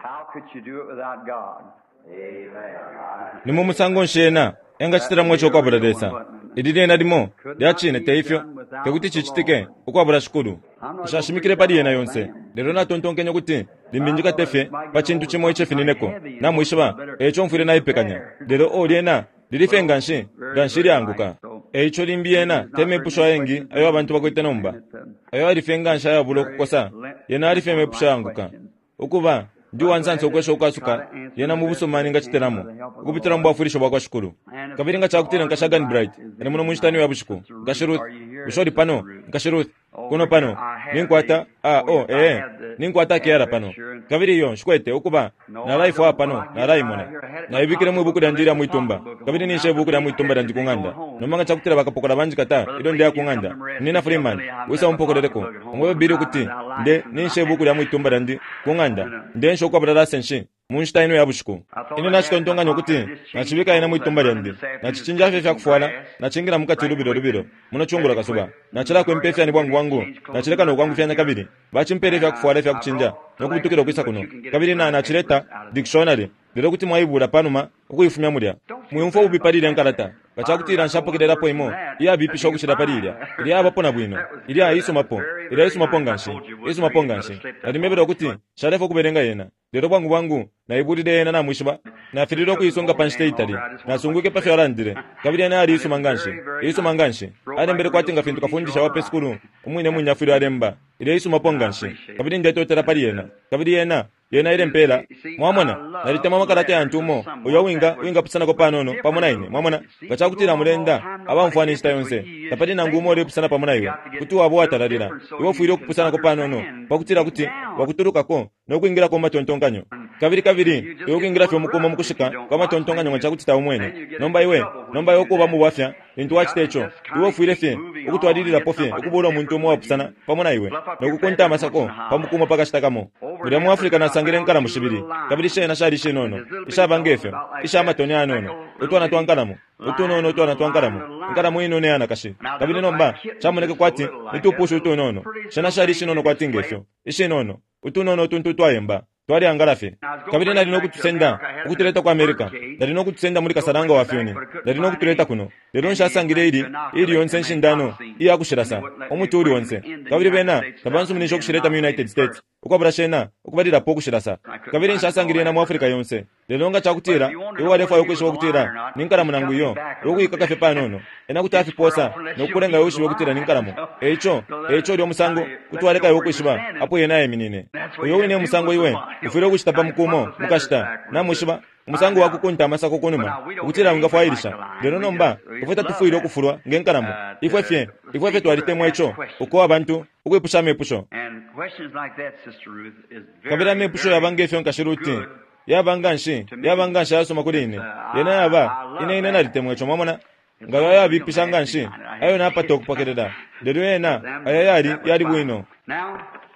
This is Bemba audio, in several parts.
How could you do it without God? Amen. Ni mu musango nshi ena engacitilamo ico ukwabula Lesa? Ili lyena limo lya cine, te ifyo? Te kuti cicitike ukwabula Shikulu. Nshashimikile pali yena yonse, lelo natontonkenye ukuti limbi njikate fye pa cintu cimo icifinineko, namwishiba, e ico mfwile naipekanya. Lelo, oh, lyena lili fye nganshi, nganshi ilyaanguka. E ico limbi yena te mepusho ayengi ayo abantu bakwete nomba, ayo yali fye nganshi ayabula ukukosa, yena yali fye mepusho ayaanguka. Ukuba, ndi uwansansa ukwesha ukwasuka yena mu busuma ningacitilamo, ukupitila mu bwafwilisho bwakwa Shikulu. Kabili nga cakutila Nkashi Arganbright ali muno mu nshita ino ya bushiku, Nkashi Ruth, bushe uli pano, Nkashi Ruth? Kuno pano, ninkwata a, oh, ee, ninkwata akeyala pano. Kabili iyo, nshikwete, ukuba, nalaifwaya pano, nalaimona. Naibikile mwi buku lyandi ilya mwitumba, kabili ninsha ibuku lya mwitumba lyandi ku ng'anda. Nomba nga cakutila bakapokola banjikata ilyo ndeya ku ng'anda, Munyina Freeman, wisa umpokoleleko, umwebe Billy ukuti nde, ninsha ibuku lya mwitumba lyandi ku ng'anda. Ndeensha ukwabula lasenshi mu nshita ino ya bushiku. Ine nacitontonkanya ukuti nacibika yena mwitumba lyandi. Nacicinja fye ifyakufwala, nacingila mukati lubilo lubilo muno cungulo kasuba. Nacilakwempa ifyani bwangu bwangu, nacileka no kwangufyanya kabili bacimpela ifyakufwala ifyakucinja no kubutukila ukwisa kuno. Kabili na, nacileta dikishonari, lelo kuti mwaibuula panuma ukuifumya mulya. Mwiumfwa ububi pali ilya nkalata. Nga ca kutila nshapokelelapo imo iyabipisha ukucila pali ilya, ilya yabapo na bwino, ilya isumapo, ilya isumapo nganshi, isumapo nganshi. Nalimwebele ukuti nshalefwa ukubelenga yena, lelo bwangu bwangu naibulile yena, namwishiba. Nafililwe ukuisunga pa nshita itali. Nasungwike pa fyo alandile. Kabili yena yali iisuma nganshi, iisuma nganshi. Alembele kwati nga fintu kafundisha wa pe sukulu umwine mwine afwile alemba. Ilya isumapo nganshi. Kabili ndetotela pali yena. Kabili yena Yena ilempela. Mwamona, nalitemwa amakalata yantu umo uyo uwinga, uwingapusanako panono pamo na ine. Mwamona? Nga cakutila mulenda abaumfwana inshita yonse, tapali nangu umo ulepusana pamo na iwe, kuti waba uwatalalila. Iwe ufwile ukupusanako panono, pakutila kuti wakutulukako no kwingilako mu matontonkanyo. Kabili, kabili iwe ukwingila fye umukumo mukushika kwa matontonkanyo nga cakuti taumwene. Nomba iwe, nomba iwe ukuba mubwafya lintu wacita ico. Iwe ufwile fye ukutwalililapo fye ukubuula umuntu umo uwapusana pamo na iwe, no kukunta amasako pa mukumo pa kashita kamo. Mulya mu Africa nasangile inkalamo shibili, kabili shena shali ishinono, ishaba nge fyo, isha matoni ayanono, utwana twa nkalamo, utunono utwana twa nkalamo, inkalamo inono iyanakashi. Kabili nomba camoneke kwati ni tupushi utunono. Shena shali ishinono kwati nge fyo, ishinono, utunono utuntu utwayemba. Twaleangala fye. Kabili nali no kutusenda, ukutuleta ku America. Nali no kutusenda muli kasalanga wa fyuni. Nali no kutuleta kuno. Lelo nshasangile ili, iili yonse inshindano iya kushilasa, umuti uuli onse. Kabili bena tabansuminishe ukushileta mu United States ukwabula shena ukubalilapo ukushilasa. Kabili nshasangile yena mu Africa yonse. Lelo nga cakutila iwe walefwaya ukwishiba ukutila ni nkalamo nangu iyo, iwe ukuikaka fye panono, ena kuti afiposa no kukulenga iwe wishibe ukutila ni nkalamo. E ico, e ico ulya musango kuti waleka iwe ukwishiba apo yena aiminine. Uyo wine e musango iwe ufwile ukucita pa muku umo mukashita, namwishiba, umusango wa kukunta amasako kunuma, ukutila wingafwailisha. Lelo nomba, ifwe tatufwile ukufulwa nge nkalamo. Ifwe fye, ifwe fye twalitemwa ico, uko abantu, ukwipusha amepusho. Kabili amepusho yaba nge fyo Nkashi Ruti Yaba nganshi, yaba nganshi ayasuma kuli ine. Yena yaba, ine, ine nalitemwa ico, mwamona. Nga ayo ayabipisha nganshi, ayo napata ukupokelela. Lelo yena, aya yali, yali bwino.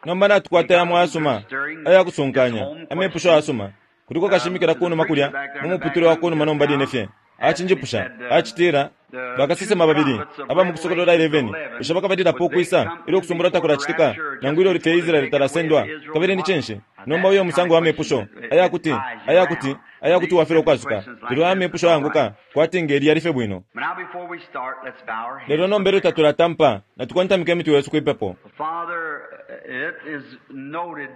Nomba natukwata yamo ayasuma, ayakusunkanya, amepusho ayasuma. Kuliko kashimikila kunuma kulya mu muputule wa kunuma nomba line fye. Acinjipusha, acitila, Bakasesema babili aba mu Kusokolola 11, bushe bakabalilapo ukwisa ilyo Ukusumbulwa takulacitika, nangu ilyo fye Israele talasendwa? Kabili ni cinshi? Nomba uyo musango wa mepusho aya kuti, aya kuti, aya kuti wafilwa ukwasuka. Lelo aya mepusho ayanguka, kwati nge li yali fye bwino. Lelo nomba ilyo tatulatampa, natukontamike imitwe yesu kwi pepo.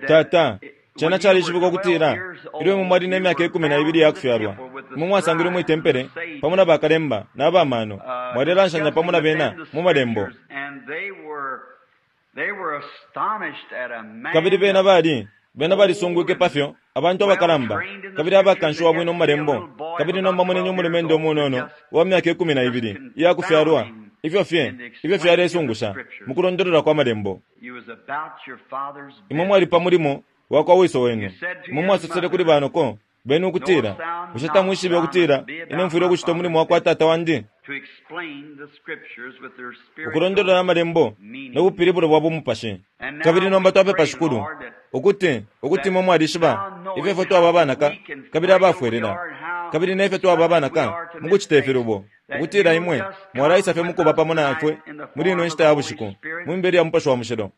Tata, Cena calishibikwa ukutila ilyo imwe mwali ne myaka 12 iya kufyalwa, imwe mwasangilwe mwi tempele pamo na bakalemba na ba mano, mwalelanshanya pamo na bena mu Malembo. Kabili bena bali, bena balisungwike pafyo abantu abakalamba kabili abakanshiwa bwino mu Malembo, kabili nomba moneni umulumendo umunono uwa myaka 12 iya kufyalwa, ifyo fye, ifyo fyalesungusha mu kulondolola kwa Malembo. Imwe mwali pa mulimo wakwa wiso wenu. Imwe mwasosele kuli banoko benu ukutila, Bushe tamwishibe ukutila ine mfwile ukucita umulimo wakwa tata wandi? Ukulondolola Amalembo no bupilibulo bwa bumupashi. Kabili nomba twapepa, Shikulu, ukuti, ukuti Imwe mwalishiba ifyo ifwe twaba abanaka kabili abafwelela, kabili nefyo twaba abanaka mukucita ifilubo. ukutila Imwe mwalaisa fye mukuba pamo na ifwe muli ino nshita ya bushiku, mu mibele ya Mupashi wa Mushilo.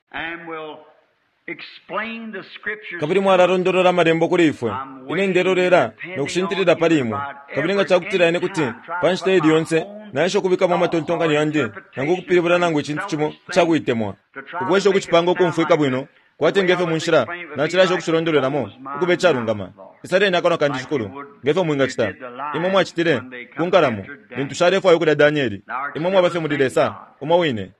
Kabili mwalalondolola amalembo kuli ifwe. Ine ndelolela no kushintilila pali imwe. Kabili nga cakutila ine kuti pa nshita ili yonse naesha ukubikamo amatontonkanyo yandi nangu ukupilibula nangu icintu cimo icakuitemwa, ukwesha ukucipanga ukumfwika bwino, kwati nge fyo mu nshila nacilaesha ukucilondolwelamo ukuba icalungama. Isaleni akanwa kandi, Shikulu, nge fyo mwingacita. Imwe mwacitile ku nkalamo lintu shalefwaya ukulya Danieli. Imwe mwaba fye muli Lesa umo wine.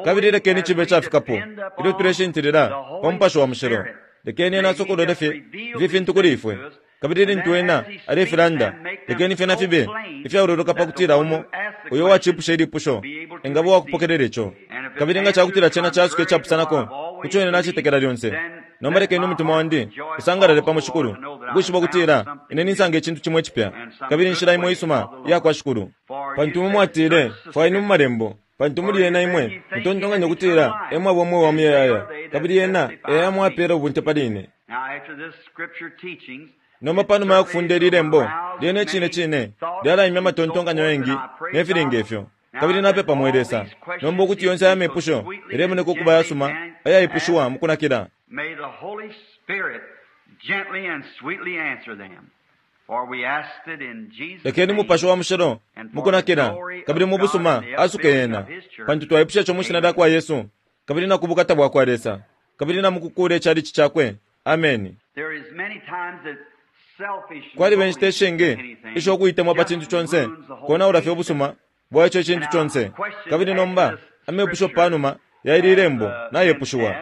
Kabili lekeni cibe icafikapo ilyo tuleshintilila pa Mupashi wa Mushilo. Lekeni Ena asokolole fye ifi fintu kuli ifwe. Kabili lintu Ena alefilanda, lekeni fyena fibe ifyaololoka pa kutila umo uyo uwacipusha ilipusho engaba uwakupokelela ico. Kabili nga cakutila cena casuka icapusanako ku co ine nacetekela lyonse, nomba lekeni umutima wandi usangalale pamo, Shikulu, ukwishiba ukutila ine ninsanga icintu cimo icipya, kabili inshila imo isuma iyakwa Shikulu. Pantu imwe mwatile, Fwayeni mu Malembo, pantu muli yena imwe mutontonkanya ukutila e mwaba umweo wa muyayaya, kabili yena e yamwapela ubunte pali ine. Nomba panuma ya kufunda ili lembo, lyena icine cine lyalaimya amatontonkanyo ayengi ne fili nge fyo. Kabili napepa, mwe Lesa, nomba ukuti yonse aya mepusho yalemoneka ukuba ayasuma ayaipushiwa mu kunakila. Lekeni Mupashi wa Mushilo mu kunakila kabili mu busuma asuke yena, pantu twaipusha ico mwi Shina lya kwa Yesu, kabili na ku bukata bwa kwa Lesa, kabili na mu kukuula icalici Cakwe. Ameni. Kwaliba inshita ishingi isho ukuitemwa pa cintu conse konaula fye ubusuma bwa ico icintu conse. Kabili nomba amepusho panuma ya ili lembo nayepushiwa.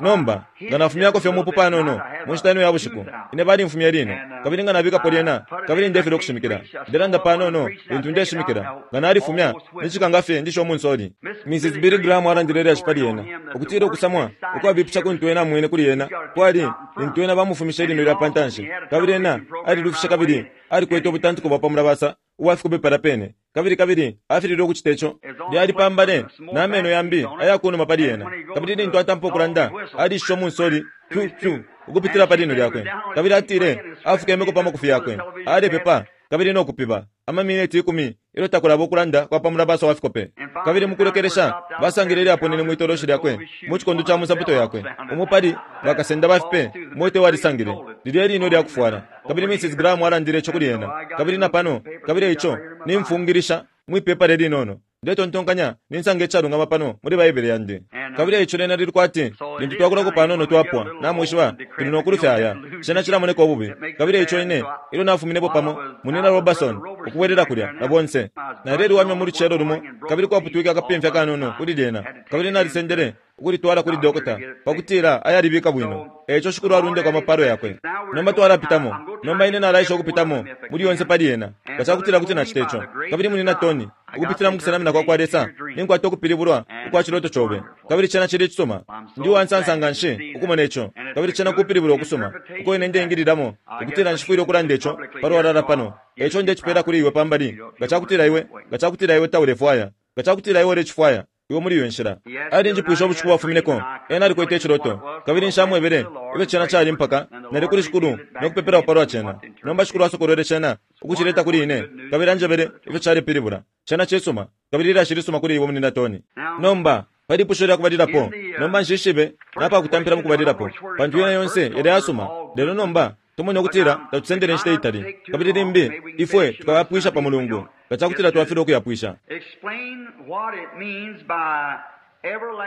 Nomba, nga nafumyako fye umupu panono mu nshita ino ya bushiku, ine balimfumya ilino, kabili nga nabikapo lyena, kabili ndefilwa ukushimikila. Ndelanda panono lintu ndeshimikila. Nga nalifumya, ni cikanga fye ndishe umunsoli. Mrs. Billy Graham alandile ilyashi pali ena, ukutila ukusamwa ukwabipisha kuntu ena amwene kuli ena kwali lintu ena bamufumishe ilino lya pa ntanshi, kabili ena alilufishe kabili alikwete ubutantiko bwa pa mulabasa ubwa fikope palya pene. Kabili, kabili afililwe ukucita ico. Lyali pa mbale na meno yambi aya kunuma pali ena. Kabili lintu atampa ukulanda, alishishe umunsoli, pyu, pyu, ukupitila pa lino lyakwe. Kabili atile afukemeko pa makufi yakwe, alepepa, kabili no kupiba, amamineti ikumi ilyo takulaba ukulanda kwa pa mulabasa wa fikope. Kabili mukulekelesha basangile ilyaponene mwi toloshi lyakwe, mu cikondo ca munsapato yakwe, umo pali bakasenda ba fipe mote walisangile lilya ilino lya kufwala. Kabili Mrs. Graham alandile ico kuli ena. Kabili na pano, kabili eico nimfungilisha mwi pepala ilinono. Ndetontonkanya ninsanga icalungama pano muli Baibele yandi. Kabili eico lyena lili kwati lintu twakulako panono twapwa, namwishiba, tuli no kulufya aya. Cena cilamoneka ububi. Kabili eico ine, ilyo nafuminepo pamo, Munyina Roberson, ukubwelela kulya, na bonse. Naleliwamya mu lucelo lumo, kabili kwaputwike akapimfya kanono kuli lyena, kabili nalisendele ukulitwala kuli dokota, pa kutila ayalibika bwino. Eico Shikulu alundeko amapalo Yakwe. Nomba twalapitamo. Nomba ine nalaesha ukupitamo muli yonse pali yena, nga cakutila kuti nacita ico. Kabili Munyina Tony, ukupitila mu kusenamina kwa kwa Lesa, ninkwata ukupilibulwa ukwa ciloto cobe, kabili cena cili icisuma. Ndi uwansansa nganshi ukumona ico, kabili cena kupilibulwa ukusuma uko ine ndeingililamo, ukutila nshifwile ukulanda ico palwalala pano. Eico ndecipela kuli iwe pambali, nga cakutila iwe, nga cakutila iwe taulefwaya, nga cakutila iwe ulecifwaya, iwe muli iyo nshila. Alinjipwishe ubushiku bwafumineko, ena alikwete iciloto, kabili nshamwebele ifyo cena cali mpaka nali kuli Shikulu no kupepelapo palwa cena. Nomba Shikulu asokolwele cena ukucileta kuli ine, kabili anjebele ifyo calepilibula. Cena cisuma, kabili ilyashi lisuma kuli iwe, Munyina Tony. Nomba, pa lipusho lya kubalilapo, nomba nshishibe napakutampila mukubalilapo, pantu yena yonse yali ayasuma. Lelo nomba tumone ukutila tatusendele inshita itali, kabili limbi ifwe tukayapwisha pa Mulungu nga cakutila twafilwa ukuyapwisha.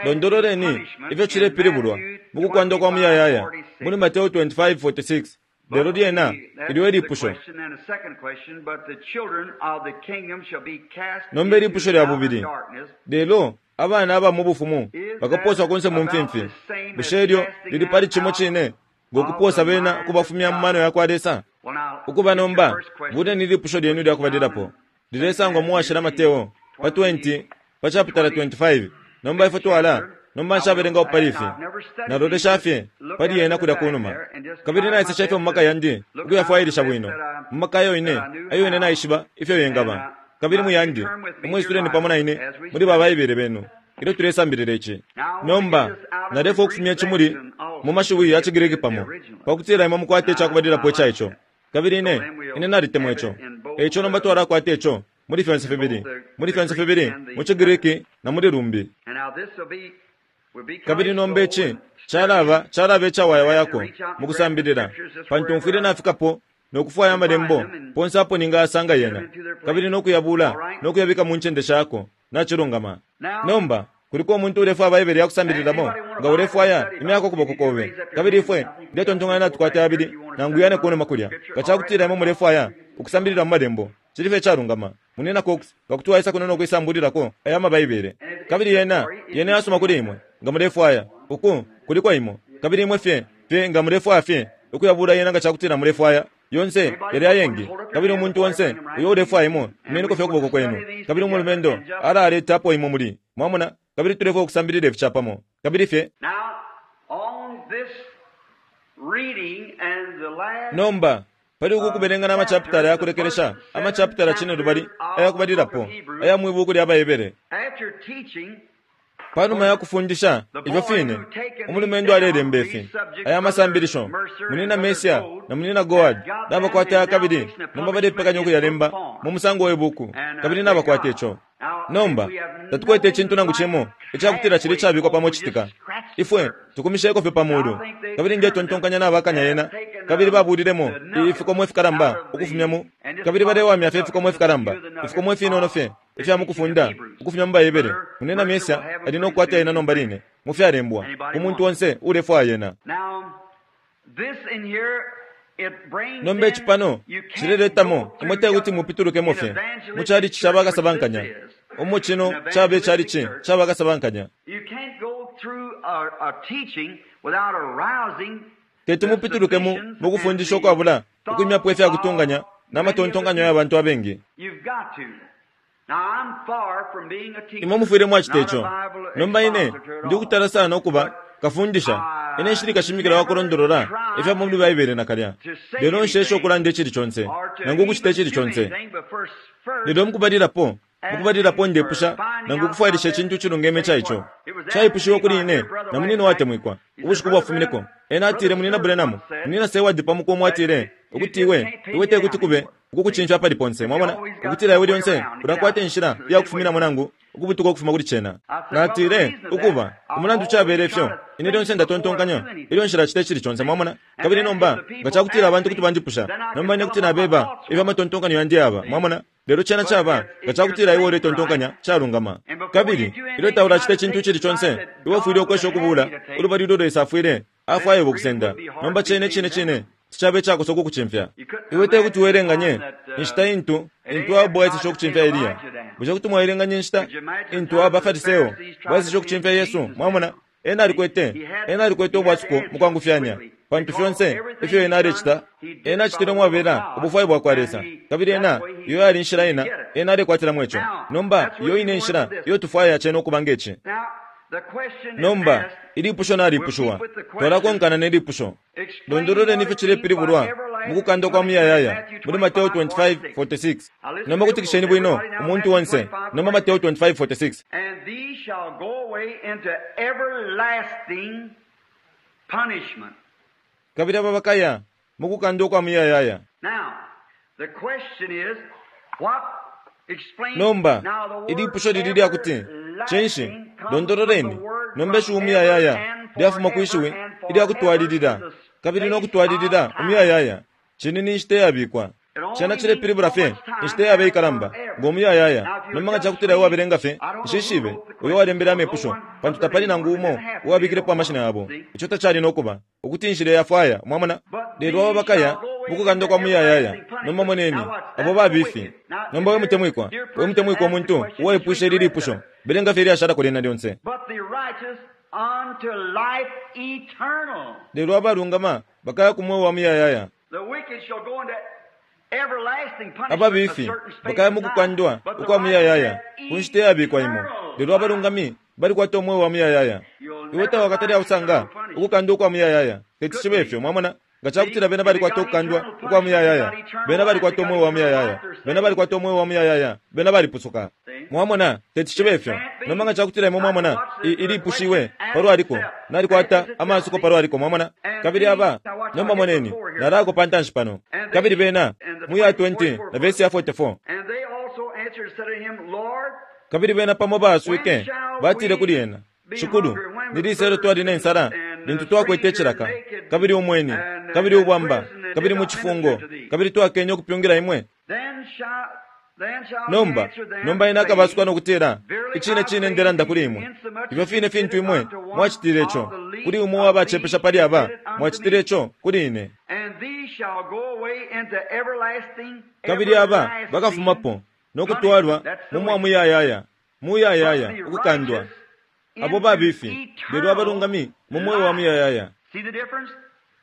Londololeni ifyo cilepilibulwa mu kukwandwa kwa muyayaya muli Mateo 25:46. Lelo lyena ilyo e lipusho. Nomba ilipusho lya bubili. Lelo abana aba mu bufumu bakapooswa kunse mu mfimfi. Bushe ilyo lili pali cimo cine ngo kupoosa bena ukubafumya mu mano ya kwa Lesa? Ukuba nomba, buleni ilipusho lyenu ilya kubalilapo. Lilesangwa mu Washila Mateo pa 20, pa chapitala 25. Nomba ifwe twala, nomba nshabelengapo pali ifi. Nalolesha fye pali yena kulya kunuma. Kabili naeseshe fye mu maka yandi ukuyafwailisha bwino, mu maka ayo ine, ayo ine naishiba ifyo yengaba. Kabili muyandi, imwisuleni pamo na ine muli ba Baibele benu ilyo tulesambilila ici. Nomba, nalefwaya ukufumya ici muli, mu mashiwi ya ciGriki pamo, pa kutila imwe mukwate icakubalilapo ica ico. Kabili ine, ine nalitemwa ico. E ico nomba twalakwata ico muli fyonse fibili, muli fyonse fibili mu ciGriki na muli lumbi. Kabili nomba ici Calaba, calaba icawayawayako mu kusambilila, pantu mfwile nafikapo no kufwaya Amalembo ponse apo ningayasanga yena, kabili no kuyabula no kuyabika mu ncende shako. Nacilungama. Nomba, kuliko umuntu ulefwaya Baibele ya kusambililamo? Nga ulefwaya, imyako ukuboko kobe. Kabili ifwe, ndetontonkanya natukwata yabili nangu yane kunuma kulya. Nga cakutila imwe mulefwaya ukusambilila mu Malembo, cili fye icalungama. Munyina Cox, nga kuti waisa kuno no kwisambulilako aya ama Baibele. Kabili yena, yena yasuma kuli imwe, nga mulefwaya. Uku, kuliko imo. Kabili imwe fye, fye nga mulefwaya fye ukuyabula yena nga cakutila mulefwaya. Yonse yali ayengi. Kabili umuntu onse uyo ulefwaya imo, imeniko fye ukuboko kwenu. Kabili umulumendo alaleta apo imwe muli. Mwamona? Kabili tulefwaya ukusambilila ifi capamo. Kabili fye. Nomba, pali uku kubelenga na machapitala ya kulekelesha, amachapitala cinelubali aya kubalilapo aya mwi buuku lya Baebere. Pa numa ya kufundisha ifyo fine, umulumendo alelemba ifi aya masambilisho. Munyina Mercier na Munyina Goad nabakwata aya kabili nomba balepekanya ukuyalemba mu musango we buuku, kabili nabakwata ico. Nomba, tatukwete icintu nangu cimo icakutila cili icabikwa pamo citika. Ifwe tukumisheko fye pa mulu, kabili ndetontonkanya nabakanya yena, kabili babulilemo ifikomo ifikalamba ukufumya mu, kabili balewamya fye ifikomo ifikalamba, ifikomo ifinono fye ifya mukufunda ukufumya mu Baibele. Munyina Mercier ali no kukwata yena nomba line mu fyalembwa ku muntu onse uulefwaya yena. Nomba ici pano cileletamo imwe te kuti mupitulukemo fye mu chalichi ca bakasabankanya, umo cino caba icalichi ca bakasabankanya. Teti mupitulukemo mu kufundisha ukwabula ukwimyapo ifya kutunganya na matontonkanyo ya bantu abengi. Imwe mufwile mwacita ico. Nomba ine ndi ukutala sana ukuba kafundisha. Ine nshili kashimikila wa kulondolola ifya muli Baibele nakalya. Lelo nshesha ukulanda icili conse, nangu ukucita icili conse. Lelo mukubalilapo, mukubalilapo ndepusha nangu ukufwailisha icintu icilungeme ca ico. Caipushiwe kuli ine na munina uwatemwikwa, ubushiku bwafumineko. Ena atile, Munina Branham, Munina Seward pa muku umo atile, ukuti iwe, iwe tekuti kube ukukucimfya apali ponse, mwamona, ukutila iwe lyonse ulakwata inshila iya kufuminamo nangu ukubutuka ukufuma kuli cena. Natile, Ukuba, umulandu cabele ifyo, ine lyonse ndatontonkanya ilyo nshilacita icili conse, mwamona. Kabili nomba, nga cakutila abantu kuti banjipusha, nomba ine kuti nabeba ifyo amatontonkanyo yandi yaba, mwamona. Lelo cena caba, nga cakutila iwe uletontonkanya, calungama. Kabili ilyo taulacita icintu icili conse, iwe ufwile ukwesha ukubuula ulubali ulo Lesa afwile afwaya iwe ukusenda. Nomba cena icine cine ticaba icakosa ukukucimfya. Iwe te kuti welenganye inshita intu intu Ahabu aeseshe ukucimfya Eliya. Bushe kuti mwaelenganya inshita intu aba Fariseo baeseshe ukucimfya Yesu? Mwamona, ena alikwete, ena alikwete ubwasuko mukwangufyanya, pantu fyonse ifyo ena alecita, ena acitile umwabela ubufwayo bwakwa Lesa. Kabili ena, iyo yali inshila ena, ena alekwatilamo ico. Nomba, iyo ine inshila iyo tufwaya cena ukuba nge ci. Nomba, ilipusho nalipushiwa. Twalakonkana ne lipusho. Londololeni ifyo cilepilibulwa mu kukandwa kwa muyayaya muli Mateo 25:46. Nomba kutikisheni bwino, umuntu onse. Nomba Mateo 25:46. And these shall go away into everlasting punishment. Kabili aba bakaya mu kukandwa kwa muyayaya. Now, the question is, what explain Nomba, now the word ilipusho lili lya kuti, cinshi, londololeni, nomba ishiwi umuyayaya lyafuma kwi shiwi ilya kutwalilila, kabili no kutwalilila umuyayaya. Cine ni nshita iyabikwa. Cena cilepilibula fye inshita iyaba ikalamba ngo muyayaya. Nomba nga cakutila iwe wabelenga fye, nshishibe uyo walembele amepusho, pantu tapali nangu umo uwabikilepo amashina yabo. Ico tacali no kuba ukuti inshila yafwaya, mwamona. Lelo abo bakaya mukukandwa kwa muyayaya. Nomba moneni abo babifi. Nomba we mutemwikwa, we mutemwikwa umuntu uwaipwishe ili lipusho, belenga fye ilyashalako lyena lyonse. But the righteous unto life eternal. Lelo abalungama bakaya ku mweo wa muyayaya. The wicked shall go into everlasting punishment, Ababifi a certain space bakaya of mu time. kukandwa But the ukwa muyayaya righteous ku nshita iyabikwa imo. Lelo abalungami balikwata umweo wa muyayaya. Iwe tawakatale ausanga ukukandwa ukwa muyayaya. Teti cibe ifyo, mwamona. Nga cakutila bena balikwata ukukandwa ukwa muyayaya, bena balikwata umweo wa muyayaya, bena balikwata umweo wa muyayaya, bena balipusuka. Mwamona, teti cibe ifyo. Nomba nga cakutila imwe mwamona, ilipushiwe palwaliko, nalikwata amasuko palwaliko, mwamona. Kabili aba, nomba moneni, nalako pa ntanshi pano. Kabili bena, mu ya 20 na vesi ya 44. And they also answered and said unto him, Lord, Kabili bena pamo baaswike, batile kuli ena, Shikulu, ni lisa ilyo twali ne nsala Lintu twakwete icilaka, kabili umweni, kabili ubwamba, kabili mu cifungo, kabili twakenye ukupyungila imwe? Nomba, nomba ena akabasuka no kutila, Icine cine ndelanda kuli imwe, ifyo fine fintu imwe mwacitile ico kuli umo uwa bacepesha pali aba, mwacitile ico kuli ine. Kabili aba bakafumapo no kutwalwa mu mwa muyayaya, muyayaya ukukandwa, abo babifi, lelo abalungami mu mweo wa muyayaya.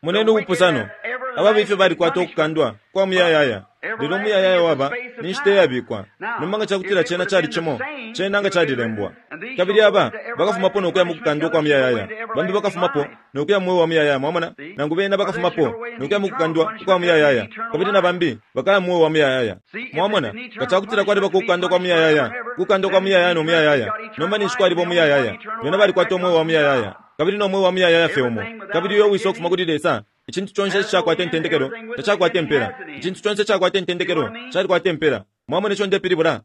Moneni ubupusano. Ababifi balikwata ukukandwa kwa muyayaya, lelo umuyayaya waba ni nshita iyabikwa. Nomba nga cakutila cena cali cimo, cena nga calilembwa. Kabili aba bakafumapo no kuya mu kukandwa kwa muyayaya, bambi bakafumapo no kuya mu mweo wa muyayaya. Mwamona? Nangu bena bakafumapo no kuya mu kukandwa kwa muyayaya, kabili na bambi bakaya mu mweo wa muyayaya. Mwamona? Nga cakutila kwalibako ukukandwa kwa muyayaya, ukukandwa kwa muyayaya no muyayaya, nomba ninshi kwaliba umuyayaya. Bena balikwata umweo wa muyayaya, kabili no mweo wa muyayaya fye umo. Kabili uyo uwisa ukufuma kuli Lesa, icintu conse icishakwata intendekelo tacakwata impela. Icintu conse icakwata intendekelo calikwata impela. Mwamona ico ndepilibula?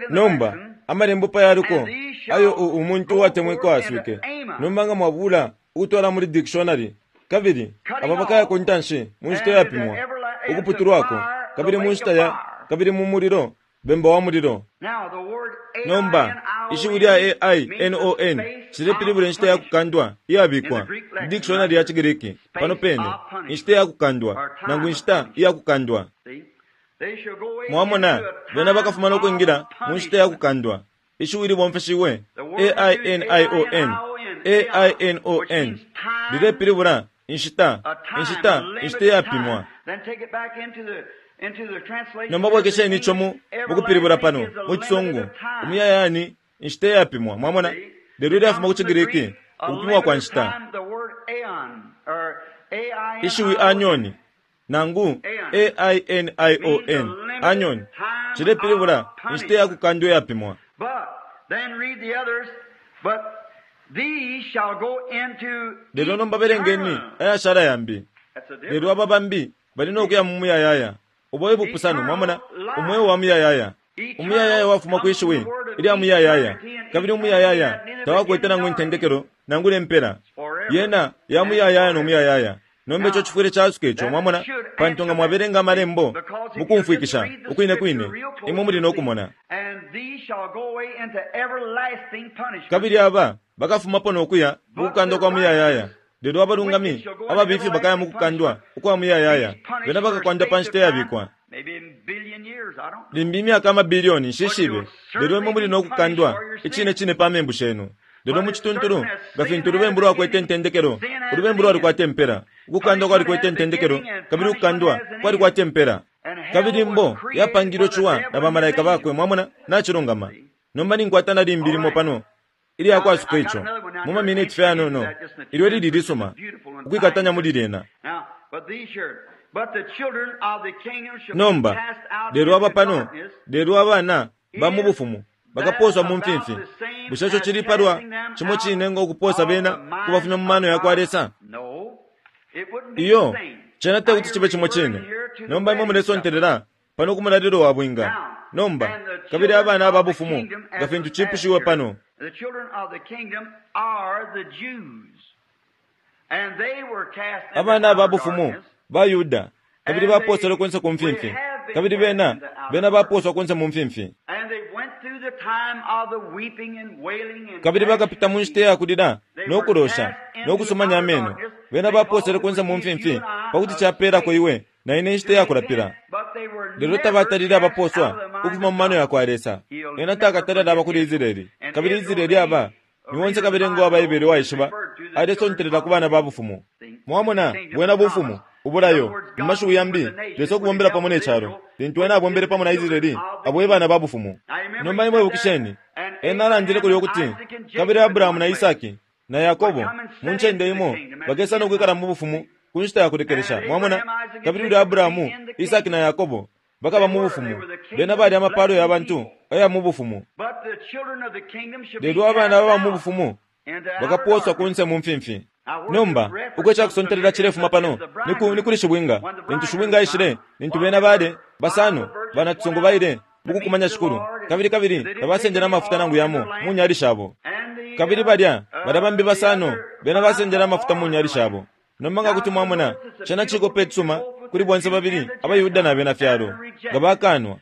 Nomba, amalembo pa yaliko ayo umuntu uwatemwikwa aswike. Nomba nga mwabula ukutwala muli dictionary, kabili aba bakaya ku ntanshi mu nshita iyapimwa, ukuputulwako, kabili mu nshita ya, kabili mu mulilo, bemba wa mulilo. Nomba, ishiwi lya A-I-N-O-N cilepilibula inshita ya kukandwa iyabikwa mu dictionary ya ciGriki pano pene, inshita ya kukandwa, nangu inshita iya kukandwa. Mwamona, bena bakafuma no kwingila mu nshita ya kukandwa. Ishiwi libomfeshiwe A-I-N-I-O-N, A-I-N-O-N, lilepilibula inshita, inshita, inshita iyapimwa. Nomba bwekesheni ico mu mukupilibula pano mu Cisungu, umuyayaya ni inshita iyapimwa. Mwamona? Lelo ilyafuma ku ciGriki, ukupimwa kwa nshita. Ishiwi anyoni, nangu A-I-N-I-O-N, anyoni, cilepilibula inshita ya kukandwa iyapimwa. Lelo nomba belengeni ayashala yambi. Lelo aba bambi bali no kuya mu muyayaya. Ubo ebupusano, mwamona, umweo wa muyayaya. Umuyayaya wafuma kwi shiwi ilya muyayaya, kabili umuyayaya tawakwete nangu intendekelo nangu lempela. Yena ya muyayaya no muyayaya. Nomba ico cifwile casuka ico, mwamona, pantu nga mwabelenga amalembo mukumfwikisha ukwine kwine, imwe muli no kumona. Kabili aba bakafumapo no kuya mu kukandwa kwa muyayaya. Lelo abalungami ababifi bakaya mu kukandwa ukwa muyayaya, bena bakakwanda pa nshita iyabikwa. Limbi imyaka amabilioni, nshishibe, lelo imwe muli no kukandwa icine cine pa membu shenu. Lelo mu cituntulu, nga fintu ulubembu lwakwete intendekelo, ulubembu lwalikwata impela, ukukandwa kwalikwete intendekelo, kabili ukukandwa kwalikwata impela. Kabili imbo yapangilwe ciwa na bamalaika bakwe, mwamona, nacilungama. Nomba ninkwata na limbi limo pano ilya kwasuka ico mu maminiti fye yanono, ilyo lili lisuma ukwikatanya muli lyena. Nomba, lelo aba pano, lelo abana ba mu bufumu bakapooswa mu mfimfi. Bushe ico cili palwa cimo cine ngo kupoosa bena kubafumya mu mano ya kwa Lesa? Iyo, cena te kuti cibe cimo cine. Nomba imwe mulesontelela pano ku mulalilo wa bwinga. Nomba, kabili abana aba bufumu, nga fintu cipushiwe pano. Abana aba bufumu ba Yuda, kabili bapooselwe kunse ku mfimfi, kabili bena, bena bapooswa kunse mu mfimfi. Kabili bakapita mu nshita ya kulila no kulosha no kusumanya ameno. Bena bapooselwe kunse mu mfimfi pakuti capeelako iwe na ine inshita ya kulapila. Lelo tabatalile abapooswa ukufuma mu mano ya kwa Lesa. Ena takatale alaba kuli Israele. Kabili Israele aba ni onse kabelenga wa Baibele waishiba alesontelela ku bana ba bufumu. Mwamona, bwena bufumu, ubulayo, mu mashiwi yambi, Lesa ukubombela pamo ne calo. Lintu ena abombele pamo na Israele, abo e bana ba bufumu. Nomba imwe ibukisheni, ena alandile kulya ukuti, kabili Abrahamu na Isaki na Yakobo mu ncende imo bakesa no kwikala mu bufumu ku nshita ya kulekelesha. Mwamona? Kabili ulya Abrahamu, Isaki na Yakobo bakaba mu bufumu. Bena bali amapalo ya bantu aya mu bufumu. Lelo abana baba mu bufumu bakapooswa kunse mu mfimfi. Nomba, uko icakusontelela cilefuma pano ni kuli shibwinga. Lintu shibwinga aishile, lintu bena bale basano banacisungu baile, mukukumanya Shikulu, kabili kabili tabasendele amafuta nangu yamo mu nyali shabo. Kabili balya, balya bambi basano, bena basendele amafuta mu nyali shabo. Nomba nga kuti mwamona, cena cikope icisuma kuli bonse babili abaYuda na bena fyalo, nga bakanwa.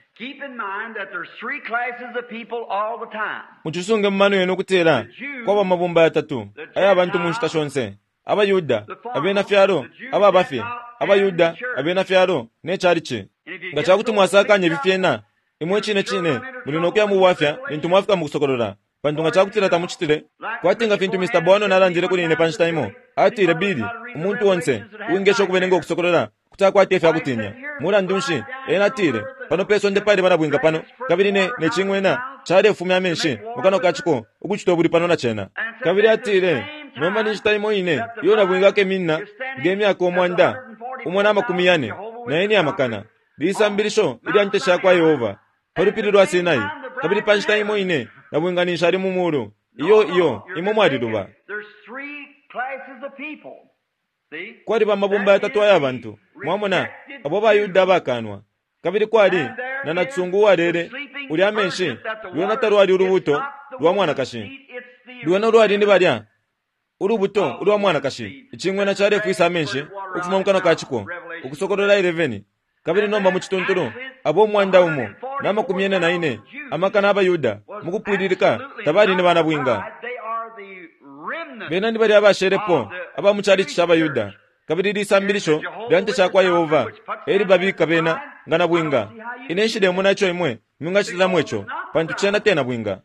Mucisunge mu mano yenu ukutila kwaba amabumba yatatu aya bantu mu nshita shonse: abaYuda, abena fyalo, ababa fye abaYuda, abena fyalo, ne calici. Nga ca kuti mwasakanya ifi fyena, imwe icine cine muli no kuya mu bwafya lintu mwafika mu Kusokolola. Pantu nga ca kutila tamucitile, kwati nga fintu Mr. Bono alandile kuli ine pa nshita imo, atile, Billy, umuntu onse uwingesha ukubelenga Ukusokolola kuti akwata ifya kutinya. Mulandu nshi, ena atile, pano pe sonde paliba na bwinga pano, kabili ne, ne cing'wena calefumya amenshi mu kanwa ka ciko ukucita ubulwi pano na cena. Kabili atile, Nomba ni nshita imo ine iyo nabwinga akeminina nge myaka 144 na ine amakana, lisambilisho ilya Nte sha kwa Yehova, pa lupili lwa Sinai, kabili pa nshita imo ine nabwinga ninshi ali mu muulu. Iyo, iyo, imwe mwaliluba. Kwaliba amabumba yatatu aya bantu, mwamona, abo baYuda abakanwa. Kabili kwali na nacisungu uwalele ulya amenshi, lwena talwali ulubuto lwa mwanakashi. Lwena lwali ni balya ulubuto ulwa mwanakashi, icing'wena calefwisa amenshi ukufuma mu kanwa ka ciko. Ukusokolola 11. Kabili nomba mu cituntulu, abo 144 amakana abaYuda mu kupwililika tabali ni banabwinga. Bena ni balya abashelepo aba mu calici ca baYuda, kabili lisambilisho lya Nte sha kwa Yehova e libabika bena nga nabwinga. Ine nshilemona ico imwe mwingacitilamo ico, pantu cena te nabwinga.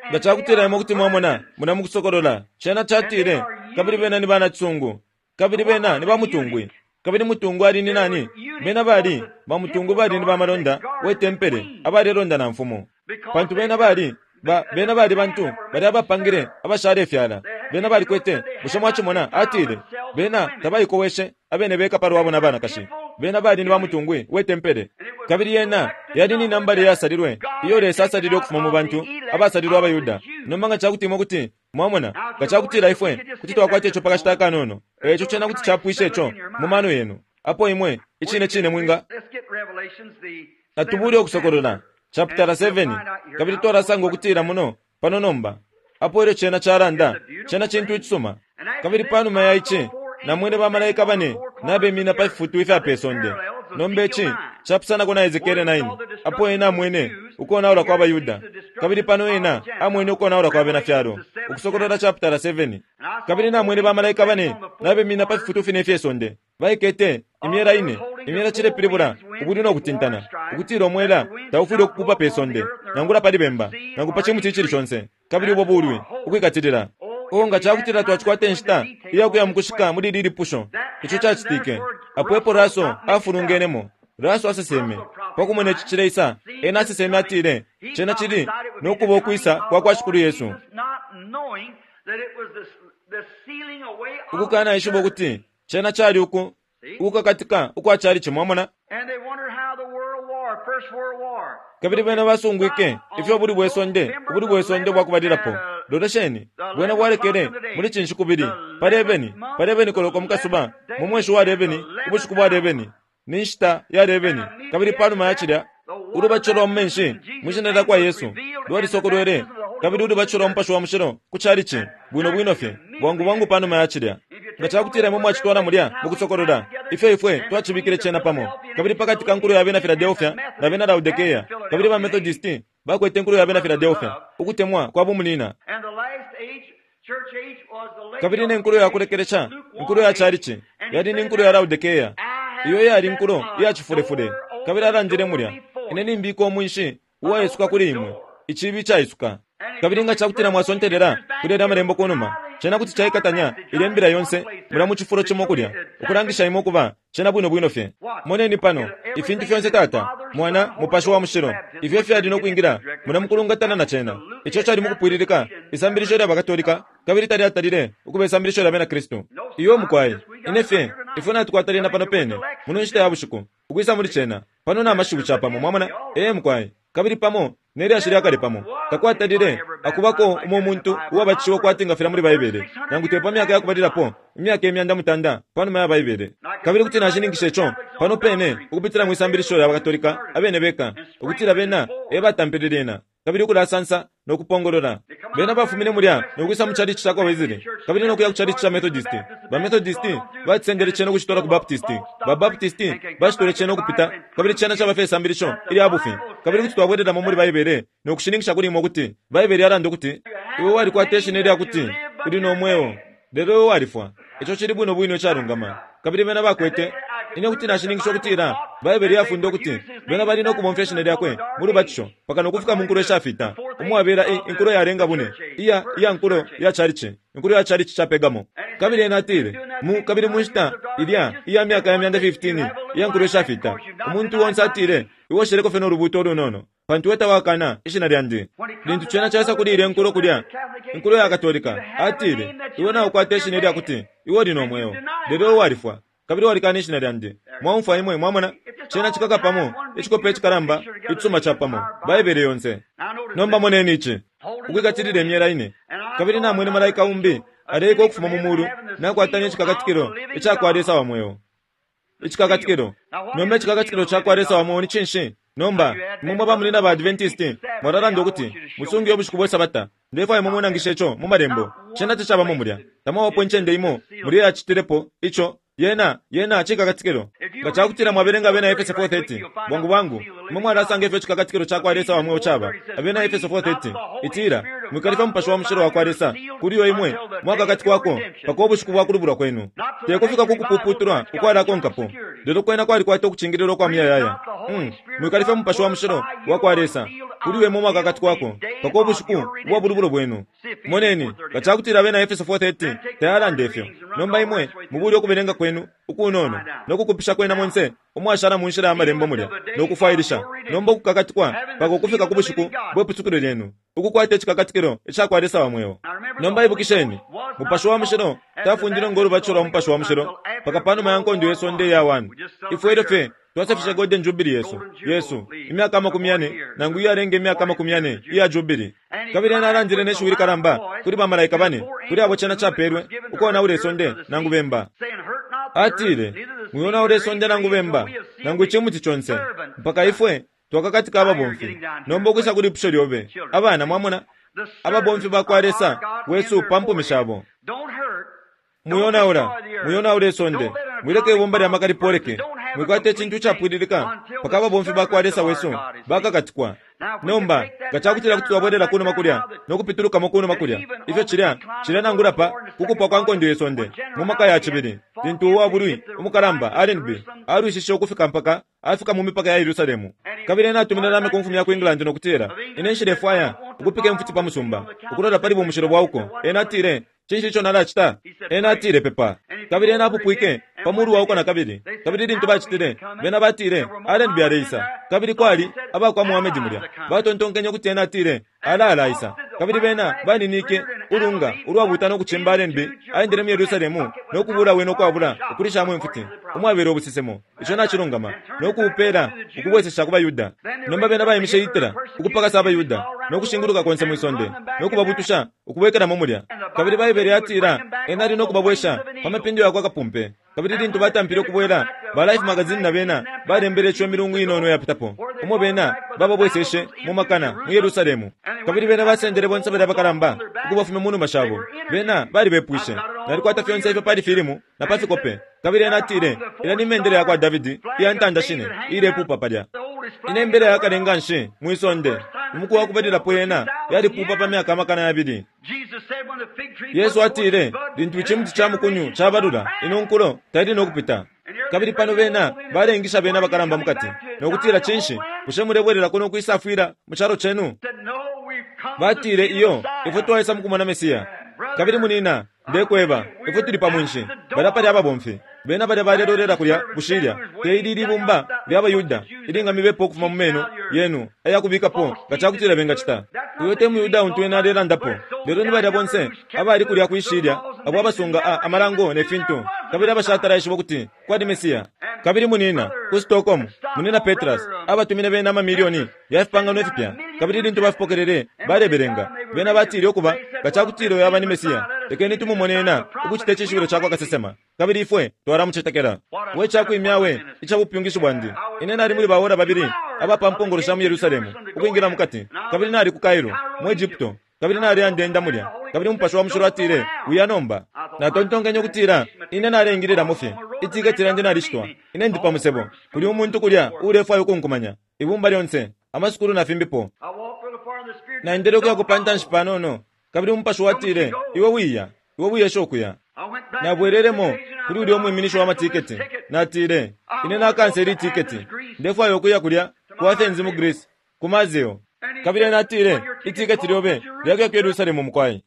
Nga ca kutila imwe kuti mwamona mulya mu Kusokolola, cena catile, Kabili bena ni banacisungu, kabili bena ni bamutungwi. Kabili mutungwi ali ni nani? Bena bali, bamutungwi bali ni bamalonda we tempele abalelonda na mfumu. Pantu bena bali, ba, bena bali bantu balya abapangile abashalefyala. Bena balikwete, bushe mwacimona, atile, bena tabaikoweshe abene beka palwabo na banakashi. Bena bali ni bamutungwi we tempele. Kabili yena yali ni nambala iyasalilwe iyo Lesa asalile ukufuma mu bantu abasalilwe abaYuda. Nomba nga ca kuti imwe kuti mwamona, nga ca kutila ifwe kuti twakwata ico pa kashita akanono, e ico cena kuti capwisha ico mu mano yenu, apo imwe icine cine mwinga. Natubule Ukusokolola, chapitala 7, kabili twalasanga ukutila muno pano nomba, apo ilyo cena calanda, cena cintu icisuma. Kabili panuma ya ici, namwene ba malaika bane nabemina pa fifutu ifya pe sonde. Nomba ici capusanako na Esekiele 9, apo ena amwene ukonaula kwa baYuda, kabili pano ena amwene ukonaula kwa bena fyalo. Ukusokolola chapitala 7. Kabili namwene ba malaika bane nabemina pa fifutu fine ifye sonde, baikete imyela ine. Imyela cilepilibula ubulwi no kutintana, ukutila umwela taufwile ukupupa pe sonde, nangula pali bemba, nangu pa cimuti icili conse, kabili ubo bulwi, ukwikatilila. Oh, nga ca kutila twacikwata inshita iya kuya mu kushika muli ili lipusho, ico cacitike. Apo epo Russell afulungenemo. Russell aseseme, pa kumona ici cileisa, ena aseseme atile, Cena cili no kuba ukwisa kwa kwa Shikulu Yesu. Ukukanaishiba ukuti cena cali uku, ukukakatika ukwa chalichi, mwamona. Kabili bena basungwike ifyo ubulwi bwe sonde, ubulwi bwe sonde ubwakubalilapo. Lolesheni, bwena bwalekele muli cinshi kubili, pa lebeni, pa lebeni koloko mukasuba, mu mweshi wa lebeni, ubushiku bwa lebeni, ni nshita ya lebeni. Kabili panuma ya cilya, ulubatisho lwa mu menshi mwi Shina lyakwa Yesu lwalisokolwele, kabili ulubatisho lwa Mupashi wa Mushilo ku chalichi, bwino bwino fye, bwangu bwangu panuma ya cilya. Nga cakutila imwe mwacitwala mulya mu Kusokolola, ifyo ifwe twacibikile cena pamo, kabili pakati ka nkulo ya bena Filadelfia na bena Laodikea, kabili ba Methodist bakwete inkulo ya bena Filadelfia, ukutemwa kwa bumunina. Kabili ne nkulo ya kulekelesha, inkulo ya chalichi, yali ni nkulo ya Laodikea, iyo iyali inkulo iya cifulefule. Kabili alandile mulya, Ine nimbika umwinshi uwaisuka kuli imwe, iciibi icaisuka. Kabili nga cakutila mwasontelela kuli yalya Amalembo kunuma, cena kuti caikatanya ilye Mbila yonse mulya mu cifulo cimo kulya, ukulangisha imwe ukuba cena bwino bwino fye. Moneni pano, ifintu fyonse Tata, Mwana, Mupashi wa Mushilo, ifyo fyali no kwingila mulya mukulungatana na cena. Ico cali mukupwililika isambilisho lya baKatolika, kabili talyatalile ukuba isambilisho lya Benakristu. Iyo, mukwai. Ine fye, ifwe natukwata lyena pano pene, muno nshita ya bushiku, ukwisa muli cena, pano na mashiwi capamo, mwamona. Ee, mukwai. Kabili pamo. ne lyashi lya kale pamo. Takwatalile akubako umo muntu uwabatishiwe kwati nga filya muli Baibele, nangu te pa myaka ya kubalilapo imyaka 900 pa numa ya Baibele. Kabili kuti nashininkisha ico pano pene ukupitila mwi sambilisho lya baKatolika abene beka, ukutila bena e batampile lyena, kabili ukulasansa no kupongolola. Bena bafumine mulya no kwisa mu chalichi ca kwa Wesley, kabili no kuya ku chalichi ca Methodist. Ba Methodist bacisendele cena ukucitwala ku Baptist. Ba Baptist bacitwele cena ukupita, kabili cena caba fye isambilisho ilya bufi. Kabili kuti twabwelelamo muli Baibele no kushininkisha kuli imwe ukuti Baibele yalanda ukuti iwe walikwata ishina ilya kuti uli no mweo, lelo iwe walifwa. Ico cili bwino bwino icalungama. Kabili bena bakwete. Ine kuti nashininkisha ukutila Baibele yafunda ukuti bena bali no kubomfya ishina lyakwe mu lubatisho mpaka no kufika mu nkulo ishafita, umwabela i, inkulo yalenga bune iya, iya nkulo ya chalichi, inkulo ya chalichi ca Pergamo. Kabili ena atile, mu, kabili mu nshita ilya iya myaka ya myanda 15 iya nkulo ishafita, umuntu onse atile, Iwe usheleko fye no lubuuto ulunono, pantu iwe tawakana ishina lyandi. Lintu cena caisa kuli ilya inkulo kulya, inkulo ya Katolika, atile, Iwe naukwata ishina ilya kuti iwe uli no mweo, lelo iwe walifwa, kabili walikana ishina lyandi. Mwaumfwa imwe, mwamona? Cena cikaka pamo, icikope icikalamba icisuma capamo, Baibele yonse. Nomba moneni ici, ukwikatilila imyela ine. Kabili namwene malaika umbi aleika ukufuma mu mulu, nakwata ne cikakatikilo icakwa Lesa wa mweo. Icikakatikilo. Nomba icikakatikilo cakwa Lesa wa mweo ni cinshi? Nomba, imwe mwe bamunyina ba Adventist mwalalanda ukuti, Musunge ubushiku bwe Sabata. Ndefwaya imwe munangishe ico mu Malembo. Cena tacabamo mulya. Tamwabapo incende imo mulya iyacitilepo ico. Yena, yena cikakatikilo. Nga cakutila mwabelenga Abena Efese 4:30, bwangu bwangu, imwe mwalasanga ifyo icikakatikilo cakwa Lesa wa mweo caba. Abena Efeso 4:30, itila, Mwikalifya Mupashi wa Mushilo wakwa Lesa, kuli uyo imwe mwakakatikwako mpaka ubushiku bwa kulubulwa kwenu. Te kufika ku kupuputulwa ukwalakonkapo, lelo kwena kwalikwata ukucingililwa ukwa muyayaya. Mm, mwikalifya Mupashi wa Mushilo wakwa Lesa, kuli uyo imwe mwakakatikwako mpaka ubushiku ubwa bulubulo bwenu. Moneni, nga cakutila Abena Efeso 4:30 tayalanda ifyo. Nomba imwe mubule ukubelenga kwenu ukunono no kukupisha kwena monse umwashala mu nshila ya Malembo mulya no kufwailisha, nomba ukukakatikwa mpaka ukufika ku bushiku bwe pusukilo lyenu, ukukwata icikakatikilo ica kwa Lesa wa mweo. Nomba ibukisheni, Mupashi wa Mushilo tafundilwe ngo lubatisho lwa Mupashi wa Mushilo mpaka panuma ya Nkondo ye Sonde iya 1. Ifwe ilyo fye twasefishe Golden Jubilee yesu, yesu, imyaka 40 nangu iyalenga imyaka 40 iya jubilee. Kabili ena alandile ne shiwi likalamba kuli ba malaika bane, kuli abo cena capelwe ukonaula isonde nangu bemba. Atile, Mwionaula isonde nangu bemba, nangu icimuti conse, mpaka ifwe twakakatika ababomfi. Nomba ukwisa ku lipusho lyobe, abana, mwamona, ababomfi bakwa Lesa wesu pa mpumi shabo. Mwionaula, mwionaula isonde, mwileka ibumba lya maka lipoleke, mwikwata icintu icapwililika mpaka ababomfi bakwa Lesa wesu bakakatikwa. Nomba, nga cakutila kuti twabwelela kunuma kulya no kupitulukamo kunuma kulya, ifyo cilya, cilya nangula pa kukupwa kwa Nkondo ye Sonde, mu maka ya cibili, lintu uwa bulwi umukalamba Allenby alwishishe ukufika mpaka afika mu mipaka ya Yerusalemu. Kabili ena atumine lamya ku mfumu ya ku England no kutila, Ine nshilefwaya ukupika imfuti pa musumba, ukulola pali bumushilo bwa uko. Ena atile, Cinshi ico nalacita? Ena atile, Pepa. Kabili ena apupwike pa mulu wa uko nakabili. Kabili lintu bacitile, bena batile, Allenby aleisa. Kabili kwali aba kwa Muhammed mulya. Batontonkenye ukuti ena atile, Ala alaisa. Kabili bena baninike ulunga ulwabuuta no kucimba Allenby aendele mu Yerusalemu no kubuula wene ukwabula ukulishamo imfuti, umwabela ubusesemo, ico nacilungama, no kuupela ukubwesesha ku baYuda. Nomba bena baimishe Hitler ukupakasa abaYuda no kushinguluka konse mwi sonde no kubabutusha ukubwekelamo mulya. Kabili Baibele yatila ena ali no kubabwesha pa mapindo yakwa kapumpe. Kabili lintu batampile ukubwela, ba Life magazine na bena balembele ico imilungu inono iyapitapo, umo bena bababweseshe mu makana mu Yerusalemu. Kabili bena basendele bonse balya bakalamba ukubafumya mu numa shabo. Bena balibepwishe. Nalikwata fyonse ifyo pali filimu na pa fikope. Kabili ena atile, Ilya ni mendele yakwa Davidi iya ntanda shine iilepupa palya. Inembele ya kale nganshi mwi sonde, umuku wa kubalilapo yena yalipupa pa myaka 2,000. Yesu atile, Lintu icimuti ca mukunyu cabalula, ino nkulo taili no kupita. Kabili pano bena baleingisha bena abakalamba mukati, no kutila, Cinshi, bushe mulebwelelako no kwisafwila mu calo cenu? Batile, Iyo, ifwe twaisa mukumona Mesiya. Kabili munina, ndekweba, ifwe tuli pa mwinshi. Balya pali ababomfi. Bena balya balelolela kulya bushilya, te ili libumba lya baYuda ilingamibepa ukufuma mu meno yenu aya kubikapo nga ca kutila bengacita. Uyo te muYuda untu ena alelandapo, lelo ni balya bonse abali kulya kwi shilya abo abasunga a, amalango ne fintu, kabili abashatala ishiba ukuti kwali Mesiya. Kabili munina ku Stockholm, munina Petrus abatumine bena amamilioni ya fipangano ifipya, kabili lintu bafipokelele balebelenga. Bena batile ukuba nga cakutila uyo aba ni Mesiya, lekeni tumumone ena ukucita icishibilo cakwa kasesema, kabili ifwe twalamucetekela. We cakwimya we ica bupyungishi bwandi! Ine nali muli baora babili aba pa mpongolo sha mu Yerusalemu ukwingila mukati, kabili nali ku Cairo mu Egypto, kabili nali andenda mulya, kabili Umupashi wa Mushilo atile, Uya nomba. Natontonkenye ukutila ine naleingililamo fye. Itiketi lyandi nalishitwa. Ine ndi pa musebo. Kuli umuntu kulya uulefwaya ukunkumanya. Ibumba lyonse, amasukulu na fimbipo. Naendele ukuya pa ntanshi panono, kabili Umupashi watile, Iwe wiya, iwe wiyesha ukuya. Nabwelelemo kuli ulya umwiminishi wa matiketi. Natile, Ine nakansela itiketi. Ndefwaya ukuya kulya ku Athens mu Greece, ku Mazeo. Kabili ena atile, Itiketi lyobe lyakuya ku Yerusalemu mukwai.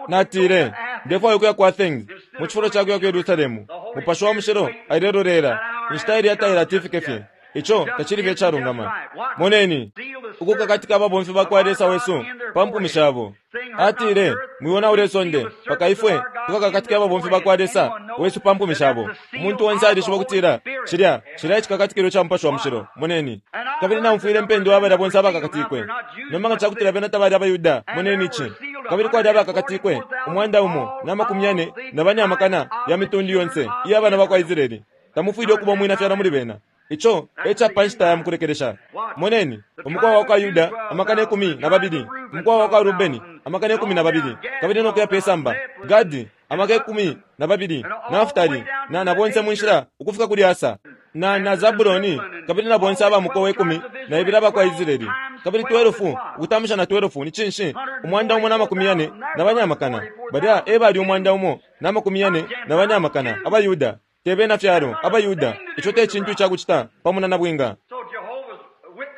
Natile, Ndefwaya ukuya ku Athens mu cifulo ca kuya ku Yerusalemu. Mupashi wa Mushilo ailelolela inshita ilya tailati ifike fye. Ico tacili fye icalungama. Moneni, ukukakatika ababomfi ba kwa Lesa wesu pa mpumi shabo. Atile, Mwionaula isonde, mpaka ifwe tukakakatike ababomfi ba kwa Lesa wesu pa mpumi shabo. Umuntu onse alishiba ukutila cilya cilya icikakatikilo ca Mupashi wa Mushilo. Moneni. Kabili naumfwile impendwa ya balya bonse abakakatikwe. Nomba nga ca kutila bena tabali abaYuda, moneni ici. Kabili kwali abakakatikwe 144,000 amakana ya mitundu yonse iya bana ba kwa Israele. Tamufwile ukuba umwina fyalo muli bena. Ico e ca pa nshita ya mukulekelesha. Moneni, umukowa wa kwa Yuda 12,000, umukowa wa kwa Rubeni 12,000, kabili no kuya pe samba, Gadi 12,000, Naftali, na na bonse mu nshila ukufika kuli Asa, na na Zabuloni, kabili na bonse aba mukowa 12 aba kwa Israeli. Kabili 12 ukutambisha na 12 ni cinshi? 144,000. Balya e bali 144,000 abaYuda. Te bena fyalo, abaYuda. Ico te cintu ica kucita pamo na nabwinga.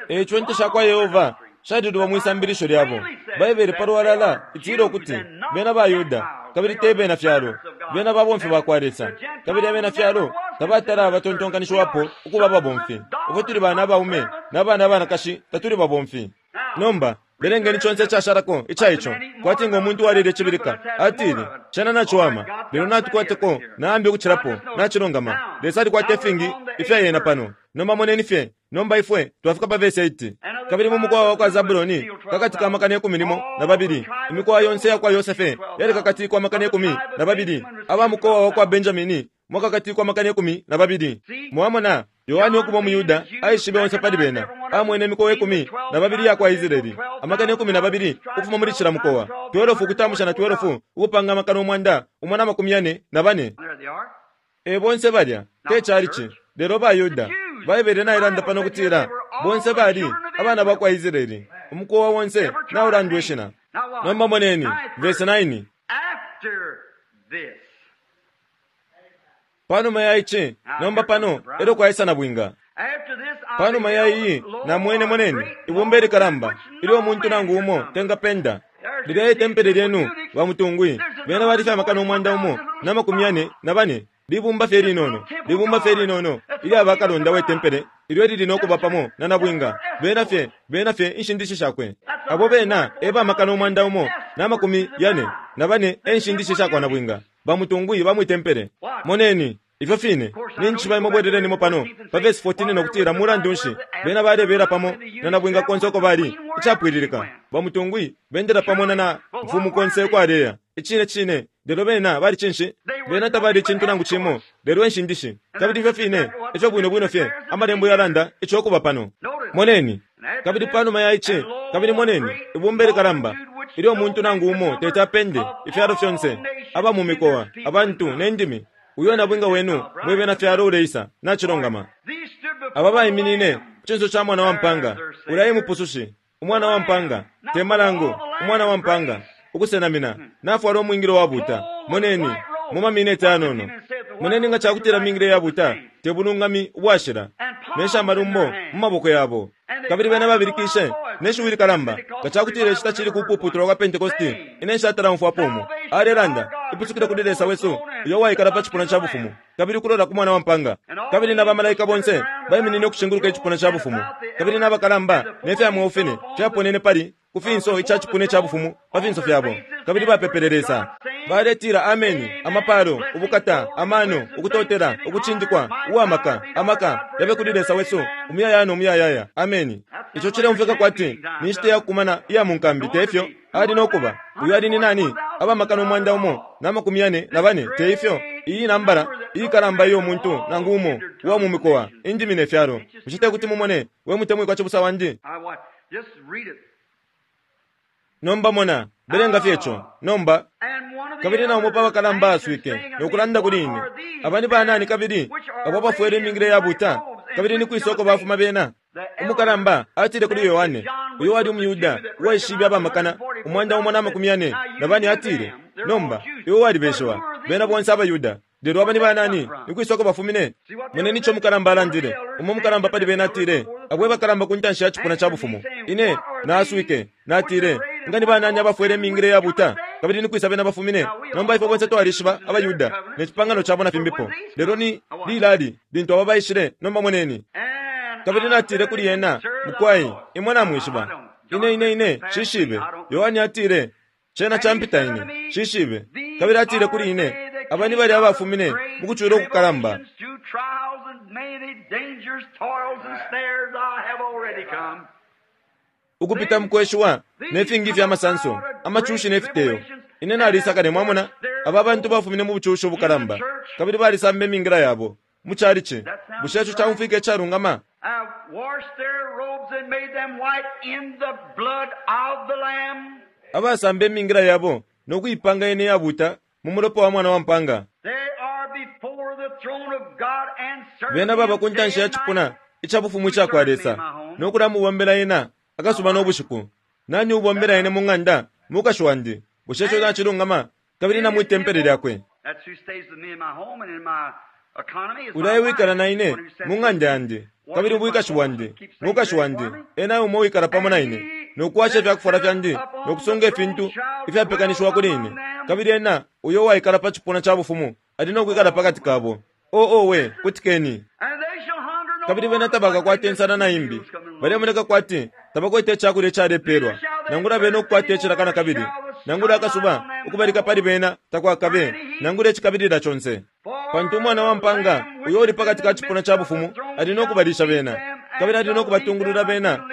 E ico Inte sha kwa Yehova shaliluba mwi sambilisho lyabo. Baibele pa lwalala itila ukuti bena baYuda kabili te bena fyalo. Bena babomfi ba kwa Lesa, kabili abena fyalo tabatala abatontonkanishiwapo ukuba ababomfi. Ifwe tuli bana abaume na bana abanakashi, tatuli babomfi. Nomba belengeni conse icashalako ica ico, kwati ngo muntu uwalile icibilika, atile, Cena naciwama, lelo natukwateko na ambi ukucilapo. Nacilungama. Lesa alikwata ifingi ifya yena pano. Nomba moneni fye. Nomba ifwe twafika pa vesi 8. Kabili mu mukowa wa kwa Zabuloni pakati ka 12,000, imikowa yonse ya kwa Yosefe yalikakatikwa 12,000, aba mukowa wa kwa Benjamini mwakakatikwa 12,000. Mwamona, Yohane ukuba umuYuda aishibe onse pali bena. Amwene imikowa 12 iya kwa Israeli, 12,000 ukufuma muli cila mukowa, 12 ukutambusha na 12 ukupanga 144,000. E bonse balya, te calici, lelo baYuda. Baibele nailanda pano ukutila bonse bali abana ba kwa Israeli, umukowa onse naulandwa ishina. Nomba moneni verse 9. Panuma ya ici, nomba pano elyo kwaisa nabwinga. Panuma ya iyi namwene, moneni, ibumba ilikalamba ilyo umuntu nangu umo tengapenda. Lilya itempele lyenu bamutungwi, bena bali fye 1,044,000. Libumba fye linono, libumba fye linono ilya bakalonda we tempele ilyo lili no kuba pamo na nabwinga. Bena fye, bena fye inshindishi shakwe. Abo bena e ba 1,044,000 e nshindishi shakwa nabwinga, bamutungwi ba mwi tempele. Moneni, ifyo fine, ninjishiba imwe bwelelenimo pano pa vesi 14 no kutila mulandu nshi bena balebela pamo na nabwinga konse uko bali, icapwililika. Bamutungwi bendela pamo na na mfumu konse uko aleya. Icine cine, lelo bena bali cinshi? Bena tabali icintu nangu cimo, lelo enshindishi. Kabili ifyo fine, ifyo bwino bwino fye, amalembo yalanda ico kuba pano. Moneni, kabili panuma ya ici, kabili moneni, ibumba ilikalamba, ilyo umuntu nangu umo teti apende, ifyalo fyonse, aba mu mikowa, abantu, ne ndimi, uyo nabwinga wenu mwe bena fyalo uleisa, nacilongama. Aba baiminine ku cinso ca Mwana wa Mpanga, ulya e Mupusushi, Umwana wa Mpanga, te malango, Umwana wa Mpanga, ukusenamina, nafwala umwingilo wabuuta. Moneni, mu mamineti ayanono. Moneni nga ca kutila mingile iyabuuta te bulungami ubwashila, ne sha malumbo mu maboko yabo. Kabili bena babilikishe ne shiwi likalamba, nga ca kutila ici tacili kupuputulwa kwa Pentekoste, ine nshatala umfwapo umo. Alelanda, ipusukilo kuli Lesa wesu, uyo uwaikala pa cipuna ca bufumu, kabili ukulola ku Mwana wa Mpanga. Kabili na bamalaika bonse baiminine ukushinguluka icipuna ca bufumu, kabili na bakalamba ne fya mweo fine fyaponene pali ku finso ica cipuna ca bufumu pa finso fyabo, kabili bapepele Lesa. Baletila ameni, amapalo, ubukata, amano, ukutotela, ukucindikwa, uwamaka, amaka, yabe kuli Lesa wesu, umuyayaya no muyayaya. Ameni. Ico cileumfwika kwati ni nshita ya kukumana iya mu nkambi, te ifyo? Ali no kuba. Uyo ali ni nani? Abamakana 144, te ifyo? Iyi nambala iikalamba iyo muntu nangu umo uwa mu mikowa, indimi ne fyalo. Bushe te kuti mumone, we mutemwikwa cibusa wandi? Nomba mona, belenga fye ico. Nomba, kabili na umo pa bakalamba aswike no kulanda kuli ine, Aba ni banani kabili abo abafwele imingila iyabuuta, kabili ni kwisa uko bafuma bena? Umukalamba atile kuli Yohane, uyo wali umuYuda uwaishibe abamakana 144, atile, Nomba, iwe walibeshiwa, bena bonse abaYuda. Lelo aba ni banani? Ni kwisa uko bafumine? Moneni ico umukalamba alandile. Umo umukalamba pali bena atile, Abo e bakalamba ku ntanshi ya cipuna ca bufumu. Ine na-aswike, natile, Nga ni banani abafwele imingila iyabuuta, kabili ni kwisa bena bafumine? Nomba ifwe bonse twalishiba abaYuda ne cipangano cabo na fimbipo. Lelo ni lilali lintu aba baishile? Nomba moneni. Kabili natile kuli ena, Mukwai, imwe namwishiba. Ine, ine, ine, nshishibe. Yohane atile, Cena campita ine. Nshishibe. Kabili atile kuli ine, Aba ni balya abafumine mu kucula ukukalamba. Ukupita mu kweshiwa ne fingi ifya masanso, amacushi ne fiteyo. Ine nalisa kale, mwamona. Aba bantu bafumine mu bucushi ubukalamba, kabili balisamba imingila yabo mu chalichi. Bushe ico caumfwika icalungama? Abasamba imingila yabo no kuipanga yene iyabuuta mu mulopa wa Mwana wa mpaanga. Bena baba ku ntanshi ya cipuna ica bufumu ica kwa Lesa, no kulamubombela Ena akasuba no bushiku. Nani uubombela ine mu ng'anda? Mukashi wandi. Bushe ico nacilungama? Kabili na mwi tempele lyakwe. Ulya ewikala na ine mu ng'anda yandi, kabili mu bwikashi bwandi, mukashi wandi, ena umo uwikala pamo na ine, no kuwasha ifya kufwala fyandi, no kusunga ifintu ifyapekanishiwa kuli ine. Kabili ena uyo uwaikala pa cipuna ca bufumu ali no kwikala pa kati kabo. Oh, owe, kutikeni! Kabili bena tabakakwate insala na imbi. Balemoneka kwati tabakwete icakulya icalepelwa, nangula bena ukukwata icilaka na kabili, nangula akasuba ukubalika pali bena takwakabe, nangula icikabilila conse. Pantu Umwana wa mpaanga uyo uli pakati ka cipuna ca bufumu ali no kubalisha bena, kabili ali no kubatungulula bena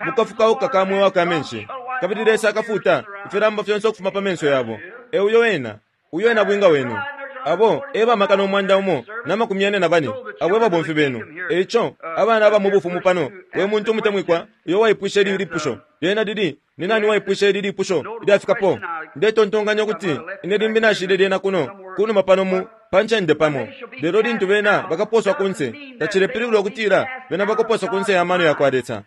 mu kafukauka ka mweo aka menshi, kabili Lesa akafuuta ifilamba fyonse ukufuma pa menso yabo. E uyo ena. Uyo e nabwinga wenu. Abo e ba makana 144, abo e babomfi benu. E ico, abana aba mu Bufumu pano, we muntu umutemwikwa uyo waipwishe ili lipusho, lyena lili, Ni nani uwaipwishe ili lipusho ilyafikapo? Ndetontonkanya ukuti ine limbi nashile lyena kuno, kunuma pano mu, pa ncende pamo. Lelo lintu bena bakaposwa kunse, tacilepilibula ukutila bena bakoposwa kunse ya mano yakwa Lesa.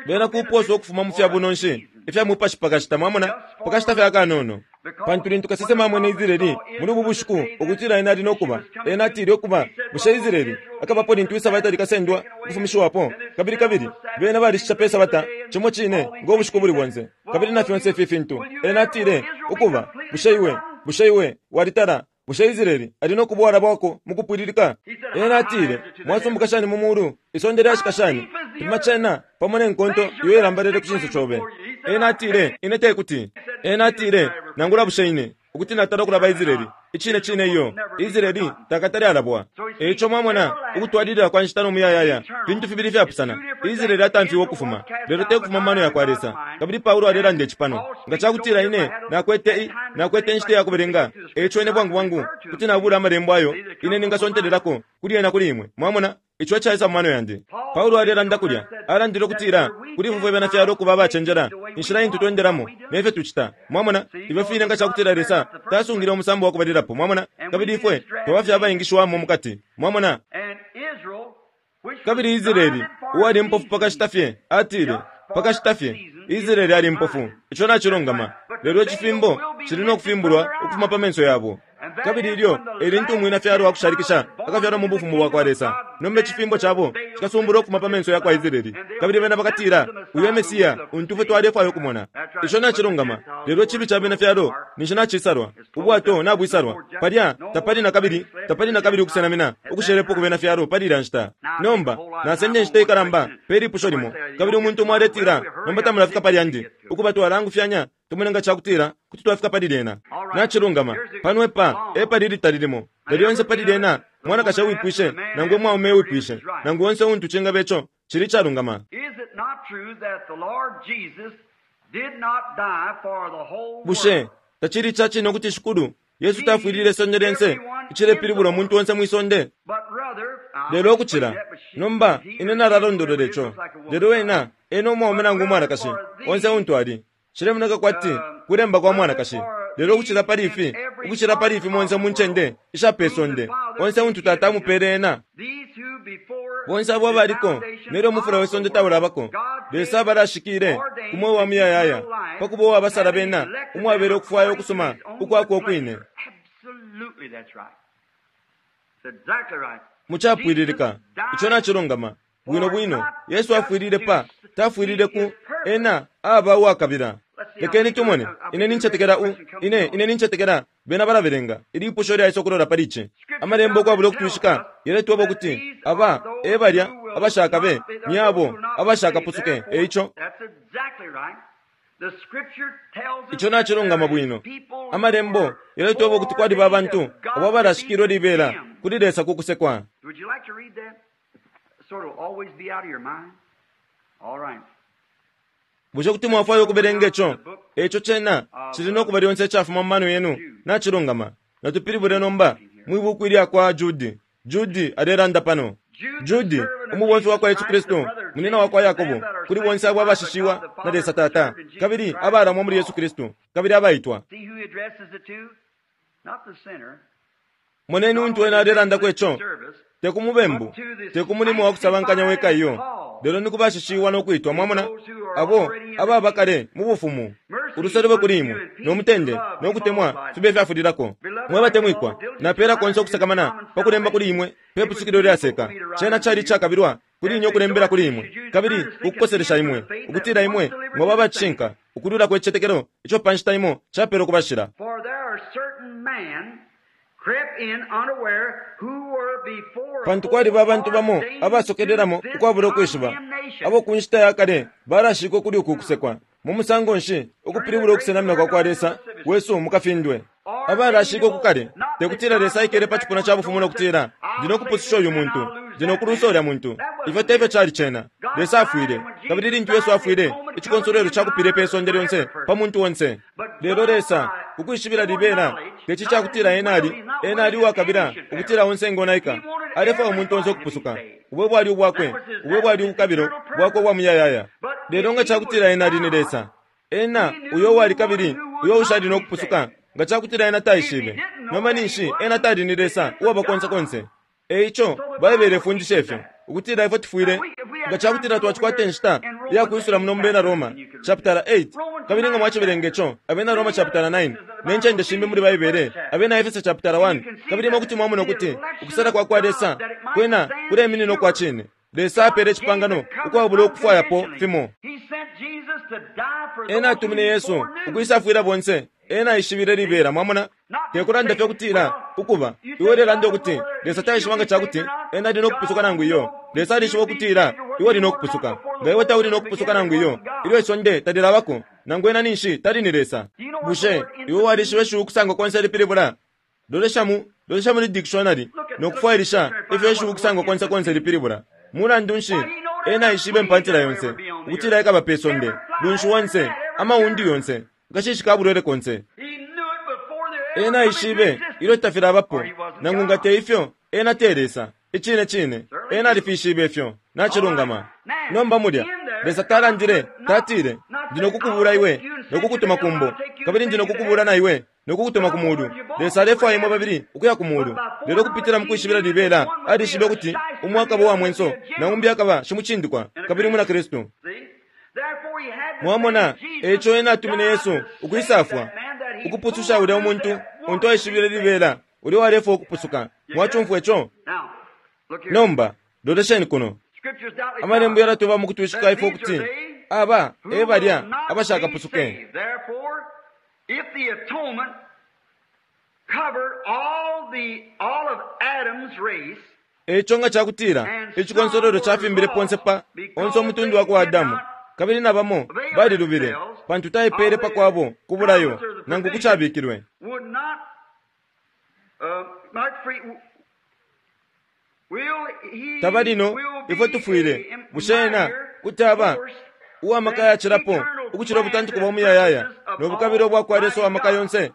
Bena kuposwa ukufuma mu fya bunonshi ifya mupashi pa kashita, mwamona, pa kashita fye akanono. Pantu lintu kasesema amwene Israeli muli ubu bushiku ukutila ena ali no kuba, ena atile, Ukuba, bushe Israeli akabapo lintu Isabata likasendwa ukufumishiwapo? Kabili, kabili bena balishisha pe Sabata, cimo cine ngo bushiku ubuli bonse, kabili na fyonse ifi fintu. Ena atile, Ukuba, bushe iwe, bushe iwe walitala Bushe Israele ali no kuba uwalabwako mu kupwililika? Ena atile, Mwasumbuka shani mu mulu, isonde lyashika shani! Pima cena pamo ne nkonto iyo ilambalele ku cinso cobe. Ena atile, Ine tekuti. Ena atile, Nangula bushe ine, ukuti natala ukulaba Israele? Icine cine iyo. Israele takatale alabwa. E ico mwamona, ukutwalilila kwa nshita no muyayaya fintu fibili ifyapusana. Israele atamfiwe ukufuma, lelo te kufuma mu mano yakwa Lesa. Kabili Paulo alelanda ici pano. Nga cakutila ine nakwete i, nakwete inshita iya kubelenga, e ico ine bwangu bwangu kuti nabula Amalembo ayo ine ningasontelelako kuli yena kuli imwe. Mwamona? Ico ecaisa mu mano yandi. Paulo alelanda kulya, alandile ukutila kuli ifwe fwe Benafyalo ukuba abacenjela, inshila intu twendelamo ne fyo tucita. Mwamona? Ifyo fine nga cakutila Lesa tasungile umusambo wa kubalilapo, mwamona, kabili ifwe twaba fye abaingishiwamo mukati. Mwamona? Kabili Israeli, uwali impofu pa kashita fye, atile, Pa kashita fye, Israeli ali impofu. Ico nacilungama. Lelo icifimbo cili no kufimbulwa ukufuma pa menso yabo. Kabili ilyo e lintu Umwinafyalo wa kushalikisha akafyalwa mu Bufumu bwakwa Lesa. Nomba icifimbo cabo cikasumbulwa ukufuma pa menso yakwa Israeli, kabili bena bakatila, Uyu e Mesiya untu ifwe twalefwaya ukumona. Ico nacilungama. Lelo icibi ca bena fyalo ninshi nacisalwa, ubwato nabwisalwa. Palya tapali nakabili, tapali nakabili ukusenamina ukushelepo ku bena fyalo pali ilya nshita. Nomba, nasenda inshita ikalamba pe lipusho limo, kabili umuntu umo aletila, Nomba tamulafika pali yandi. Ukuba twalaangufyanya tumone nga ca kutila kuti twafika pali lyena. Nacilungama. Pano epa, epali ilitali limo. Na lyonse pali lyena, mwanakashi ewipwishe, nangu umwaume ewipwishe, nangu onse untu cingaba ico, cili icalungama. Bushe tacili ica cine ukuti Shikulu Yesu tafwilile isonde lyonse, icilepilibula umuntu onse mwi sonde? Lelo ukucila, nomba ine nalalondolola ico, lelo ena, ena umwaume nangu umwanakashi, onse untu ali, Cilemoneka kwati kulemba kwa mwanakashi. Lelo ukucila pali ifi, ukucila pali ifi monse mu ncende isha pe sonde, onse untu Tata amupele ena, bonse abo abaliko nelyo umufula we sonde taulabako, Lesa abalashikile ku mweo wa muyayaya, pa kuba uwabasala bena umwabela ukufwaya ukusuma ukwakwe ukwine. Mu capwililika, ico nacilungama. Bwino bwino, Yesu afwilile pa, tafwilile ku, ena aba uwakabila. Lekeni tumone. Ine nincetekela u, ine, ine nincetekela bena balabelenga ilipusho lyaisa ukulola pali ici. Amalembo ukwabula ukutwishika yaletweba ukuti aba e balya abashakabe ni abo abashakapusuke. E ico, ico nacilungama bwino. Amalembo yaletweba ukuti kwaliba abantu abo abalashikilwe libela kuli Lesa ku kusekwa. Bushe kuti mwafwaya ukubelenga ico? Eico cena cili no kuba lyonse icafuma mu mano yenu. Nacilungama. Natupilibule nomba mwi buku ilya kwa Judi. Judi alelanda pano. Judi, umubomfi wa kwa Yesu Kristu, munina wa kwa Yakobo, kuli bonse abo abashishiwa na Lesa Tata, kabili abalamwa muli Yesu Kristu, kabili abaitwa. Moneni untu ena alelandako ico, te ku mubembu, te ku mulimo wa kusabankanya weka iyo, lelo ni ku bashishiwa no kwitwa, mwamona, abo ababa kale mu bufumu. Uluse lube kuli imwe, no mutende, no kutemwa fibe ifyafulilako. Mwe batemwikwa, napeela konse ukusakamana pa kulemba kuli imwe pe pusukilo lyaseka. Cena cali icakabilwa kuli ine ukulembela kuli imwe, kabili ukukoselesha imwe, ukutila imwe mwaba aba cishinka ukulwilako icitetekelo ico pa nshita imo capelwe ku bashila. Pantu kwaliba abantu bamo abasokelelamo ukwabula ukwishiba, abo ku nshita ya kale balashikwe kuli uku kusekwa. Mu musango nshi ukupilibula ukusenamina kwa kwa Lesa wesu mu kafindwe? Abalashikwe ku kale, te kutila Lesa aikele pa cipuna ca bufumu no kutila, Ndi no kupususha uyu muntu, ndi no kulusa ulya muntu. Ifyo te fyo cali cena. Lesa afwile, kabili lintu Yesu afwile, icikonsolwelo cakupile pe sonde lyonse pa muntu onse. Lelo Lesa, ukwishibila libela, teci cakutila Ena ali, Ena ali uwakabila ukutila onse engonaika. Alefwaya umuntu onse ukupusuka. Ubo bwali ubwakwe, ubo bwali ubukabilo bwakwe ubwa muyayaya. Lelo nga cakutila Ena ali ni Lesa, Ena uyo uwali kabili uyo ushali no kupusuka, nga cakutila Ena taishibe, nomba ninshi Ena tali ni Lesa uwaba konse konse. E ico, Baibele ifundisha ifyo, ukutila ifwe tufwile, nga cakutila twacikwata inshita iya kwisula muno mu Bena Roma, chapitala 8, kabili nga mwacibelenga ico, Abena Roma chapitala 9, ne ncende shimbi muli Baibele, Abena Efese chapitala 1, kabili imwe kuti mwamona ukuti ukusala kwa kwa Lesa kwena kuleminina ukwa cine. Lesa apele icipangano ukwabula ukufwayapo fimo. Ena atumine Yesu ukwisafwila bonse. Ena aishibile libela, mwamona. Te kulanda fye ukutila, Ukuba, iwe ulelanda ukuti Lesa taishiba nga ca kuti ena ali no kupusuka nangu iyo. Lesa alishiba ukutila iwe uli no kupusuka. Nga iwe tauli no kupusuka nangu iyo, ilyo isonde talilabako, nangu ena ninshi tali ni Lesa. Bushe iwe walishiba ishiwi ukusangwa konse lipilibula? Lolesha mu, lolesha muli dikishonari no kufwailisha ifyo ishiwi ukusangwa konse konse lipilibula. Mulandu nshi, ena aishibe impantila yonse, ukutila ikaba pe sonde, lunshi onse, amaundi yonse, akashishi ka bulwele konse. Ena aishibe ilyo tafilabapo, nangu nga te ifyo, ena te Lesa. Icine cine, ena alifishibe ifyo. Nacilungama. Nomba mulya, Lesa talandile, tatile, Ndi no kukubula iwe no kukutuma ku mbo, kabili ndi no kukubula na iwe no kukutuma ku mulu. Lesa alefwaya imwe babili ukuya ku mulu. Lelo ukupitila mu kwishibila libela, alishibe ukuti umo akaba uwa mwenso na umbi akaba shimucindikwa kabili umwina Kristu. Mwamona, eico ena atumine Yesu ukwisafwa, ukupususha ulya umuntu untu aishibile libela, ulya uwalefwaya ukupusuka. Mwacumfwa ico? Nomba, Lolesheni kuno. Amalembo yalatuba mu kutwishika ifwe ukuti aba e balya abashakapusuke. Eico nga cakutila icikonsolwelo cafimbile ponse pa onse umutundu wa kwa Adamu, kabili na bamo balilubile, pantu taipele pa kwabo ku bulayo nangu ku cabikilwe. Tabali no ifwe tufwile, bushe ena kuti aba uwa maka yacilapo ukucila ubutantiko bwa muyayaya no bukabilo bwa kwa Lesa wa maka yonse?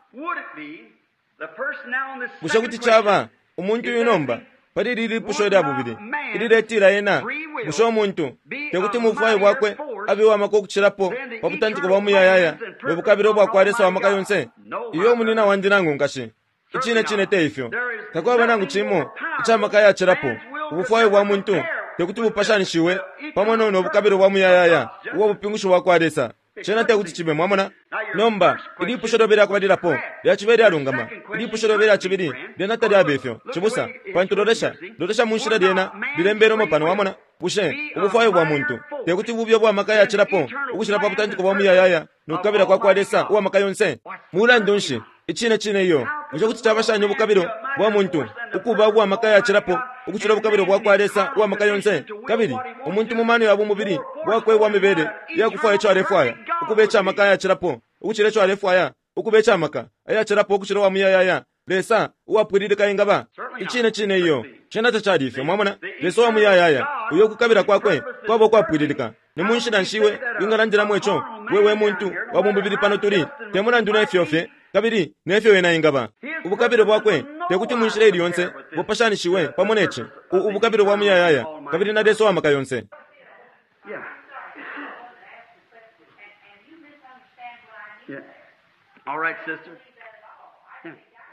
Bushe kuti caba umuntu uyu nomba pali ili lipusho lya bubili ililetila ena, bushe umuntu tekuti mu bufwayo bwakwe abe uwa maka ukucilapo pa butantiko bwa muyayaya no bukabilo bwa kwa Lesa wa maka yonse? Iyo, munina wandi nangu nkashi, icine cine te ifyo. Takwaba nangu cimo ica maka yacilapo. Ubufwayo bwa muntu tekuti bupashanishiwe pamo no bukabilo bwa muyayaya ubwa bupingushi bwa kwa Lesa. Cena tekuti cibe, mwamona? Nomba ilipusho lyobe lyakubalilapo lyacibe lyalungama. Ilipusho lyobe lya cibili lyena talyabe ifyo, cibusa, pantu lolesha, lolesha mu nshila lyena lilembelwemo pano, wamona? Bushe ubufwayo bwa muntu tekuti bube ubwa maka yacilapo ukucila pa butantiko bwa muyayaya no kukabila kwa kwa Lesa uwa maka yonse? Mulandu nshi, icine cine iyo. Bushe kuti caba shani ubukabilo bwa muntu ukuba ubwa maka yacilapo ukucila ubukabilo bwa kwa Lesa uwa maka yonse? Kabili umuntu mu mano ya bumubili bwakwe ubwa mibele iyakufwaya ico alefwaya ukuba ica maka ayacilapo ukucila ico alefwaya ukuba ica maka ayacilapo ukucila uwa muyayaya Lesa uwapwililika engaba? Icine cine iyo. Cena tacali ifyo, mwamona? Lesa uwa muyayaya uyo ukukabila kwakwe kwaba ukwapwililika. Ni mu nshila nshi iwe wingalandilamo ico, we we muntu wa bumubili pano tuli, te mulandu ne fyo fye kabili ne fyo wena engaba? Ubukabilo bwakwe tekuti mu nshila ili yonse bupashanishiwe pamo ne ci, ubukabilo bwa muyayaya kabili na Lesa uwa maka yonse.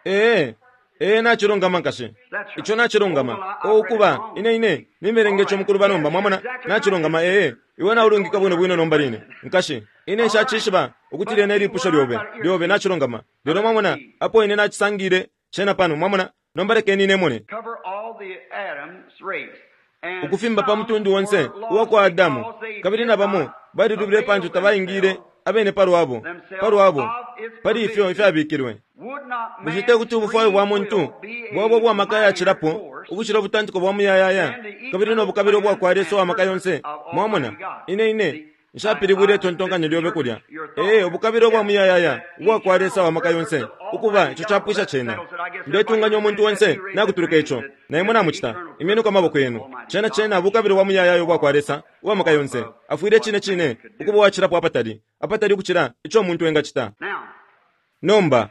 Ee, ee, nacilungama nkashi. Ico nacilungama. O, ukuba, ine ine nimelenge ico mukuluba nomba, mwamona? Nacilungama, ee. Iwe naulungika bwino bwino nomba line, nkashi. Ine nshacishiba ukuti lyena ilipusho lyobe, lyobe nacilungama. Lelo mwamona, apo ine nacisangile cena pano, mwamona? Nomba lekeni ine mone. Ukufimba pa mutundu onse uwa kwa Adamu, kabili na bamo balilubile pantu tabaingile abene palwabo, palwabo, pali ifyo ifyabikilwe. Bushe tekuti ubufwayo bwa muntu bwaba ubwa maka yacilapo ukucila ubutantiko bwa muyayaya kabili no bukabilo bwa kwa Lesa uwa maka yonse? Mwamona, ine ine nshapilibwile itontonkanyo lyobe kulya. Ee, ubukabilo bwa muyayaya ubwa kwa Lesa wa maka yonse, ukuba ico capwisha cena. Ndetunganya umuntu onse nakutuluka ico, na imwe namucita. Imyenuko amaboko yenu. Cena cena bukabilo bwa muyayaya ubwa kwa Lesa uwa maka yonse. Afwile cine cine ukuba uwacilapo apatali, apatali ukucila ico umuntu engacita. Nomba,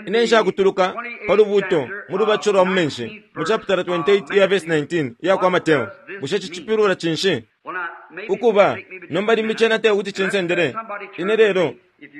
ine nshakutuluka pa lubuuto mu lubatisho lwa mu menshi mu chapitala 28 iya verse 19 iya kwa Mateo. Bushe cicipilula cinshi? Ukuba, nomba limbi cena te kuti cinsendele ine lelo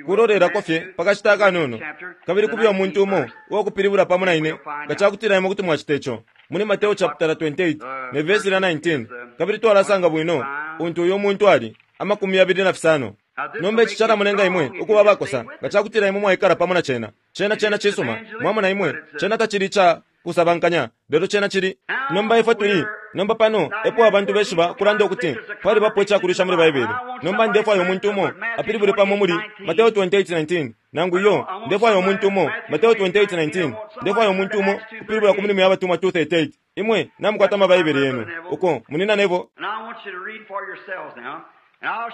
kulolelako fye pa kashita akanono, kabili kube umuntu umo uwakupilibula pamo na ine nga cakutila imwe kuti mwacita ico. Muli Mateo chapitala 28 ne verse lya 19, kabili twalasanga bwino untu uyo muntu ali, 25. Nomba ici calamulenga imwe ukuba abakosa nga cakutila imwe mwaikala pamo na cena. Cena cena cisuma, mwamona imwe, cena tacili ca kusabankanya, lelo cena cili. Nomba ifwe tuli, nomba pano epo abantu beshiba kulanda ukuti palibapo icakulisha muli Baibele. Nomba ndefwaya umuntu umo apilibule pamo muli Mateo 28:19, nangu iyo, ndefwaya umuntu umo Mateo 28:19, ndefwaya umuntu umo kupilibula ku milimo ya batumwa 2:38. Imwe namukwata amabaibele yenu uko munina nebo.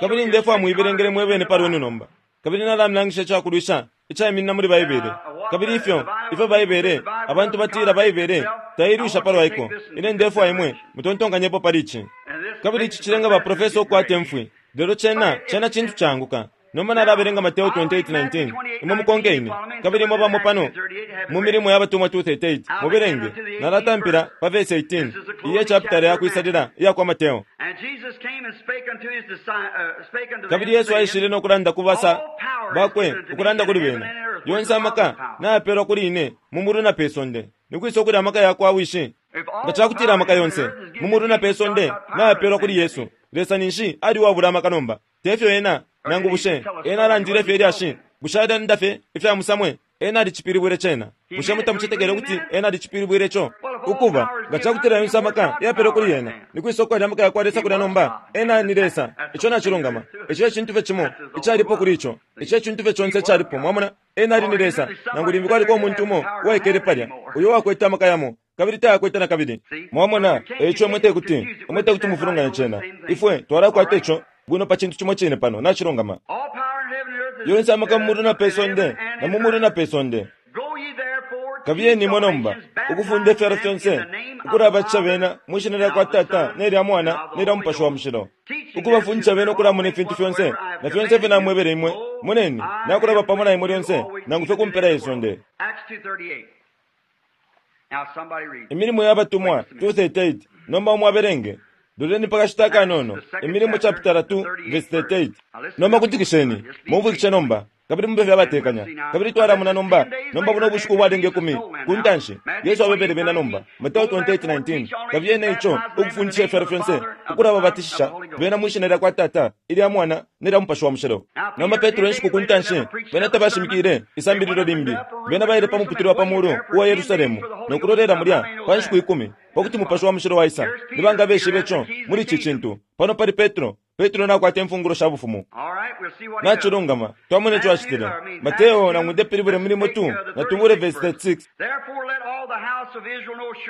Kabili ndefwaya muibelengele mwebene pali wenu nomba. Kabili nalamilangisha icakulwisha icaiminina muli Baibele. Kabili ifyo, ifyo Baibele, abantu batila Baibele tailwisha palwa iko. Ine ndefwaya imwe mutontonkanyepo pali ici. Kabili ici cilenga ba profesa ukukwata imfwi. Lelo cena, cena cintu caanguka. Nomba nalabelenga Mateo 28:19. Imwe mukonke ine. Kabili imwe bamo pano mu milimo ya batumwa 2:38 mubelenge. Nalatampila pa verse 18 iye chapitala ya kwisalila iya kwa Mateo. Kabili Yesu aishile no kulanda ku basa bakwe, ukulanda kuli bena, yonse amaka nayapelwa kuli ine mu mulu na pe sonde. Nikwisa ukuli amaka ya kwa Wishi? Nga cakutila amaka yonse mu mulu na pe sonde nayapelwa kuli Yesu, Lesa ninshi ali uwabula amaka nomba? Tefyo ena, nangu bushe ena alandile fye ilyashi? Bushe alanda fye ifya musamwe? Ena alicipilibwile cena. Bushe mutamucetekele ukuti Ena alicipilibwile ico? Ukuba, nga cakutila yonse amaka yapelwe kuli Ena, ni kwisa ukwali amaka yakwa Lesa kulya nomba? Ena ni Lesa. Ico nacilungama. Ico e cintu fye cimo icalipo kuli ico. Ico e cintu fye conse icalipo. Mwamona? Ena ali ni Lesa, nangu limbi kwaliko umuntu umo uwaikele palya uyo uwakwete amaka yamo, kabili tayakwete nakabili. Mwamona? E ico imwe tekuti, imwe tekuti mufulunganye cena. Ifwe twalakwata ico bwino pa cintu cimo cine pano. Nacilungama. Yonse amaka mu mulu na pe sonde, na mu mulu na pe sonde. Kabiyeni imwe nomba, ukufunda ifyalo fyonse, ukulabatisha bena mwi Shina lyakwa Tata, ne lya Mwana, ne lya Mupashi wa Mushilo, ukubafundisha bena ukulamona ifintu fyonse, na fyonse ifyo Namwebele imwe. Moneni, Nakulaba pamo na imwe lyonse, nangu fye ku mpela ye sonde. Imilimo ya Batumwa 2:38. Nomba umo abelenge. Loleni pa kashita akanono. Imilimo chapitala 2 vesi 38. Nomba kutikisheni, mumfwikishe nomba, kabili mube fye abatekanya. Kabili twalamona nomba, nomba buno bushiku ubwalenga ikumi, ku ntanshi, Yesu abebele bena nomba, Mateo 28:19, Kabiyeni eico, ukufundisha ifyalo fyonse, ukulababatishisha bena mwi Shina lyakwa Tata, ilya Mwana, ne lya Mupashi wa Mushilo. Nomba Petro inshiku ku ntanshi, bena tabashimikile isambililo limbi. Bena baile pa muputule wa pa mulu uwa Yerusalemu no kulolela mulya pa nshiku ikumi pa kuti Mupashi wa Mushilo waisa. Ni banga abeshibe ico muli ici cintu? Pano pali Petro. Petro nakwata imfungulo sha Bufumu. Nacilungama, twamona ico acitile. Mateo, nangu ndepilibule Milimo 2, natubule vesi 36.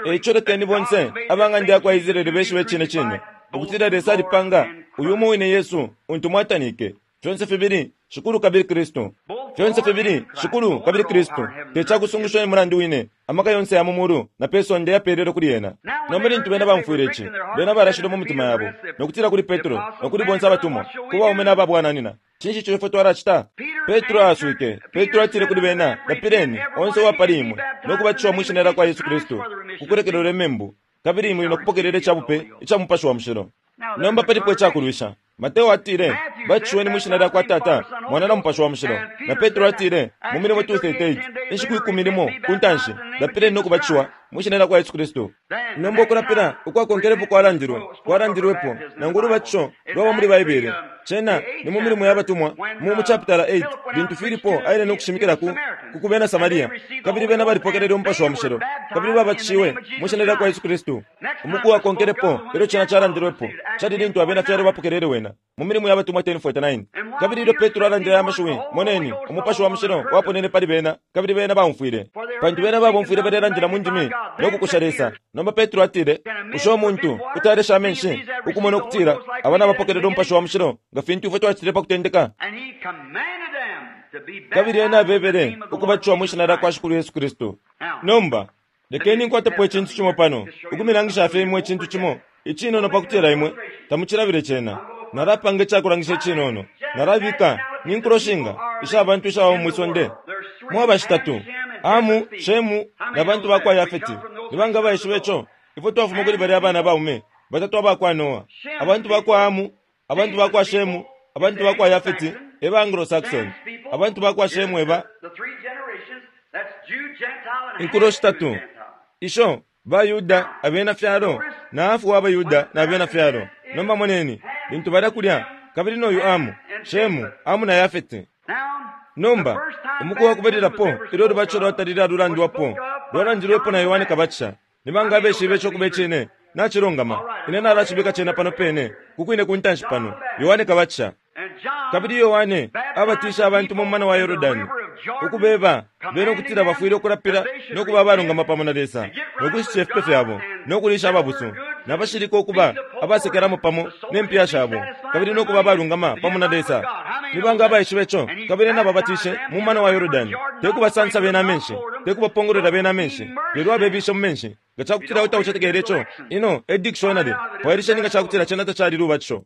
E ico lekeni bonse aba ng'anda ya kwa Israele beshibe icine cine ukutila Lesa alipanga uyu umo wine Yesu untu mwatanike, fyonse fibili Shikulu kabili Kristu. Fyonse fibili Shikulu kabili Kristu. Te cakusungusha e mulandu wine amaka yonse ya mu mulu na pe sonde yapeelelwe kuli ena. Nomba lintu bena baumfwile ici, bena balashilwe mu mitima yabo, no kutila kuli Petro no kuli bonse abatumwa, ku baume na ba bwananyina, Cinshi ico ifwe twalacita? Petro aaswike. Petro atile kuli bena, Lapileni, onse uwa pali imwe, no kubatishiwa mwi Shina lyakwa Yesu Kristu, ku kulekelelwa imembu, kabili muli no kupokelela ica bupe ica Mupashi wa Mushilo. Nomba palipo icakulwisha. Mateo atile, Batishiweni mwi Shina lyakwa Tata, Mwana na Mupashi wa Mushilo. Na Petro atile, mu Milimo 2:38, inshiku ikumi limo ku ntanshi, Lapileni no kubatishiwa mwi Shina lyakwa Yesu Kristu. Nomba ukulapila ukwakonkelepo kwalandilwe, kwalandilwepo, nangu ulubatisho lwaba muli Baibele. Cena ni mu Milimo ya Batumwa, mu, mu chapitala 8, lintu Filipo aile no kushimikila ku, ku, ku bena Samaria, kabili bena balipokelele Umupashi wa Mushilo, kabili babatishiwe mwi Shina lyakwa Yesu Kristu. Umuku wakonkelepo ilyo cena calandilwepo, cali lintu abena Fyalo bapokelele Wena, mu Milimo ya Batumwa 10:49. Kabili ilyo Petro alandile aya mashiwi, moneni, Umupashi wa Mushilo waponene pali bena, kabili bena baumfwile. Pantu bena babomfwile balelandila mu ndimi no kukusha Lesa. Nomba Petro atile, Bushe umuntu kuti alesha amenshi, ukumona ukutila aba nabapokelela Umupashi wa Mushilo nga fintu ifwe twacitile pa kutendeka? Kabili ena abebele ukubatishiwa mwi Shina lyakwa Shikulu Yesu Kristu. Nomba, lekeni nkwatepo icintu cimo pano, ukumilangisha fye imwe icintu cimo icinono pakutila imwe tamucilabile cena. Nalapanga icakulangisha icinono. Nalabika, ni nkulo shinga isha bantu ishaba mwi sonde? Mwaba shitatu, Hamu, Shemu, na bantu ba kwa Yafeti. Ni banga abaishiba ico? Ifwe twafuma kuli balya abana baume batatu aba kwa Noa. Abantu ba kwa Hamu, abantu ba kwa Shemu, abantu ba kwa Yafeti e ba Anglo-Saxon. Abantu ba kwa Shemu e ba. Inkulo shitatu isho, baYuda, Abena fyalo, na hafu wa baYuda na Bena fyalo. Nomba moneni, lintu balya kulya, kabili no yu Amu, Shemu, Amu na Yafete. Nomba, umuku wa kubalilapo ilyo ulubatisho lwatalile alulandwapo, lwalandilwepo na Yohane Kabatisha. Ni banga abeshibe ico kube cine? Nacilungama. Ine nalacibika cena pano pene, ku kwine ku ntanshi pano. Yohane Kabatisha. Kabili Yohane abatishe abantu mu mumana wa Yordani, ukubeba bena ukutila bafwile ukulapila no kuba abalungama pamo na Lesa, no kushitisha ifipe fyabo, no kuliisha ababusu na bashilika ukuba abasekelamo pamo ne mpiya shabo, kabili no kuba abalungama pamo na Lesa. Ni banga abaishibe ico? Kabili ena ababatishe mu mumana wa Yordani, te kubasansa bena amenshi, te kubapongolwela bena amenshi, lelo abebishe mu menshi. Nga ca kutila taucetekele ico, ino e dikishonari, fwailisheni nga ca kutila cena tacali lubatisho.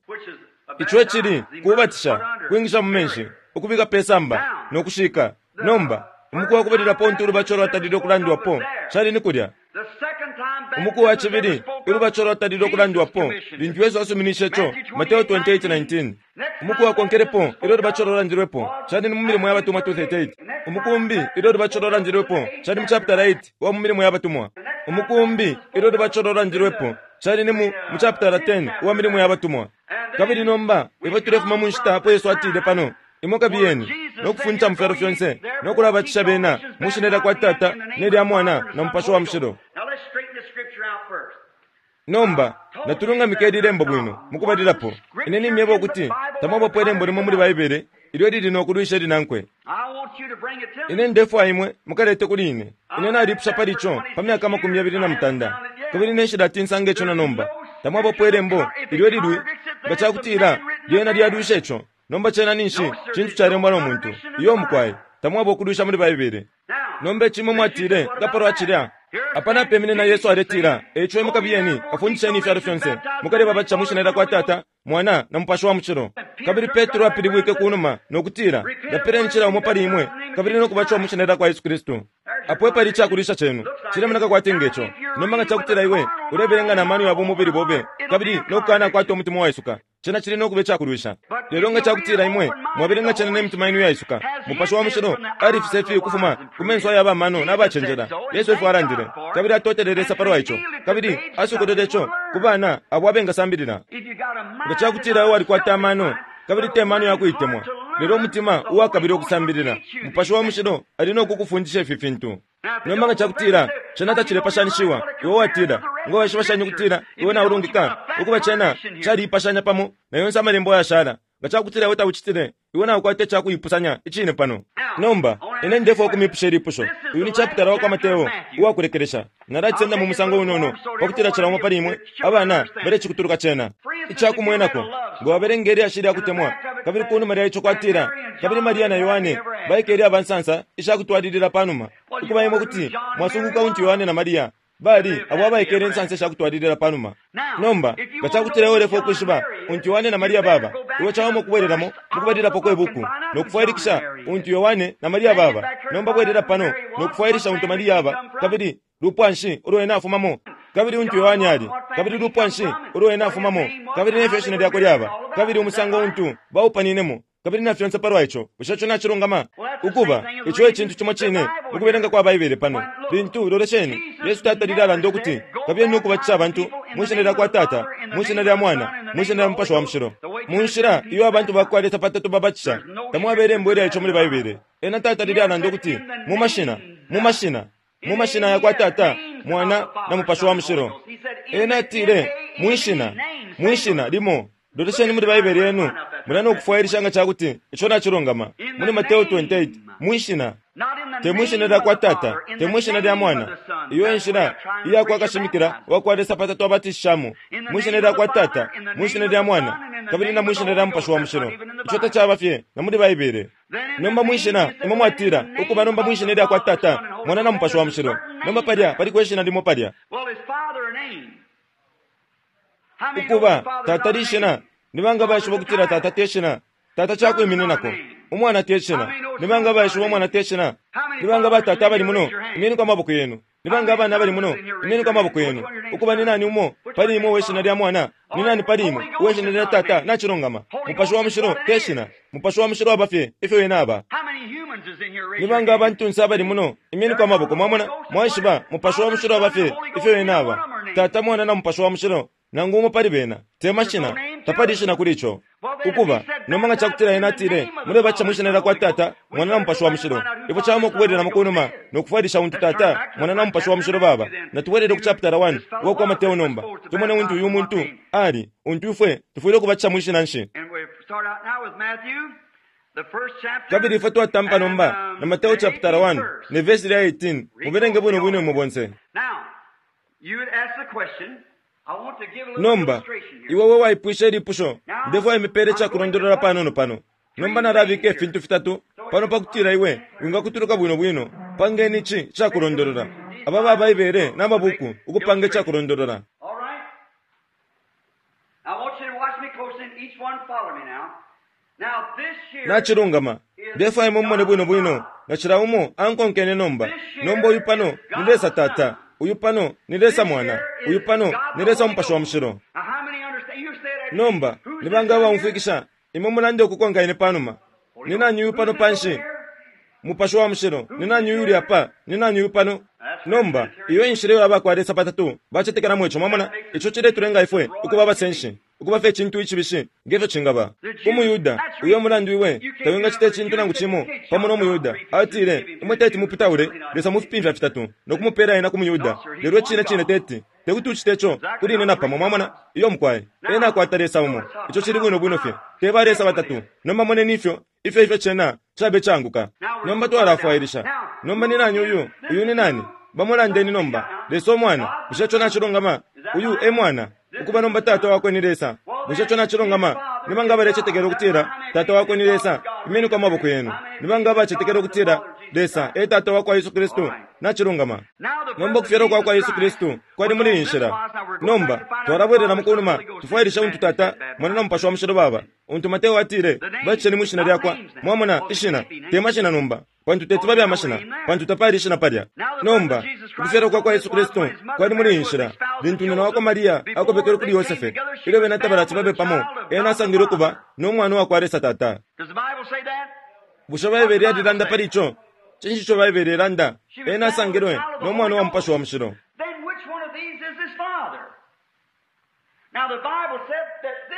Ico ecili, kubatisha, kwingisha mu menshi, ukubika pe samba, no kushika. Nomba, umuku wa kubalilapo untu ulubatisho lwatalile ukulandwapo, cali ni kulya. Umuku wa cibili ulubatisho lwatalile ukulandwapo, lintu Yesu asuminishe ico, Mateo 28:19. Umuku wakonkelepo ilyo ulubatisho lwalandilwepo, cali ni mu Milimo ya Batumwa 2:38. Umuku umbi ilyo ulubatisho lwalandilwepo, cali mu chapitala 8 uwa mu Milimo ya Batumwa. Umuku umbi ilyo ulubatisho lwalandilwepo, cali ni mu, mu chapitala 10 uwa Milimo ya Batumwa. Kabili nomba ifwe tulefuma mu nshita apo Yesu atile pano, Imwe kabiyeni. no kufundisha mu fyalo fyonse, no kulabatisha bena mu shina lya kwa Tata ne lya Mwana na Mupashi wa Mushilo. Nomba, natulungamike ili lembo bwino mukubalilapo. Ine nimyeba ukuti tamwabapo ilembo limo muli Baibele ilyo lili no kulwisha ilinankwe. Ine ndefwaya imwe mukalete kuli ine. Ine nalipusha pali ico pa myaka 28, kabili ine nshilati nsange ico na nomba. Tamwabapo ilembo ilyo lilwi nga cakutila lyena lyalwisha ico. Nomba cena ninshi cintu calembwa no muntu. Iyo mukwai, tamwaba ukulwisha muli Baibele. Nomba ici imwe mwatile nga palwa cilya. Apa napemine na Yesu aletila, Eico imwe kabiyeni, kafundisheni ifyalo fyonse, mukalebabatisha mwi shina lya kwa Tata, Mwana, na Mupashi wa Mushilo. Kabili Petro apilibwike ku numa, no kutila, Lapileni cila umo pali imwe, kabili no kubatishiwa mwi shina lya kwa Yesu Kristu. Apo epali icakulwisha cenu. Cilemoneka kwati nge co. Nomba nga cakutila iwe ulebelenga na mano ya bumubili bobe, kabili no kukanakwata umutima uwaisuka, cena cili no kuba icakulwisha. Lelo nga cakutila imwe mwabelenga cena ne mitima yenu iyaisuka, Mupashi wa Mushilo alifisa ifi ukufuma ku menso aya bamano na bacenjela. Yesu efyo alandile, kabili atotele Lesa palwa ico, kabili asokolwele ico ku bana abo abengasambilila. Nga cakutila iwe walikwata amano, kabili te mano ya kuitemwa, lelo umutima uwakabila ukusambilila, Mupashi wa Mushilo ali no kukufundisha ifi fintu. Nomba nga cakutila cena tacilepashanishiwa, iwe watila, Nga waishiba shani ukutila iwe naulungika? Ukuba cena caliipashanya pamo na yonse Amalembo ayashala. Nga cakutila iwe taucitile, iwe naukwata icakuipusanya icine pano. Nomba, ine ndefwaya ukumipusha ilipusho. Uyu ni chapitala wakwa Mateo uwakulekelesha. Nalacisenda mu musango unono, pakutila cila umo pali imwe abana balecikutuluka cena. Icakumwenako, nga wabelenga ilyashi lya kutemwa, kabili kunuma lya ico kwatila, Kabili Maria na Yohane baikele aba nsansa isha kutwalilila panuma. Ukuba imwe kuti mwasunguka untu Yohane na Maria bali abo abaikele insansa isha kutwalilila panuma. Nomba, nga cakutila iwe ulefwaya ukwishiba untu Yohane na Maria baba, iwe cawama ukubwelelamo mukubalilapo kwe buku no kufwailikisha untu Yohane na Maria baba. Nomba bwelela pano no kufwailisha untu Maria aba, kabili lupwa nshi ulo ena afumamo, kabili untu Yohane ali, kabili lupwa nshi ulo ena afumamo, kabili nefyo ishina lyakwe lyaba, kabili umusango untu baupaninemo. Kabili na fyonse palwa ico, bushe ico nacilungama? Ukuba, ico e cintu cimo cine mukubelenga kwa Baibele pano. Lintu, lolesheni, Yesu tatalile alanda ukuti, Kabiyeni no kubatisha abantu mwi Shina lyakwa Tata, mwi Shina lya Mwana, mwi Shina lya Mupashi wa Mushilo. Mu nshila iyo abantu bakwa Lesa patatu babatisha, tamwaba ilembo ilya ico muli Baibele. Ena tatalile alanda ukuti, Mu mashina, mu mashina, mu mashina yakwa Tata, Mwana, na Mupashi wa Mushilo. Ena atile, Mwi Shina, mwi Shina limo. Lolesheni muli Baibele yenu mulya no kufwailisha nga ca kuti ico nacilungama. Muli Mateo 28, mwi shina, te mwi shina lya kwa Tata, te mwi shina lya Mwana. Iyo e nshila iya kwa kashimikila wa kwa Lesa patatu abatishishamo, mwi shina lya kwa Tata, mwi shina lya Mwana, kabili na mwi shina lya Mupashi wa Mushilo. Ico tacaba fye na muli Baibele. Nomba mwi shina, imwe mwatila, ukuba nomba mwi shina lya kwa Tata, Mwana na Mupashi wa Mushilo. Nomba palya paliko ishina limo palya. Ukuba, Tata lishina. Ni banga baishiba ukutila Tata te shina? Tata ca kwimininako. Umwana te shina. Ni banga baishiba Umwana te shina? Ni banga batata abali muno? Imyeniko amaboko yenu. Ni banga abana abali muno? Imyeniko amaboko yenu. Ukuba, ni nani umo pali imwe uwe shina lya Mwana? Ni nani pali imwe uwe shina lya Tata? Nacilungama. Mupashi wa Mushilo te shina. Mupashi wa Mushilo aba fye ifyo Wene aba. Ni banga abantunse abali muno? Imyeniko amaboko. Mwamona? Mwaishiba, Mupashi wa Mushilo aba fye ifyo Wene aba. Tata, Mwana, na Mupashi wa Mushilo. Nangu umo pali bena, te mashina, tapali ishina kuli ico. Ukuba, nomba nga cakutila ena atile, Mulebatisha mwi Shina lyakwa Tata, Mwana na Mupashi wa Mushilo, ifwe cawama ukubwelelamo kunuma no kufwailisha untu Tata, Mwana na Mupashi wa Mushilo baba. Natubwelele ku chapitala 1 uwakwa Mateo nomba, tumone untu uyu muntu ali, untu ifwe tufwile ukubatisha mwi shina nshi. Kabili ifwe twatampa nomba na Mateo chapitala 1 ne vesi lya 18. Mubelenge bwino bwino imwe bonse. Nomba, iwe we waipwishe ilipusho, ndefwaya imipele icakulondolola panono pano. Nomba nalabika ifintu fitatu pano pakutila iwe wingakutuluka bwino bwino. Pangeni ici icakulondolola. Aba ba Baibele na mabuku ukupanga icakulondolola. Nacilungama. Ndefwaya imwe mumone bwino bwino nga cila umo ankonkene nomba. Nomba uyu pano ni Lesa Tata. Uyu pano ni Lesa Mwana. Uyu pano ni Lesa Umupashi wa Mushilo. Nomba, ni banga abaumfwikisha? Imwe mulande ukukonka ine panuma. Ni nani uyu pano panshi? Mupashi wa Mushilo. Ni nani uyu uli apa? Ni nani uyu pano? Nomba, iyo e nshila iyo aba kwa Lesa patatu bacetekelamo ico. Mwamona? Ico ciletulenga ifwe ukuba abasenshi. ukuba fye icintu icibishi nge fyo cingaba. Ku muYuda, uyo emulandu iwe tawingacita icintu nangu cimo pamo no muYuda. Atile, Imwe teti muputaule Lesa mu fipimfya fitatu no kumupela Ena ku muYuda. Lelo icine cine teti, tekuti ucite ico kuli ine napamo. Mwamona? Iyo, mukwai. Ena akwata Lesa umo. Ico cili bwino bwino fye. Te ba Lesa batatu. Nomba moneni ifyo, ifyo, ifyo cena cabe icaanguka. Nomba twalafwailisha. Nomba ni nani uyu? Uyu ni nani? Bamo landeni nomba. Lesa Umwana. Bushe ico nacilungama? Uyu e Mwana. Ukuba nomba Tata wakwe ni Lesa. Bushe ico nacilungama? Ni banga abalecetekela ukutila Tata wakwe ni Lesa? Imyeniko amaboko yenu. Ni banga abacetekela ukutila Lesa e Tata wakwa Yesu Kristu? Nacilungama. Nomba ukufyalwa kwa kwa Yesu Kristu kwali muli iyi nshila. Nomba twalabwelelamo kunuma tufwailishe untu Tata, Mwana na Mupashi wa Mushilo baba. Untu Mateo atile, Batisheni mwi Shina lyakwa. Mwamona, ishina, te mashina nomba, pantu teti babe amashina, pantu tapali ishina palya. Nomba, ukufyalwa kwa kwa Yesu Kristu kwali muli iyi nshila, lintu nyina wakwa Maria akobekelwe kuli Yosefe, ilyo bena tabalati babe pamo, ena asangilwe ukuba no Mwana uwakwa Lesa Tata. Bushe Baibele yalilanda pali ico? Cinshi ico Baibele ilanda? Ena asangilwe no Mwana uwa Mupashi wa Mushilo.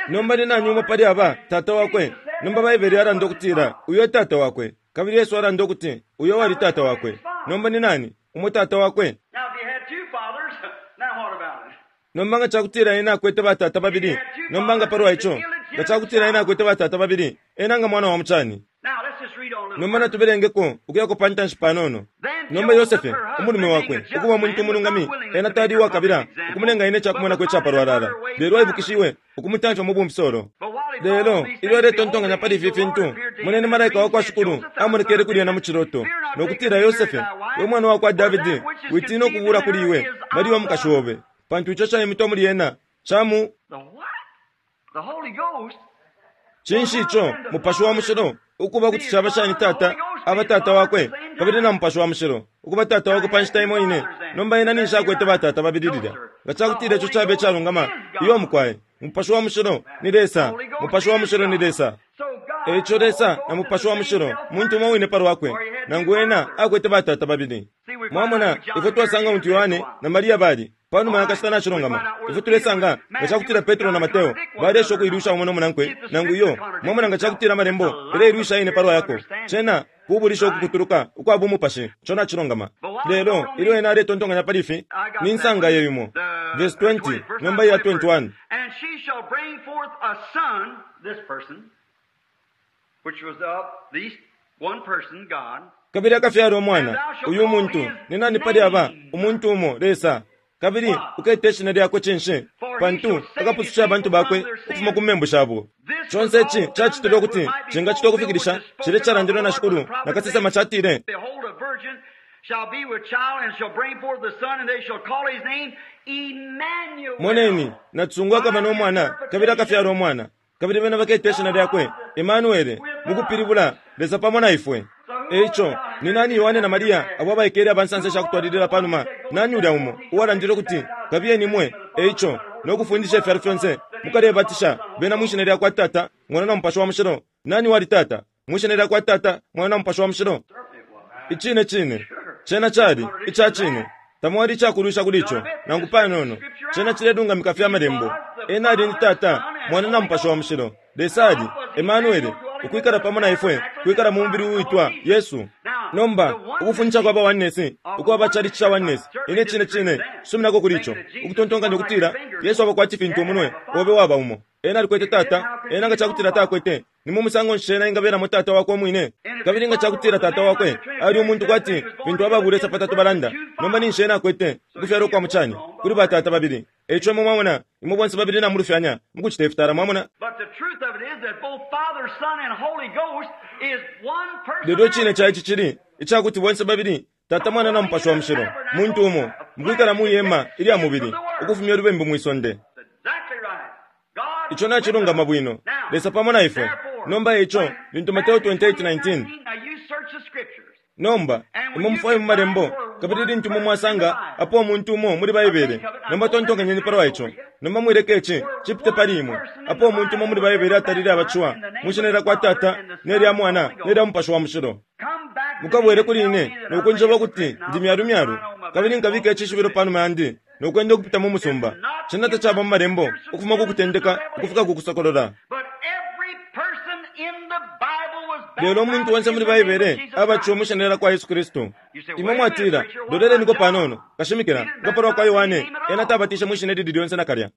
Nomba ni nani umo pali aba tata wakwe? Nomba Baibele yalanda ukutila uyo e tata wakwe, kabili Yesu alanda ukuti uyo wali tata wakwe. Nomba ni nani umo tata wakwe? Nomba nga cakutila ena akwete batata babili, nomba nga palwa ico? Nga cakutila ena akwete batata babili, ena nga mwana wa mucani. Nomba natubelengeko ukuyako pa ntanshi panono. Nomba Yosefe, umulume wakwe, ukuba umuntu umulungami, ena tali uwakabila ukumulenga ena icakumwenako icapalwalala, lelo aibukishiwe ukumutamfya mu bumfisolo. Lelo ilyo aletontonkanya pali ifi fintu, moneni malaika wa kwa Shikulu amonekele kuli ena mu ciloto, no kutila, Yosefe, we mwana wa kwa Davidi, witina ukubuula kuli iwe Maria umukashi obe, pantu ico caimitwa muli ena ca mu. Cinshi ico Mupashi wa Mushilo ukuba kuti caba shani Tata aba Tata wakwe kabili na Mupashi wa Mushilo ukuba Tata wakwe pa nshita imo ine? Nomba ena ninshi akwete batata babili lilya. Nga cakutila ico caba icalungama, iyo mukwai. Mupashi wa Mushilo ni Lesa. Mupashi wa Mushilo ni Lesa. E ico Lesa na Mupashi wa Mushilo muntu umo wine pa lwakwe, nangu ena akwete batata babili. Mwamona, ifwe twasanga untu Yohane na Maria bali. Panuma ya kashita nacilungama, ifwe tulesanga nga cakutila Petro na Mateo baleesha ukuilwisha umo no munankwe, nangu iyo. Mwamona nga cakutila Amalembo yaleilwisha ayene palwa yako. Cena kubulisha ukukutuluka ukwa bumupashi. Ico nacilungama. Lelo ilyo ena aletontonkanya pali ifi, Ninsanga iyo imo. Verse 20, nomba iya 21. And she shall bring forth a son, this person, which was of this one person, God. Kabili akafyala umwana, uyu muntu, ni nani pali aba, umuntu umo, Lesa. Kabili uketa ishina lyakwe cinshi? Pantu akapususha abantu bakwe ukufuma ku membu shabo. Conse ici cacitilwe ukuti cingacitwa ukufikilisha cilya icalandilwe na Shikulu na kasesema catile, Behold, a virgin shall be with child and shall bring forth a son, and they shall call his name Emmanuel. Moneni, nacisungu akaba no mwana, kabili akafyala umwana, kabili bena baketa ishina lyakwe Emanuele, mu kupilibula, Lesa pamo na ifwe. E ico, ni nani Yohane na Maria abo abaikele aba nsansa isha kutwalilila pa numa? Nani ulya umo uwalandile ukuti, Kabiyeni imwe, e ico, no kufundisha ifyalo fyonse, mukalebatisha bena mwi shina lya kwa Tata, Mwana na Mupashi wa Mushilo? Nani uwali Tata? Mwi shina lya kwa Tata, Mwana na Mupashi wa Mushilo? Icine cine, cena cali ica cine. Tamwali icakulwisha kuli ico, nangu panono. Cena cilelungamika fye Amalembo. Ena ali ni Tata, Mwana na Mupashi wa Mushilo. Lesa ali, Emanuele, ukwikala pamo na ifwe, kwikala mu mubili uwitwa Yesu. Nomba, ukufundisha kwa ba Oneness, ukwa ba chalichi ca Oneness, ine cine cine nsuminako kuli ico, ukutontonkanya ukutila Yesu aba kwati fintu umunwe obe waba umo. Ena alikwete Tata, ena nga cakutila takwete, ni mu musango nshi ena engabelamo Tata wakwe umwine? Kabili nga cakutila Tata wakwe ali umuntu kwati fintu aba bulesa patatu balanda, nomba ninshi ena akwete ukufyalwa ukwa mucani kuli ba tata babili? Eico imwe mwamona, imwe bonse babili namulufyanya mukucita ifitala. Mwamona? But the truth of it is that both Father, Son, and Holy Ghost is one Lelo icine personality. ca ici cili ica kuti bonse babili, Tata, Mwana, na Mupashi wa Mushilo, muntu umo, mukwikala mwi hema ilya mubili, ukufumya ulubembu mwi sonde. Exactly right. God Ico nacilungama bwino. Lesa pamo na ifwe. Nomba eico, lintu Mateo 28:19. Now you search the scriptures. Nomba, imwe mufwaye mu Malembo, kabili lintu imwe mwasanga apo umuntu umo muli Baibele, nomba tontonkanyeni palwa ico. Nomba mwileka ici cipite pali imwe. Apo umuntu umo muli Baibele atalile abaciwa, mwi shina lya kwa Tata, ne lya Mwana, ne lya Mupashi wa Mushilo. Come back to Mukabwele me kuli and tell ine me that no I'm kunjeba a ukuti hypocrite and ndi I'm myalu myalu, I know my kabili nkabika back. icishibilo panuma yandi no kwenda ukupita mu musumba. Cena tacaba mu Malembo, ukufuma ku Kutendeka ukufika ku Kusokolola. Lelo umuntu onse muli Baibele abatishiwe mwi Shina lyakwa Yesu Kristu. Imwe mwatila, Loleleniko panono, kashimikila, nga palwa kwa Yohane, ena tabatishe mwi shina ilili lyonse nakalya.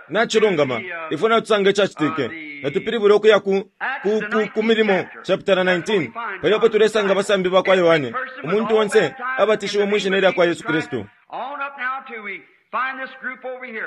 Nacilungama, ifwe natusanga icacitike. Natupilibule ukuya ku, ku, ku, ku Milimo chapitala 19, palya apo tulesanga abasambi bakwa Yohane, umuntu onse abatishiwe mwi Shina ilyakwa Yesu Kristu.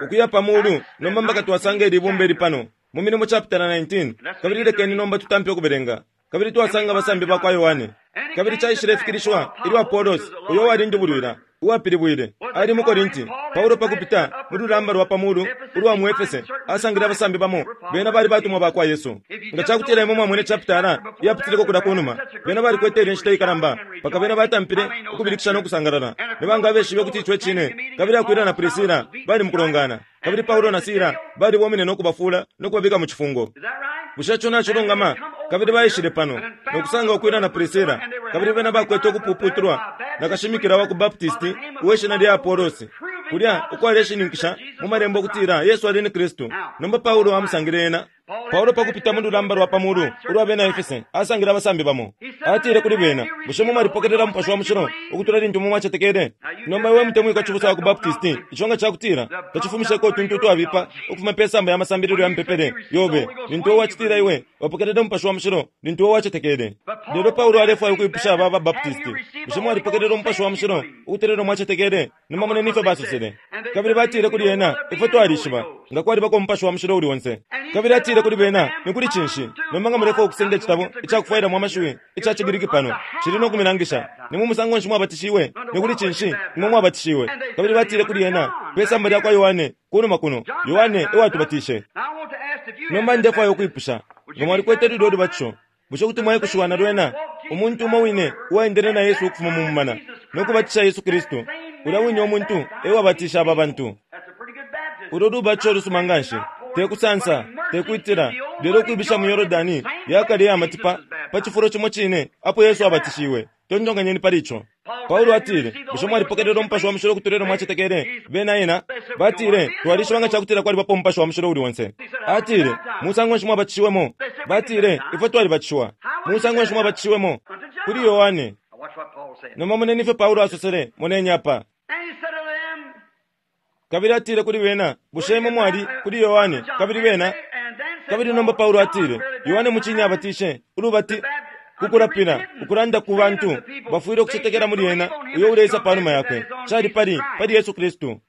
Ukuya pa mulu nomba mpaka twasanga ili ibumba ili pano, mu Milimo chapitala 19, kabili lekeni nomba tutampe ukubelenga. Kabili twasanga abasambi bakwa Yohane. Kabili caishilefikilishiwa ilyo Apolos, uyo uwali ndubulwila, uwapilibwile, ali mu Korinti, Paulo pa kupita mu lulamba lwa pa mulu ulwa mu Efese, asangile abasambi bamo, bena bali batumwa ba kwa Yesu. Nga ca kutila imwe mwamwene chapitala iyapitileko kulya ku numa, bena balikwete ilya nshita ikalamba, mpaka bena batampile ukubilikisha no kusangalala. Ni banga abeshibe ukuti ico e cine? Kabili Akwila na Prisila bali mu kulongana, kabili Paulo na Sila balibomine no kubafuula no kubabika mu cifungo. Bushe ico nacilungama? Kabili baishile pano, no kusanga Akwila na Prisila, kabili bena bakwete ukupuputulwa na kashimikila wa ku Baptisti uwe shina lya Apolosi, kulya ukwaleshininkisha mu Malembo ukutila Yesu ali ni Kristu. Nomba Paulo amusangile ena. Paulo pa kupita mu lulamba lwa pa mulu ulwa bena Efese, asangile abasambi bamo. Atile kuli bena, Bushe imwe mwalipokelela Mupashi wa Mushilo ukutula lintu imwe mwacetekele? Nomba iwe mutemwikwa cibusa wa ku Baptisti, ico nga cakutila tacifumisheko utuntu utwabipa ukufuma pe samba ya masambililo ya mipepele yobe, lintu iwe wacitila iwe wapokelele Umupashi wa Mushilo lintu iwe wacetekele. Lelo Paulo alefwaya ukwipusha aba aba Baptisti, Bushe mwalipokelela Umupashi wa Mushilo ukutula ilyo mwacetekele? Nomba moneni ifyo basosele. Kabili batile kuli ena, Ifwe twalishiba nga kwalibako Umupashi wa Mushilo uuli onse. Kabili atile kuli bena, Ni kuli cinshi? Nomba nga mulefwaya ukusenda icitabo ica kufwailamo amashiwi ica ciGriki pano, cili no kumilangisha. Ni mu musango nshi mwabatishiwe? Ni kuli cinshi imwe mwabatishiwe? Kabili batile kuli ena, Pe samba lya kwa Yohane, kunuma kuno, Yohane e watubatishe. Nomba ndefwaya ukwipusha, nga mwalikwete lulyo lubatisho, bushe kuti mwaikushiwa na lwena? Umuntu umo wine uwaendele na Yesu ukufuma mu mumana no kubatisha Yesu Kristu, ulya wine umuntu e wabatishe aba bantu. Ulo lubatisho lusuma nganshi, te kusansa, te kwitila, lelo ukwibisha mu Yordani ya kale iya matipa pa cifulo cimo cine apo Yesu abatishiwe. Tontonkanyeni pali ico. Paulo atile, Bushe mwalipokelela Umupashi wa Mushilo ukutula ilyo mwacetekele? Bena ena batile, Twalishiba nga ca kutila kwalibapo Umupashi wa Mushilo uuli onse. Atile, Musango nshi mwabatishiwemo? Batile, Ifwe twalibatishiwa. Musango nshi mwabatishiwemo? Kuli Yohane. Nomba moneni ifyo Paulo asosele. Moneni apa. Kabili atile kuli bena, Bushe imwe mwali kuli Yohane? Kabili bena, kabili nomba Paulo atile, Yohane mucine abatishe, ulubati, ku kulapila, ukulanda ku bantu, bafwile ukucetekela muli ena uyo uleisa panuma yakwe, cali pali, pali Yesu Kristu.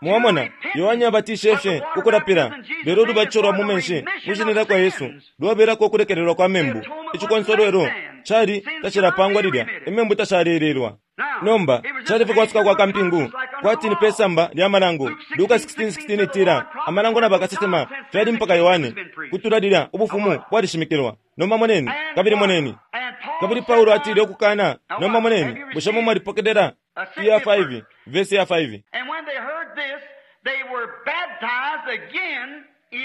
Mwamona, Yohane abatishe fye ku kulapila, lelo ulubatisho lwa mu menshi mwi Shina lyakwa Yesu lwabelako ukulekelelwa kwa membu. Icikonsolwelo cali tacilapangwa lilya, imembu tashalelelwa. Nomba, cali fye kwasuka kwa kampingu, kwati ni pe samba lya Malango. Luka 16:16 itila, Amalango na bakasesema fyali mpaka Yohane. Kutula lilya Ubufumu bwalishimikilwa. Nomba moneni, kabili moneni. Kabili Paulo atile ukukana. Nomba moneni, bushe mwe mwalipokelela iya 5, vesi ya 5?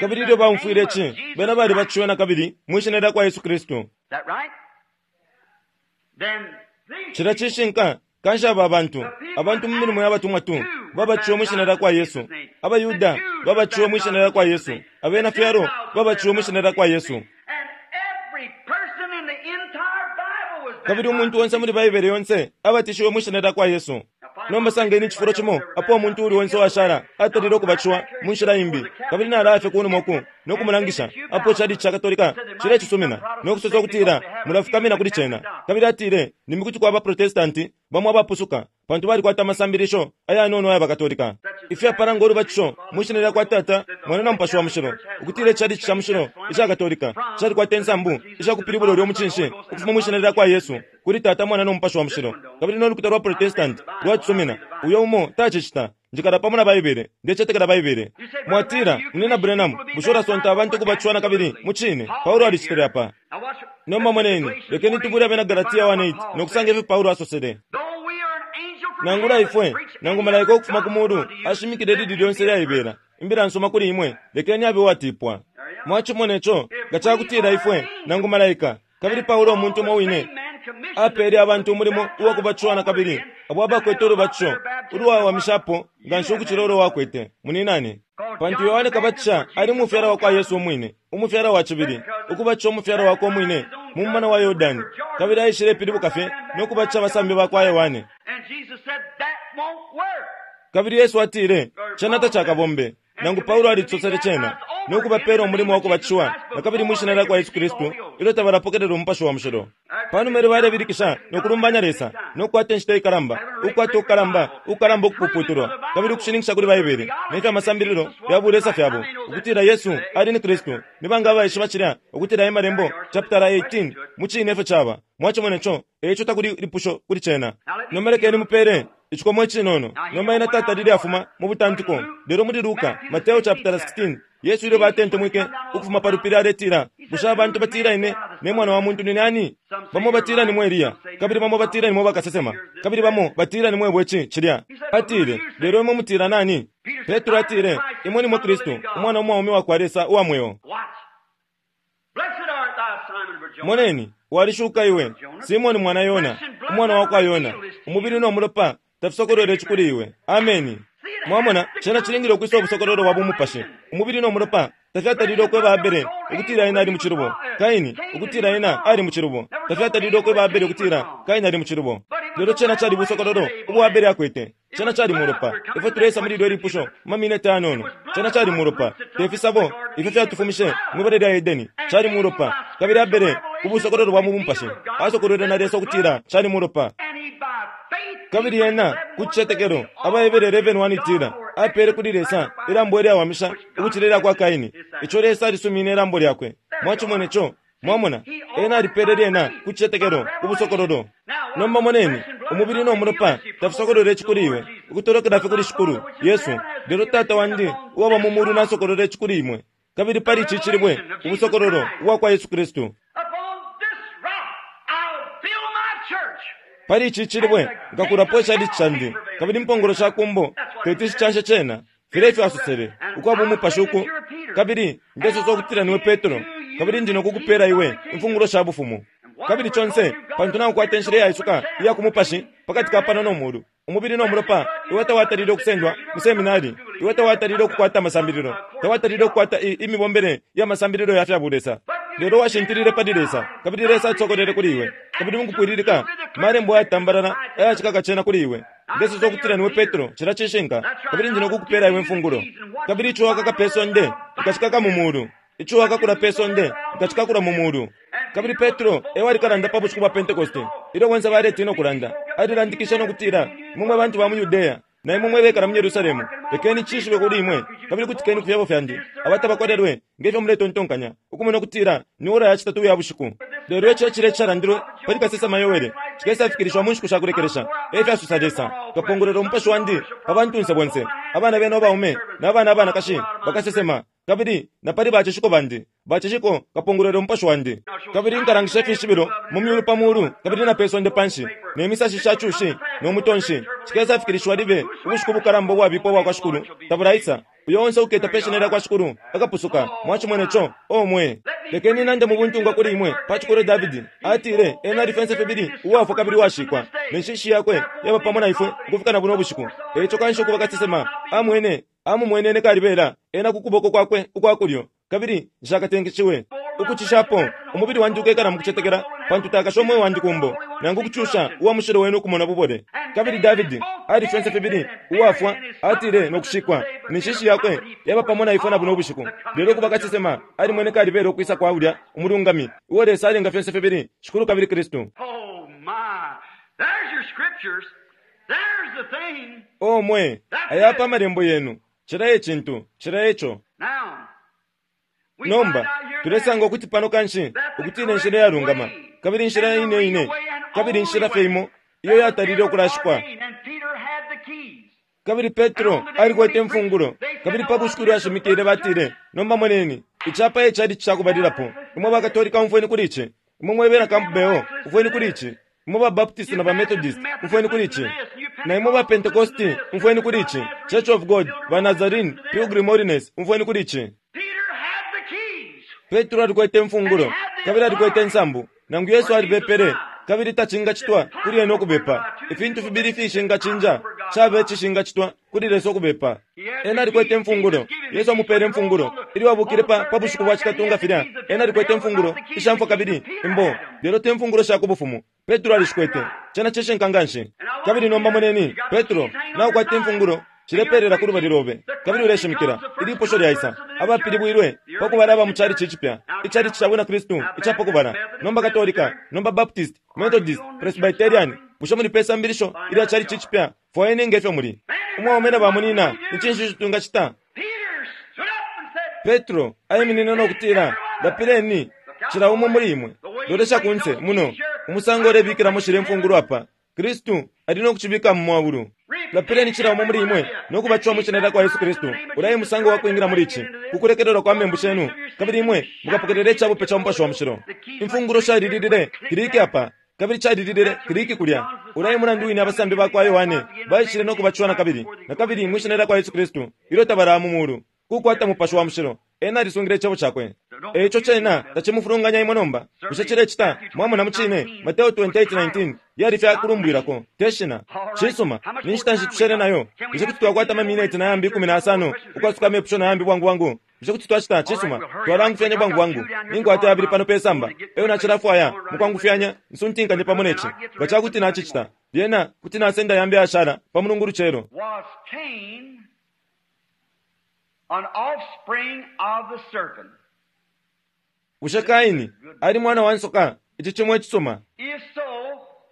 Kabili ilyo baumfwile ici, bena balibatishiwe na kabili mwi Shina lya kwa Yesu Kristu. Cilya cishinka. Kanshi aba bantu, abantu mu Milimo ya Batumwa 2, babatishiwe mwi Shina lya kwa Yesu. AbaYuda babatishiwe mwi Shina lya kwa Yesu. Abena fyalo babatishiwe mwi Shina lya kwa Yesu. Kabili umuntu onse muli Baibele yonse abatishiwe mwi Shina lya kwa Yesu. Nomba sangeni icifulo cimo apo umuntu uuli onse uwashala atalile ukubatishiwa mu nshila imbi, kabili nalaya fye kunuma uku no kumulangisha apo icalici ca Katolika cilecisumina no kusosa ukutila mulafukamina kuli cena. Kabili atile, Limbi kuti kwaba Protestanti bamo abapusuka, pantu balikwata amasambilisho ayanono aya baKatolika, ifyapala ngo lubatisho mwi shina lya kwa Tata, Mwana na Mupashi wa Mushilo, ukutila icalici ca mushilo ica Katolika calikwata insambu isha kupilibula ulyo mucinshi ukufuma mwi shina lya kwa Yesu kuli Tata, Mwana no Mupashi wa Mushilo, kabili no lukuta lwa Protestanti lwacisumina. Uyo umo tacicita. Njikala pamo na Baibele. Ndecetekela Baibele. Mwatila, Munyina Branham, bushe ulasonta abantu ukubatishiwa na kabili? Mucine. Paulo alicitile apa. Nomba moneni, lekeni tubule Abena Galatia 1:8 no kusanga ifyo Paulo asosele. Nangula ifwe, nangu malaika ukufuma ku mulu ashimikile ilili lyonse ilyaibela imbila nsuma kuli imwe, lekeni abe uwatipwa. Mwacimone co, nga ca kutila ifwe, nangu malaika, kabili Paulo umuntu umo wine, apeele abantu umulimo uwa kubatishiwa na kabili, abo abakwete ulubatisho ulwawamishapo nganshi ukucila ulo wakwete, muninane. Pantu Yohane Kabatisha ali mufyala wa kwa Yesu umwine, umufyala wa cibili, ukubatisha umufyala wakwe umwine mu mumana wa Yordani, kabili aishilepilibuka fye no kubatisha abasambi ba kwa Yohane. Kabili Yesu atile, Cena tacakabombe. Nangu Paulo alicosele cena, no kubapeela umulimo wa kubatishiwa na kabili mwi Shina lyakwa Yesu Kristu, ilyo tabalapokelela Umupashi wa Mushilo. Panuma ilyo balebilikisha no kulumbanya Lesa, no kukwata inshita ikalamba, ukukwata ukukalamba, ukukalamba ukupuputulwa, kabili ukushininkisha kuli Baibele ne fya masambililo ya bulesa fyabo, ukutila Yesu ali ni Kristu. Ni banga abaishiba cilya, ukutila e Malembo, chapitala 18, mucine efyo caba. Mwacimone co. E ico takuli lipusho kuli cena. Nomba lekeni mupele icikomo icinono. Nomba ena tatalile afuma mu butantiko. Lelo muli Luka, Mateo chapitala 16, Yesu ilyo batentemwike ukufuma pa lupili aletila, Bushe abantu batila ine ne Mwana wa muntu nine ani? Bamo batila nimwe Eliya, kabili bamo batila nimwe bakasesema, kabili bamo batila nimwe ici, cilya. Atile, Lelo imwe mutila nani? Petro atile, Imwe nimwe Kristu, Umwana umwaume wa kwa Lesa uwa mweo. Moneni, walishuka iwe, Simoni mwana Yona, umwana wa kwa Yona, umubili no mulopa tafisokolwele ici kuli iwe. Ameni. Mwamona, cena cilingile ukwisa ubusokololo bwa bumupashi. Umubili no mulopa tafyatalile ukweba Abele ukutila ena ali mucilubo, Kaini ukutila ena ali mucilubo, tafyatalile ukweba Abele ukutila Kaini ali mucilubo. Lelo cena cali busokololo ubo Abele akwete. Cena cali mulopa. Ifwe tuleisa muli ilyo lipusho mu mamineti ayanono. Cena cali mulopa, te fisabo ifyo fyatufumishe mwi bala lya Edeni. Cali mulopa. Kabili Abele, ku busokololo bwa mu bumupashi, asokolwele na Lesa ukutila cali mulopa. Kabili ena, ku cicetekelo, Abahebere 11:1 itila, apele kuli Lesa ilambo ilyawamisha ukucila ilya kwa Kaini, ico Lesa alisumine ilambo lyakwe. Mwacimone co. Mwamona, ena alipele lyena ku cicetekelo, ku busokololo. Nomba moneni, umubili no mulopa tafisokolwele ici kuli iwe, ukutolokela fye kuli Shikulu, Yesu, lelo Tata wandi uwaba mu mulu nasokolola ici kuli imwe. Kabili pali ici cilibwe, ubusokololo ubwakwa Yesu Kristu. Pali ici cilibwe nkakulapo icalici candi, kabili impongolo sha kumbo teti shicanshe cena. Filya efyo asosele, ukwaba Umupashi uku, kabili ndesosa ukutila niwe Petro, kabili ndi nokukupela iwe imfungulo sha Bufumu. Kabili conse, pantu naukwata inshila iyaisuka iya ku mupashi pakati ka pano no mulu, umubili no mulopa, iwe tawatalile ukusendwa mu seminari, iwe tawatalile ukukwata amasambililo, tawatalile ukukwata i, imibombele ya masambililo ya fya bulesa. Lelo washintilile pali Lesa, kabili Lesa acisokolwele kuli iwe, kabili mukupwililika, Malembo ayatambalala ayacikaka cena kuli iwe. Ndesosa ukutila niwe Petro, cilya cishinka, kabili ndi nokukupela iwe imfungulo. Kabili ico wakaka pe sonde, nkacikaka mu mulu. Ico wakakula pe sonde, nkacikakula mu mulu. Kabili Petro e wali kalanda pa bushiku bwa Pentekoste, ilyo bonse baletina ukulanda. Alilandikishe no kutila, Imwe mwe bantu ba mu Yudea, na imwe mwe bekala mu Yerusalemu, lekeni cishibwe kuli imwe, kabili kutikeni ku fyebo fyandi, aba tabakolelwe, nge fyo muletontonkanya, ukumona ukutila ni ora ya citatu iya bushiku. Lelo ico icilye icalandilwe pali kasesema Yoele cikesafikilishiwa mu nshiku sha kulekelesha, e fyasosa Lesa, Nkapongolwela umupashi wandi pa bantunse bonse, abana benu abaume na bana abanakashi bakasesema, kabili na pali bacishiko bandi bacishiko nkapongolwela umupashi wandi. Kabili nkalangisha ifishibilo mu myulu pa mulu kabili na pe sonde panshi, ne misashi sha cushi no mutonshi, cikesafikilishiwa libe ubushiku bukalamba ubwabipa ubwa kwa Shikulu tabulaisa. Uyo onse uketa pe shina lya kwa Shikulu akapusuka. Mwacimone co, o mwe! Lekeni nande mu buntungwa kuli imwe pa cikolwe Davidi. Atile ena ali fense fibili uwafwa kabili uwashikwa, ne nshishi yakwe yaba pamo na ifwe ukufika na buno bushiku. E ico kanshi ukuba kasesema amwene, amumwenene kalibela ena ku kuboko kwakwe ukwa kulyo, kabili nshakatenkeshiwe. Ukucishapo, umubili wandi ukekala mu kucetekela, pantu takashe umweo wandi ku mbo, nangu kucusha uwa mushilo wenu ukumona bubole. Kabili Davidi ali fyonse fibili uwafwa, atile, no kushikwa, ne nshishi yakwe yaba pamo na ifwe na buno bushiku. Lelo ukuba kasesema, alimwene kalibela ukwisa kwa ulya umulungami, uo Lesa alenga fyonse fibili Shikulu kabili Kristu. Oh, my! There's your scriptures. There's the thing. O mwe, aya apa amalembo yenu. Cilya e cintu. Cilya e co. Now, we find Nomba, out here tulesanga that ukuti pano kanshi, ukutila inshila iyalungama, kabili inshila ine ine, kabili inshila fye imo iyo yatalile ukulashikwa. And Peter had the keys. Kabili Petro alikwete imfungulo, kabili pa bushiku ilyo ashimikile batile, Nomba moneni, ici apa e calici ca kubalilapo. Imwe ba Katolika umfweni kuli ici. Imwe mwe bena Campbell, umfweni kuli ici. Imwe ba Baptist na ba Methodist, umfweni kuli ici. Na imwe ba Pentecosti, umfweni kuli ici. Church of God, ba Nazarene, Pilgrim Holiness, umfweni kuli ici. Peter had the keys. Petro alikwete imfungulo, kabili alikwete insambu. Nangu Yesu alibepele, Kabili tacingacitwa kuli ena ukubepa. Ifintu fibili ifishingacinja, cabe icishingacitwa kuli Lesa ukubepa. Ena alikwete imfungulo. Yesu amupele imfungulo. Ilyo abukile pa, pa bushiku bwa citatu nga filya, ena alikwete imfungulo isha mfwa kabili imbo, lelo te mfungulo sha ku Bufumu. Petro alishikwete. Cena cishinka nganshi. Kabili nomba moneni, Petro, naukwata imfungulo, shilepelela ku lubali lobe, kabili uleshimikila. Ilipusho lyaisa. Abapilibwilwe pa kubala aba mu chalichi icipya, ichalichi ca Bwina Kristu ica pa kubala, nomba Katolika, nomba Baptist, Methodist, Presbyterian, bushe muli pe sambilisho ilya chalichi icipya? Fwayeni nge fyo muli. Umwaume na bamunina, ni cinshi ico twingacita? Petro aiminine no kutila, Lapileni, cila umo muli imwe. Lolesha kunse, muno, umusango ulebikilamo shilya imfungulo apa. Kristu ali no kucibika mu mwaulu. Lapileni cila umo muli imwe no kubatishiwa mwi Shina lyakwa Yesu Kristu. Ulya e musango wa kwingila muli ici, ku kulekelelwa kwa membu shenu, kabili imwe mukapokelela icabupe ca Mupashi wa Mushilo. Imfungulo shalililile kiliki apa, kabili calililile kiliki kulya. Ulya e mulandu wine abasambi bakwa Yohane baishile no kubatishiwa nakabili, nakabili mwi Shina lyakwa Yesu Kristu, ilyo tabalaya mu mulu, ku kukwata Mupashi wa Mushilo. Ena alisungile Icebo Cakwe. E ico cena tacimufulunganya imwe nomba, bushe cilecita? Mwamona, mucine, Mateo 28:19 yali fye kulumbwilako, te shina. Cisuma, ni nshita nshi tushele nayo? Bushe kuti twakwata amamineti na yambi 15 ukwasuka amepusho na yambi bwangu bwangu? Bushe kuti twacita? Cisuma, twalangufyanya bwangu bwangu. Ninkwata yabili pano pe samba, eyo nacilafwaya mukwangufyanya nsuntinkanye pamo ne ci. Nga ca kuti nacicita, lyena kuti nasenda yambi ayashala pa Mulungu ulucelo. Was Cain an offspring of the serpent? Bushe Kaini ali mwana wa nsoka? Ici cimo icisuma. If so,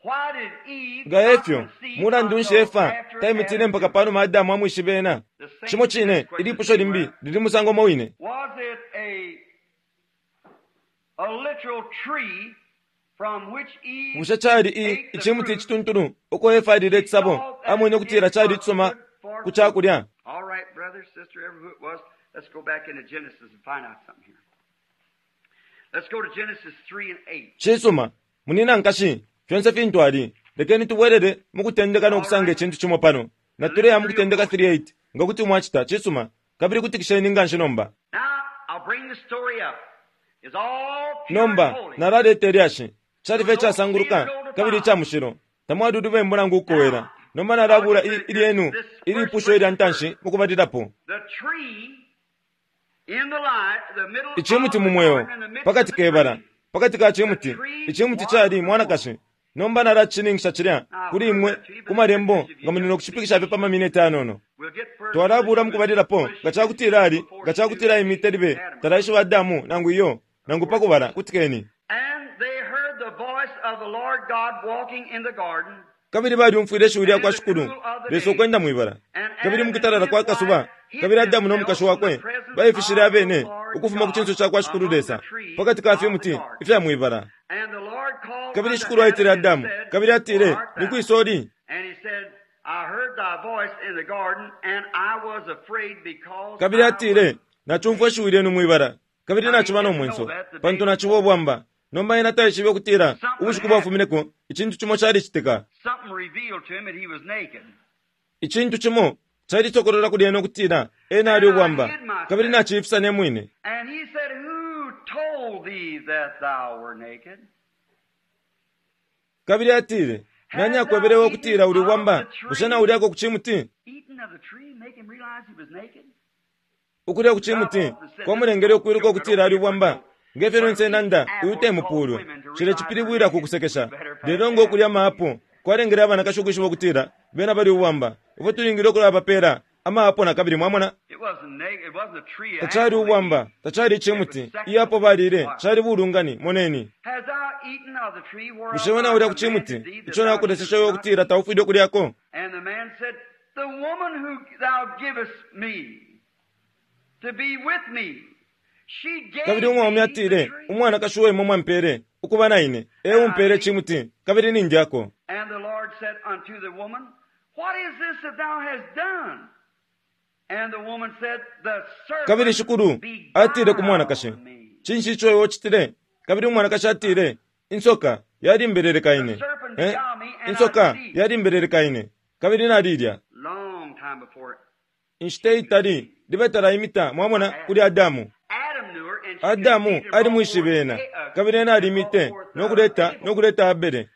why did Eve Nga not efyo, conceive mulandu nshi until Efa after taimitile Adam mpaka pa numa Adamu amwishibe ena? Cimo cine, ilipusho limbi lili musango umo wine. Was it a literal tree from which Eve Bushe cali i ate the icimuti fruit? icituntulu uko Efa alile icisabo, amwene ukutila cali icisuma ku ca kulya? All right, brother, sister, ever who it was, let's go back into Genesis and find out something here. Let's go to Genesis 3 and 8. Cisuma, munina nkashi, fyonse fintu ali, lekeni tubwelele mu Kutendeka no kusanga icintu cimo pano. Natuleya mu Kutendeka 3:8, nga kuti mwacita. Cisuma, kabili kutikisheni nganshi nomba. Now, I'll bring the story up. It's all pure and Nomba, holy. nalaleta ilyashi. Cali fye icasanguluka kabili ica mushilo. Tamwali ulubembu nangu ukukowela. Nomba nalabula ilyenu ilipusho ilya ntanshi mu kubalilapo. The tree in the light, the middle Icimuti of mu the mweo, garden, in the midst pakati of the ke bala, tree. pakati ka cimuti, icimuti cali mwanakashi. Nomba nalacishininkisha cilya kuli imwe ku malembo nga muli no kushipikisha fye pa mamineti ayanono. We'll get further Twalabula mu kubalilapo nga ca kutila ali, nga ca kutila imite libe talaishiba Adamu nangu iyo, nangu pa kubala. Kutikeni. And they heard the voice of the Lord God walking in the garden. Kabili balyumfwile ishiwi lya kwa Shikulu Lesa ukwenda mwibala. Kabili mukutalala kwa kasuba, kabili Adamu no mukashi wakwe baifishile abene ukufuma ku cinso ca kwa Shikulu Lesa pakati ka fimuti ifya mwibala. And the Lord called Kabili unto Shikulu aitile Adam and Adamu, said, kabili atile, Where art ni thou? kwisa uli? And he said, I heard thy voice in the garden, and I was afraid because Kabili I atile, was nacumfwa ishiwi lyenu mwibala, kabili naciba no mwenso, pantu naciba ubwamba. Nomba ena taishibe ukutila ubushiku bwafumineko icintu cimo calicitika. Something revealed to him that he was naked. Icintu cimo calisokolola kuli ena ukutila ena ali ubwamba, kabili naciifisa ne mwine. And he said, Who told thee that thou were naked? Kabili atile, nani akwebelewe ukutila uli ubwamba? Bushe naulyako ku cimuti? Eaten of the tree make him realize he was naked? Ukulya ku cimuti kwamulengele ukwiluka ukutila ali ubwamba. Nge fyo lyonse nanda, uyu te mupulwe. Cile cipilibwila ku kusekesha. Lelo ngo kulya amaapo kwalengele abanakashi ukwishiba ukutila bena bali ubwamba. Ifwe tulingile ukulabapeela amaapo na kabili, mwamona. It wasn't naked. It wasn't a tree. Tacali ubwamba, tacali icimuti. Iyapo balile, cali bulungani. Moneni. Hast thou eaten of the tree whereof Bushe we I naulya ku commanded cimuti thee that ico thou nakuleseshe shouldest iwe not ukutila eat? taufwile ukulyako? And the man said, The woman who thou givest me to be with me, she gave Kabili umwaume me the atile, tree. umwanakashi uo imwe mwampele ukuba na ine, e umpeele icimuti, kabili nindyako. And the Lord said unto the woman, What is this that thou hast done? And the woman said, The Kabili serpent Shikulu atile ku mwanakashi, beguiled me. cinshi ico iwe ucitile? Kabili umwanakashi atile, insoka yalimbeleleka ine. Eh? Insoka yalimbeleleka ine, kabili nalilya. Long time before Inshita itali libe talaimita, mwamona, kuli Adamu. Adam knew her, and she Adamu conceived and brought alimwishibe forth ena, kabili ena alimite, no kuleta, no kuleta Abele.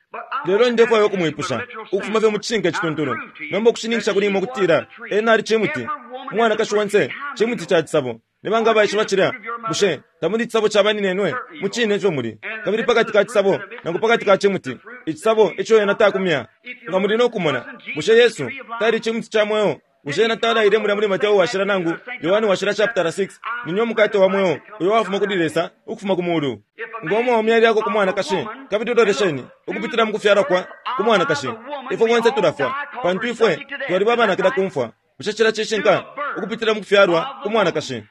Lelo ndefwaya ukumwipusha, ukufuma fye mu cishinka icituntulu, nomba ukushininkisha kuli imwe ukutila Ena ali Cimuti. Umwanakashi onse cimuti ca cisabo. Ni banga abaishiba cilya? Bushe tamuli icisabo ca baninenwe? Mucine efyo muli. Kabili pakati ka cisabo, nangu pakati ka cimuti, icisabo ico ena takumya. Nga muli no kumona, bushe Yesu tali Cimuti ca Mweo? Bushe ena talaile mulya muli Mateo Washila nangu Yohane Washila chaputala 6, Nine umukate wa mweo uyo wafuma kuli Lesa ukufuma ku mulu? Ngo mwaume alyako ku mwanakashi, kabili lolesheni, ukupitila mu kufyalwa kwa ku mwanakashi, ifwe bonse tulafwa, pantu ifwe twaliba abanakila ku mfwa. Bushe cilya cishinka? Ukupitila mu kufyalwa ku mwanakashi.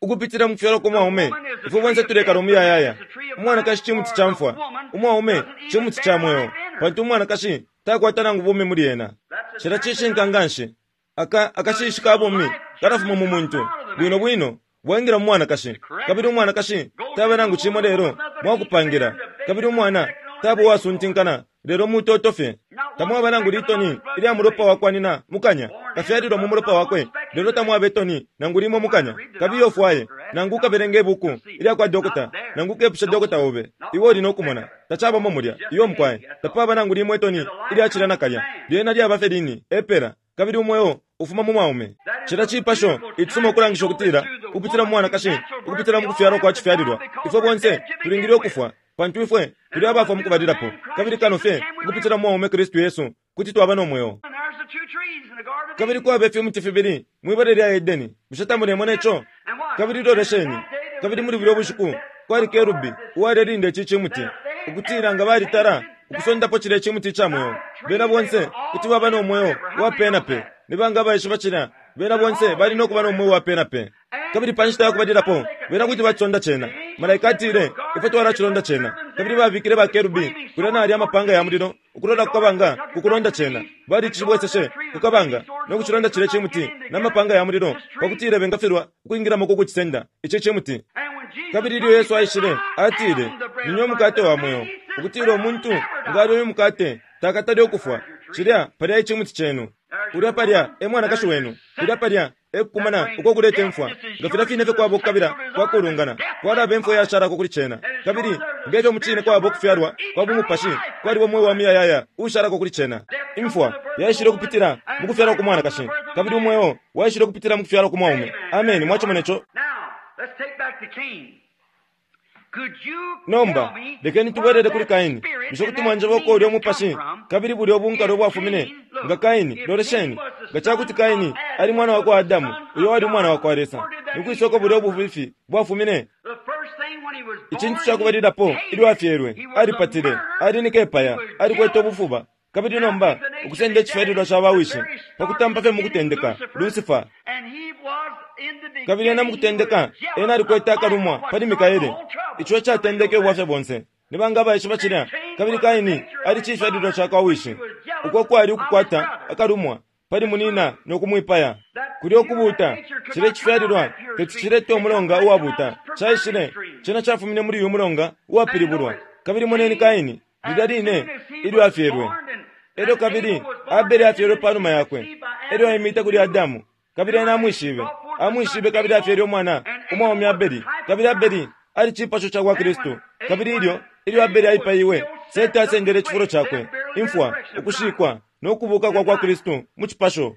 Ukupitila mu kufyalwa kwa mwaume, ifwe bonse tulekala umuyayaya. Umwanakashi cimuti ca mfwa, umwaume cimuti ca mweo, pantu umwanakashi takwata nangu bumi muli ena. Cilya cishinka nganshi. Aka akashishi ka bumi kalafuma mu muntu, bwino bwino bwaingila mu mwanakashi, kabili umwanakashi taba nangu cimo lelo mwakupangila, kabili umwana taba uwasuntinkana lelo mutoto fye. Tamwaba nangu litoni ilya mulopa wakwa nina mukanya, kafyalilwa mu mulopa wakwe, lelo tamwaba itoni nangu limo mukanya. Kabiye ufwaye, nangu ukabelenge ibuku ilya kwa dokota, nangu ukepushe dokota obe, iwe uli no kumona. Tacabamo mulya. Iyo, mukwai. Tapaba nangu limo itoni ilya cilya nakalya. Lyena lyaba fye lini, epela. Kabili umweo ufuma mu mwaume. Cilya cipasho icisuma ukulangisha ukutila, ukupitila mu mwanakashi, ukupitila mu kufyalwa kwa cifyalilwa, ifwe bonse tulingile ukufwa, pantu ifwe tuli abafwa mukubalilapo, kabili kano fye ukupitila mu mwaume Kristu Yesu kuti twaba no mweo. Kabili kwaba ifimuti fibili mwibala lya Edeni. Bushe tamulemona ico? Kabili lolesheni, kabili muli bulya bushiku kwali kerubi uwalelinda ici cimuti, ukutila nga balitala ukusondapo cilya cimuti ica mweo, bena bonse kuti baba no mweo wa pe na pe. Ni banga abaishiba cilya? Bena bonse bali no kuba no mweo wa pe na pe. Kabili pa nshita ya kubalilapo, bena kuti bacisonda cena. Malaika atile, Ifwe twalacilonda cena. Kabili babikile ba kerubi kulya na yalya amapanga ya mulilo ukulola ku kabanga ku kulonda cena. Balicibweseshe ku kabanga no kucilonda cilya cimuti na mapanga ya mulilo pa kutila bengafilwa ukwingilamo ku kucisenda ici cimuti. Kabili ilyo Yesu aishile, atile, Nine umukate wa mweo, ukutila umuntu nga alya uyu mukate takatale ukufwa. Cilya palya icimuti cenu. Ulya palya e mwanakashi wenu. Kulya palya e kukumana uko kuleta imfwa. Nga filya fine fye kwaba ukukabila kwa kulungana, kwalaba imfwa iyashalako kuli cena. Kabili nge fyo mucine kwaba ukufyalwa kwa bumupashi, kwaliba umweo wa muyayaya uushalako kuli cena. Imfwa yaishile ukupitila mu kufyalwa ku mwanakashi, kabili umweo waishile ukupitila mu kufyalwa ku mwaume. Ameni. Mwacimone co? Nomba, lekeni tubwelele kuli Kaini. Bushe kuti mwanjeba uko ulyo mupashi kabili bulyo bunkalwe bwafumine? Nga Kaini, lolesheni, nga ca kuti Kaini ali mwana wa kwa Adamu, uyo wali umwana wa kwa Lesa, ni kwisa uko bulyo bubifi bwafumine? Icintu ca kubalilapo, ilyo afyelwe, alipatile, ali ni kepaya, alikwete ubufuba. Kabili nomba ukusenda icifyalilwa ca bawishi, pa kutampa fye mukutendeka, Lucifer. Kabili ena mukutendeka, ena alikwete akalumwa pali Mikaele, ico icatendeke ubwafya bonse. Ni banga abaishiba cilya? Kabili Kaini ali cifyalilwa ca kwa wishi, uko kwali ukukwata akalumwa pali munina no kumwipaya. Kulyo kubuuta, cilya icifyalilwa teti cilete umulonga uwabuuta. Caishile, cena cafumine muli uyu mulonga uwapilibulwa. Kabili moneni Kaini, lilya line ilyo afyelwe. Elyo kabili Abele afyelwe panuma yakwe. Elyo aimite kuli Adamu, kabili ena amwishibe. Amwishibe kabili afyele umwana umwaume Abeli. Kabili Abeli ali cipasho ca kwa Kristu. Kabili ilyo, ilyo Abeli aipaiwe, Sete asendele icifulo cakwe, imfwa, ukushikwa, no kubuka kwa kwa Kristu mu cipasho.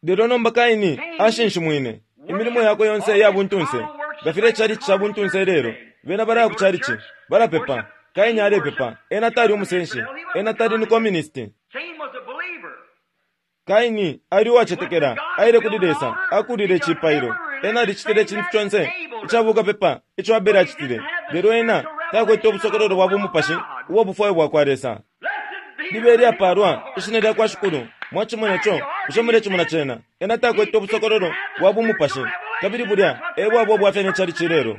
Lelo nomba Kaini ashinshimwine imilimo yakwe yonse iya buntunse, nga filya icalici ca buntunse ilelo. Bena balaya ku calici, balapepa. Kaini alepepa. Ena tali umusenshi. Ena tali ni communist. Kaini ali uwacetekela, aile kuli Lesa, akulile icipailo. Ena alicitile icintu conse ica bukapepa ico Abele acitile, lelo ena takwete ubusokololo bwa bumupashi ubwa bufwayo bwakwa Lesa. Libe ilyapalwa Ishina lyakwa Shikulu. Mwacimone co? Bushe mulecimona cena? Ena takwete ubusokololo bwa bumupashi. Kabili bulya e bwaba ubwafya ne chalichi ilelo.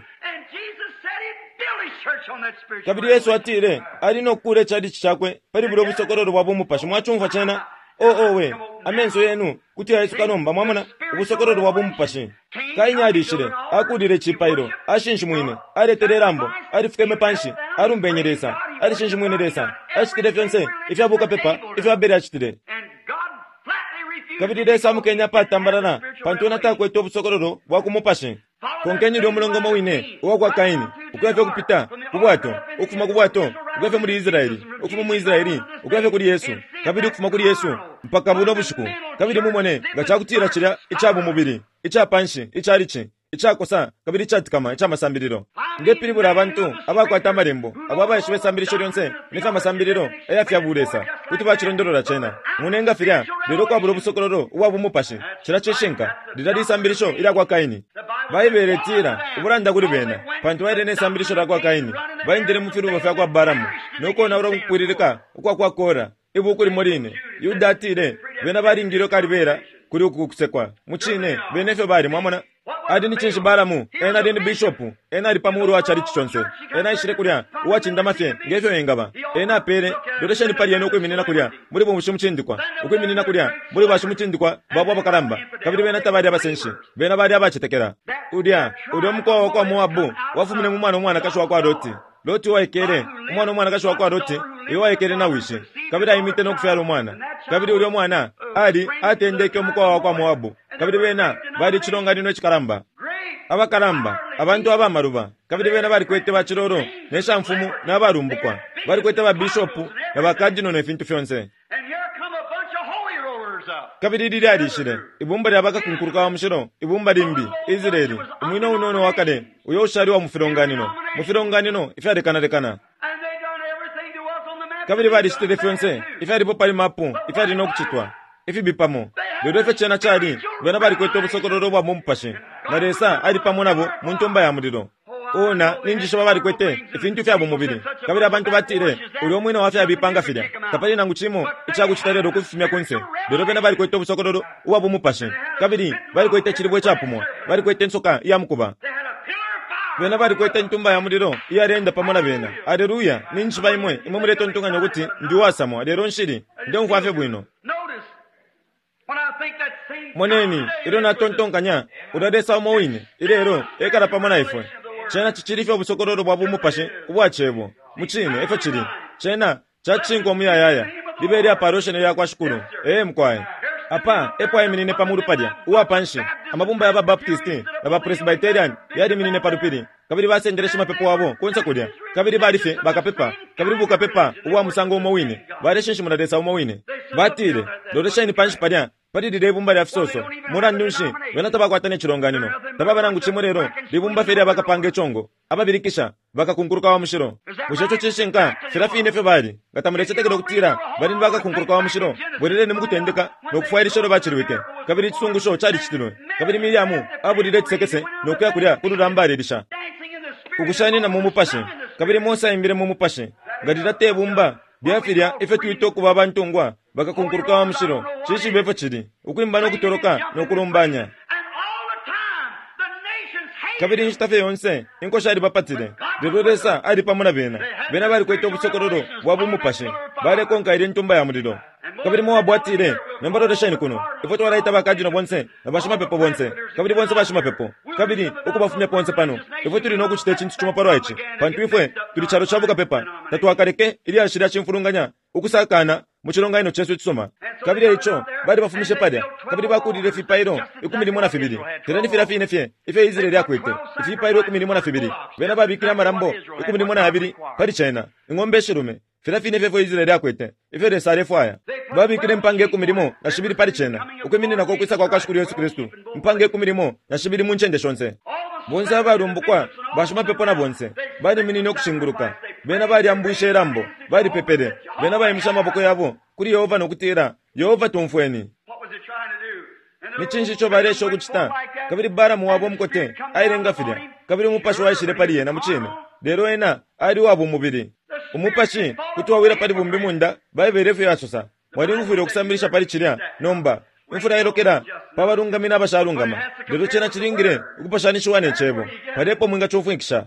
Kabili Yesu atile Ali no kukuula ichalichi Cakwe pali bulya ubusokololo bwa bumupashi. Mwacumfwa cena? Oh, owe! Amenso yenu kuti yaisuka nomba, mwamona, ubusokololo bwa bumupashi. Kaini alishile, akuulile icipailo, ashinshimwine, aletele ilambo, alifukeme panshi, alumbenye Lesa, alishinshimwine Lesa, acitile fyonse ifya bukapepa ifyo Abele acitile. Kabili Lesa amukenye apatambalala pantu ena takwete ubusokololo bwa ku mupashi. Konkeni ulya umulongo umo wine uwa kwa Kaini, Ukuya fye ukupita ku bwato, ukufuma ku bwato ukuya fye muli Israeli, ukufuma mu Israeli ukuya fye kuli Yesu, kabili ukufuma kuli Yesu mpaka buno bushiku, kabili mumone nga cakutila cilya ica bumubili, ica panshi, icalici, icakosa kabili icatikama ica masambililo. Ndepilibula abantu abakwata amalembo, abo abaishiba isambilisho lyonse ne fya masambililo aya fya bulesa, kuti bacilondolola cena. Mune nga filya, lelo ukwabula ubusokololo ubwa bumupashi. Cilya cishinka. Lilya lisambilisho ilya kwa Kaini. Baibele itila, Ubulanda kuli bena, pantu baile ne sambilisho lya kwa Kaini, baendele mu filubo fya kwa Balaamu, no konaula ukupwililika ukwa kwa Kora. Ibuku limo line, Yuda atile, Bena balingilwe kalibela kuli uku kusekwa. Mucine, bena efyo bali, mwamona. Ali ni cinshi Balaamu? Ena ali ni bishopu. Ena ali pa mulu wa chalichi conse. Ena aishile kulya, uwacindama fye nge fyo engaba. Ena apele, lolesheni pali ena ukwiminina kulya muli bumushimucindikwa, ukwiminina kulya muli bashimucindikwa babo abakalamba. Kabili bena tabali abasenshi, bena bali abacetekela. Ulya, ulya umukowa wa kwa Moabu wafumine mu mwana umwanakashi wa kwa Loti. Loti uwaikele, umwana umwanakashi wa kwa Loti, uyo waikele na wishi, kabili aimite no kufyala umwana. Kabili ulyo mwana ali atendeke umukowa wa kwa Moabu, kabili bena bali icilonganino icikalamba. Abakalamba, abantu abamaluba, kabili bena balikwete bacilolo ne shamfumu na balumbukwa. Balikwete ba bishopu na bakadino ne fintu fyonse. Kabili lilya lishile ibumba lya bakakunkuluka wa mushilo, ibumba limbi, Israeli, umwina unono wa kale uyo ushali wa mu filonganino, mu filonganino ifyalekanalekana. Kabili balicitile fyonse ifyalipo pali mapu ifyali no kucitwa, ifibi pamo. Lelo ifyo cena cali, bena balikwete ubusokololo ubwa mu mupashi, na Lesa ali pamo nabo mu Ntumba ya Mulilo. Oh, na, ninjishiba balikwete ifintu ifya bumubili. Kabili abantu batile, Ulyo mwina wa fyabipa nga filya, tapali nangu cimo icakucita lelo ukufifumya kunse. Lelo bena balikwete ubusokololo ubwa bumupashi, kabili balikwete icilibwe icapumwa, balikwete insoka iya mukuba. Bena balikwete Intumba ya Mulilo iyaleenda pamo na bena. Aleluya! Ninjishiba imwe, imwe muletontonkanya ukuti ndi uwasamwa, lelo nshili. Ndeumfwa fye bwino. Moneni, ilyo natontonkanya, ulya Lesa umo wine, ilelo, ekala pamo na ifwe. Cena cicili fye ubusokololo bwa bumupashi ubwa Cebo. Mucine, efyo cili. Cena cacinkwa umuyayaya. Libe ilyapalwa ishina lyakwa Shikulu. Ee, mukwai. Apa epo aiminine pa mulu palya, uwa panshi. Amabumba ya ba Baptisti na ba Presbyterian yaliminine pa lupili, kabili basendele shimapepo wabo kunse kulya, kabili bali fye bakapepa, kabili bukapepa ubwa musango umo wine, baleshinshimuna Lesa umo wine. Batile, Lolesheni panshi palya pali lilye ibumba lya fisoso. Mulandu nshi, bena tabakwata ne cilonganino. Tababa nangu cimo lelo libumba fye lya bakapanga icongo, ababilikisha, bakakunkuluka wa mushilo. Bushe ico cishinka? Filya fine efyo bali. Nga tamulecetekela ukutila bali ni bakakunkuluka wa mushilo, bweleleni mu kutendeka no kufwailisha ilyo bacilwike. Kabili icisungusho calicitilwe. Kabili Miriamu abulile icisekese no kuya kulya ku lulamba alelisha. Ukushanina mu Mupashi. Kabili Mose aimbile mu Mupashi. Nga lilya te bumba lya filya ifyo twita ukuba abantungwa, bakakunkuluka wa mushilo, nshishibe ifyo cili, ukwimba no kutoloka no kulumbanya. Kabili inshita fye yonse inko shalibapatile, lelo Lesa ali pamo na bena. Bena balikwete ubusokololo bwa bumupashi, balekonka ilye Ntumba ya Mulilo. Kabili Moabu atile, Nomba lolesheni kuno, ifwe twalaita bakadino bonse na bashimapepo bonse, kabili bonse bashimapepo, kabili ukubafumya ponse pano. Ifwe tuli no kucita icintu cimo palwa ici, pantu ifwe tuli calo ca bukapepa. Tatwakaleke ilyashi lya cimfulunganya ukusakana mu cilonganino cesu icisuma. Kabili e ico balibafumishe palya, kabili bakuulile ifipailo 12, filya ni filya fine fye ifyo Israele akwete, ifipailo 12. Bena babikile amalambo 12 pali cena, ing'ombe ishilume, filya fine fye ifyo Israele akwete, ifyo Lesa alefwaya. Babikile impanga 12 pali cena, ukwimininako ukwisa kwa kwa Shikulu Yesu Kristu, impanga 12 mu ncende shonse. Bonse abalumbukwa, bashimapepo na bonse, baliminine ukushinguluka. Bena balyambwishe ilambo, balipepele. Bena baimishe amaboko yabo kuli Yehova no kutila, Yehova tumfweni! Ni cinshi ico baleesha ukucita? Kabili Balaamu wabo umukote aile nga filya, kabili umupashi waishile pali ena mucine, lelo ena ali uwa bumubili. Umupashi kuti wawila pali bumbimunda, Baibele efyo yasosa. Mwalingufwile ukusambilisha pali cilya nomba. Imfula ilokela pa balungami na bashalungama, lelo cena cilingile ukupashanishiwa ne Cebo. Palya epo mwingacumfwikisha.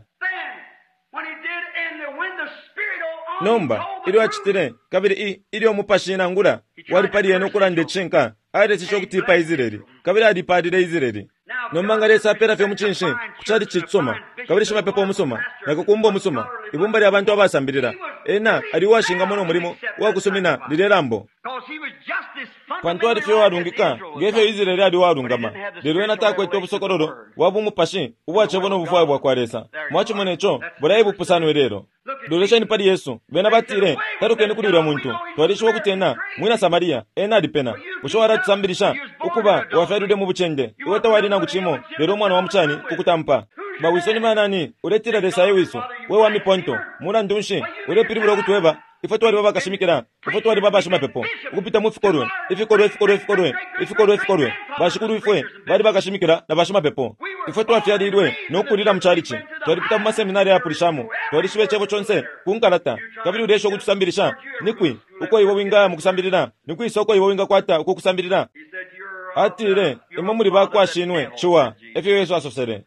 Nomba, ilyo acitile, kabili i, ilyo Umupashi nangula wali pali ena ukulanda icishinka, aleseshe ukutipa Israeli, kabili alipalile Israeli. Nomba nga Lesa apela fye umucinshi ku chalichi icisuma, kabili shimapepo umusuma, na kakumba umusuma, ibumba lya bantu abasambilila, ena ali uwashingamwa no mulimo uwa kusumina lilye lambo. Pantu ali fye uwalungika nge fyo Israele ali uwalungama, lelo ena takwete ubusokololo bwa bumupashi ubwa Cebo no bufwayo bwakwa Lesa. Mwacimone co, bulya e bupusano ilelo. Lolesheni pali Yesu. Bena batile, Talukeni kuli ulya muntu. Twalishiba ukuti ena mwina Samaria. Ena alipena. Bushe walatusambilisha? Ukuba, wafyalilwe mu bucende. Iwe tawali nangu cimo lelo umwana wa mucani ku kutampa. Ba wiso ni banani? Uletila Lesa e wiso. We wa miponto. Mulandu nshi ulepilibula ukutweba? Ifwe twaliba bakashimikila. Ifwe twaliba bashimapepo. Ukupita mu fikolwe, ifikolwe, ifikolwe, ifikolwe, ifikolwe, ifikolwe. Bashikulwifwe bali bakashimikila na bashimapepo. Ifwe twafyalilwe no kukulila mu chalichi. Twalipita mu maseminari ayapulishamo. Twalishiba Icebo conse ku nkalata. Kabili uleesha ukutusambilisha? Ni kwi uko iwe wingaya mu kusambilila? Ni kwisa uko iwe wingakwata uku kusambilila? Atile, Imwe muli ba kwa shinwe, Ciwa, e fyo Yesu asosele.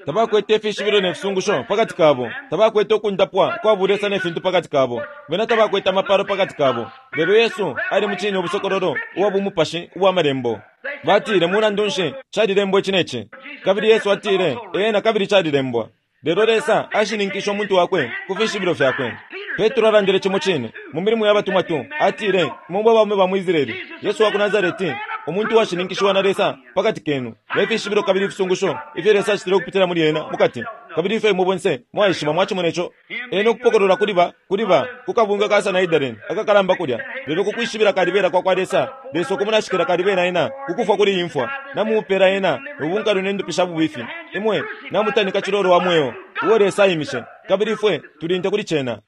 Tabakwete ifishibilo ne fisungusho pakati kabo. Tabakwete ukundapwa kwa bulesa ne fintu pakati kabo. Bena tabakwete amapalo pakati kabo. Lelo Yesu ali mucine ubusokololo ubwa bumupashi ubwa Malembo. Batile, Mulandu nshi, calilembwa ici ne ci. Kabili Yesu atile, Ee, na kabili calilembwa. Lelo Lesa ashininkishe umuntu Wakwe ku fishibilo Fyakwe. Petro alandile cimo cine mu Milimo ya Batumwa 2, atile, Imwe mwe baume ba mu Israele, Yesu wa ku Nasareti, umuntu uwashininkishiwa na Lesa pa kati kenu, ne fishibilo kabili ifisungusho ifyo Lesa acitile ukupitila muli ena mukati, kabili ifyo imwe bonse mwaishiba. Mwacimone co. Ena ukupokolola kuli ba, kuli ba, ku kabungwe ka Sanhedrin akakalamba kulya, lelo ku kwishibila kalibela kwa kwa Lesa, Lesa ukumunashikila kalibela ena ku kufwa kuli iyi mfwa, namumupela ena ubunkalwe ne ndupi sha bubifi. Imwe namutanika cilolo wa mweo uo Lesa aimishe, kabili ifwe tuli nte kuli cena.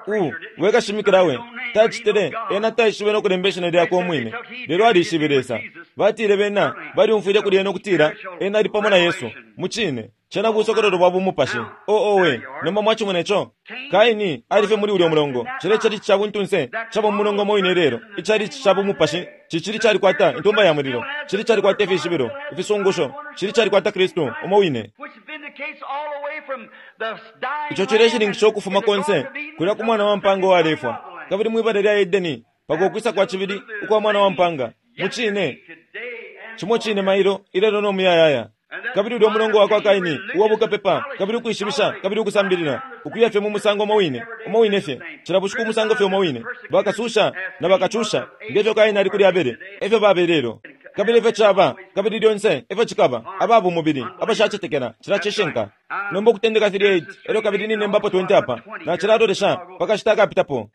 U, we kashimikila we, tacitile, ena taishibe no kulemba ishina lyakwe umwine, lelo alishibe Lesa. Batile bena balyumfwile kuli ena ukutila ena ali pamo na Yesu. Mucine, cena busokololo bwa bumupashi. Oh, owe, nomba mwacimona ico? Kaini ali fye muli ulyo mulongo. Cilya icalici ca buntunse caba mu mulongo umo wine ilelo. Icalici ca bumupashi cicili calikwata Intumba ya Mulilo, cili calikwata ifishibilo, ifisungusho, cili calikwata Kristu umo wine. Ico cileshininkisha ukufuma konse kulya ku Mwana wa mpaanga uwalefwa, kabili mwi bala lya Edeni, mpaka ukwisa kwa cibili ukwa Mwana wa mpaanga. Mucine, cimo cine mailo, ilelo no muyayaya. Kabili ulyo mulongo wakwa Kaini uwa bukapepa, kabili ukwishibisha, kabili ukusambilila, ukuya fye mu musango umo wine, umo wine fye, cila bushiku umusango fye umo wine. Bakasusha na bakacusha, nge fyo Kaini ali kuli Abele, e fyo baba ilelo. Kabili efyo caba, kabili lyonse efyo cikaba, aba bumubili, abashacetekela, cilya cishinka. Nomba Ukutendeka 3:8, elyo kabili ninembapo 20 apa, nacilalolesha pa kashita akapitapo.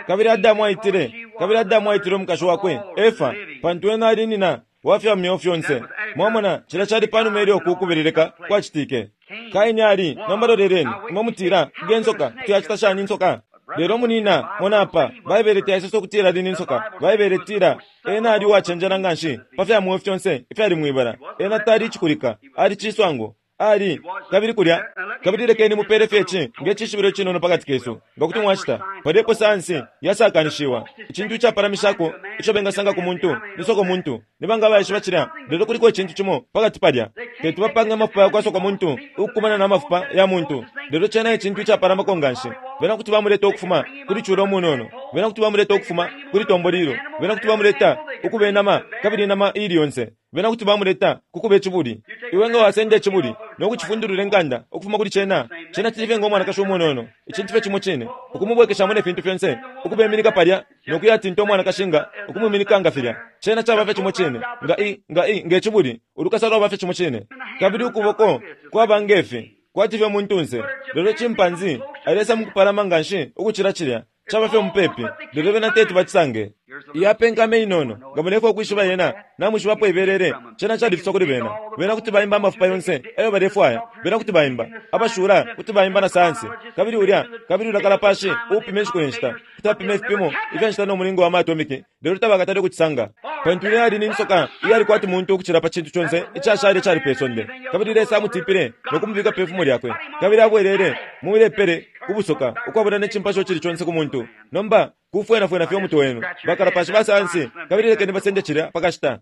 Kabili Adamu aitile, kabili Adamu aitile umukashi wakwe, Efa, pantu ena ali nina wa fya myeo fyonse. Mwamona, cilya cali panuma ilyo uku kubeleleka kwacitike. Kaini ali, nomba loleleni, imwe mutila, Nge nsoka, kuti yacita shani insoka? Lelo munina, mona apa, Baibele taisosa ukutila ali ni nsoka. Baibele itila, Ena ali uwacenjela nganshi pa fya mweo fyonse ifyali mwibala. Ena tali icikulika, ali ciswango. Ali, kabili kulya. Kabili lekeni mupele fye ici nge cishibilo icinono pakati kesu, nga kuti mwacita. Palya epo sayansi yasakanishiwa. Icintu icapalamishako ico bengasanga ku muntu ni sokomuntu. Ni banga abaishiba cilya? Lelo kuliko icintu cimo pakati palya. Teti bapange amafupa yakwa sokomuntu ukukumana na mafupa ya muntu, lelo cena e cintu icapalamako nganshi. Bena kuti bamuleta ukufuma kuli cula umunono. Bena kuti bamuleta ukufuma kuli tombolilo. Bena kuti bamuleta ukuba inama, kabili inama iili yonse. Bena kuti bamuleta ku kuba icibuli. Iwe nga wasenda icibuli no kucifundulula inkanda ukufuma kuli cena, cena cili fye ngo mwanakashi umunono, icintu fye cimo cine, ukumubwekeshamo ne fintu fyonse, ukubeminika palya no kuyatinta umwanakashi nga ukumwiminika nga filya. Cena caba fye cimo cine nga i, nga i, nge cibuli, ulukasa lwaba fye cimo cine. Kabili ukuboko kwaba nge fi, kwati fye muntunse, lelo chimpanzee alesa mukupalama nganshi ukucila cilya. Caba fye mupepi, lelo bena teti bacisange. Iyapenkame inono, nga mulefwaya ukwishiba yena, namwishiba apo ibelele, cena califiswa kuli bena. Bena kuti baimba amafupa yonse ayo balefwaya. Bena kuti baimba. Abashula kuti baimba na sayansi. Kabili ulya, kabili ulya kalapashi uupima inshiku ne nshita, kuti apima ifipimo ifya nshita no mulingo wa ma atomiki, lelo tabakatale ukucisanga. Pantu ilya yali ni nsoka iyali kwati muntu ukucila pa cintu conse icashala icali pe sonde. Kabili Lesa amutipile no kumubika pe fumo lyakwe, kabili abwelele mwilepele ku busoka ukwabula ne cimpasho icili conse ku muntu. Nomba, kufwenafwena fye umutwe wenu, bakalapashi ba sayansi, kabili lekeni basende cilya pa kashita.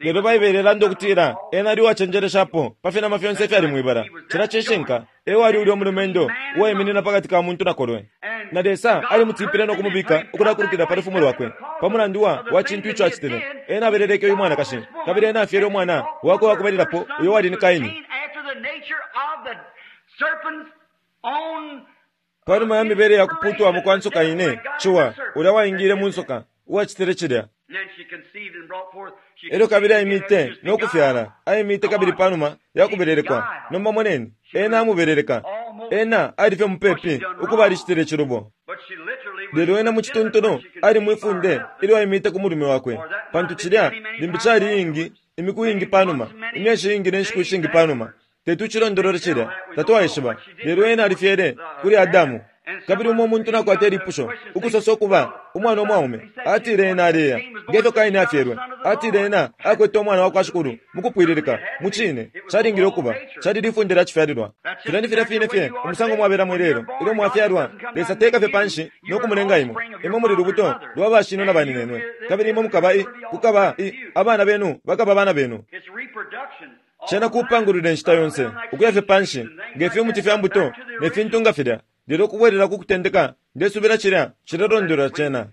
Lelo Baibele ilanda ukutila ena ali uwacenjeleshapo pa finama fyonse ifyali mwibala. Cilya cishinka. E wali ulya umulumendo uwaiminina pakati ka muntu na kolwe. Na Lesa alimutipile no kumubika ukulakulukila pa lufumo lwakwe, pa mulandu wa, wa cintu ico acitile. Ena abeleleke uyu mwanakashi, kabili ena afyele umwana wakwe uwakubalilapo, uyo wali ni Kaini. Panuma ya mibele ya kupuutwamo kwa nsoka ine, Ciwa, ulya waingile mu nsoka, uwacitile cilya. Elyo kabili aimite no kufyala, aimite kabili panuma ya kubelelekwa. Nomba moneni, ena amubeleleka. Ena ali fye mupepi ukuba alicitile icilubo. Lelo ena mu cituntulu ali mwi funde ilyo aimite ku mulume wakwe, pantu cilya limbi cali iingi, imiku iingi panuma, imyeshi iingi ne nshiku ishingi panuma. Teti ucilondolole cilya, tatwaishiba. Lelo ena alifyele kuli Adamu. Kabili umo umuntu nakwata ilipusho, ukusosa ukuba umwana umwaume, atile ena aleya, ngefyo Kaini afyelwe. Atile ena akwete umwana wakwa Shikulu mukupwililika. Mucine, calingile ukuba, cali lifunde lya cifyalilwa. Filya ni filya fine fye umusango mwabelamo ilelo. Ilyo mwafyalwa, Lesa teka fye panshi no kumulenga imwe. Imwe muli lubuto lwa bashinwe na baninenwe. Kabili imwe mukaba i, kukaba i, abana benu bakaba abana benu. Cena kupangulula inshita yonse, ukuya fye panshi, nge fimuti fya mbuto ne fintu nga filya. Lelo ukubwelela ku kutendeka, ndesubila cilya cilelondolola cena.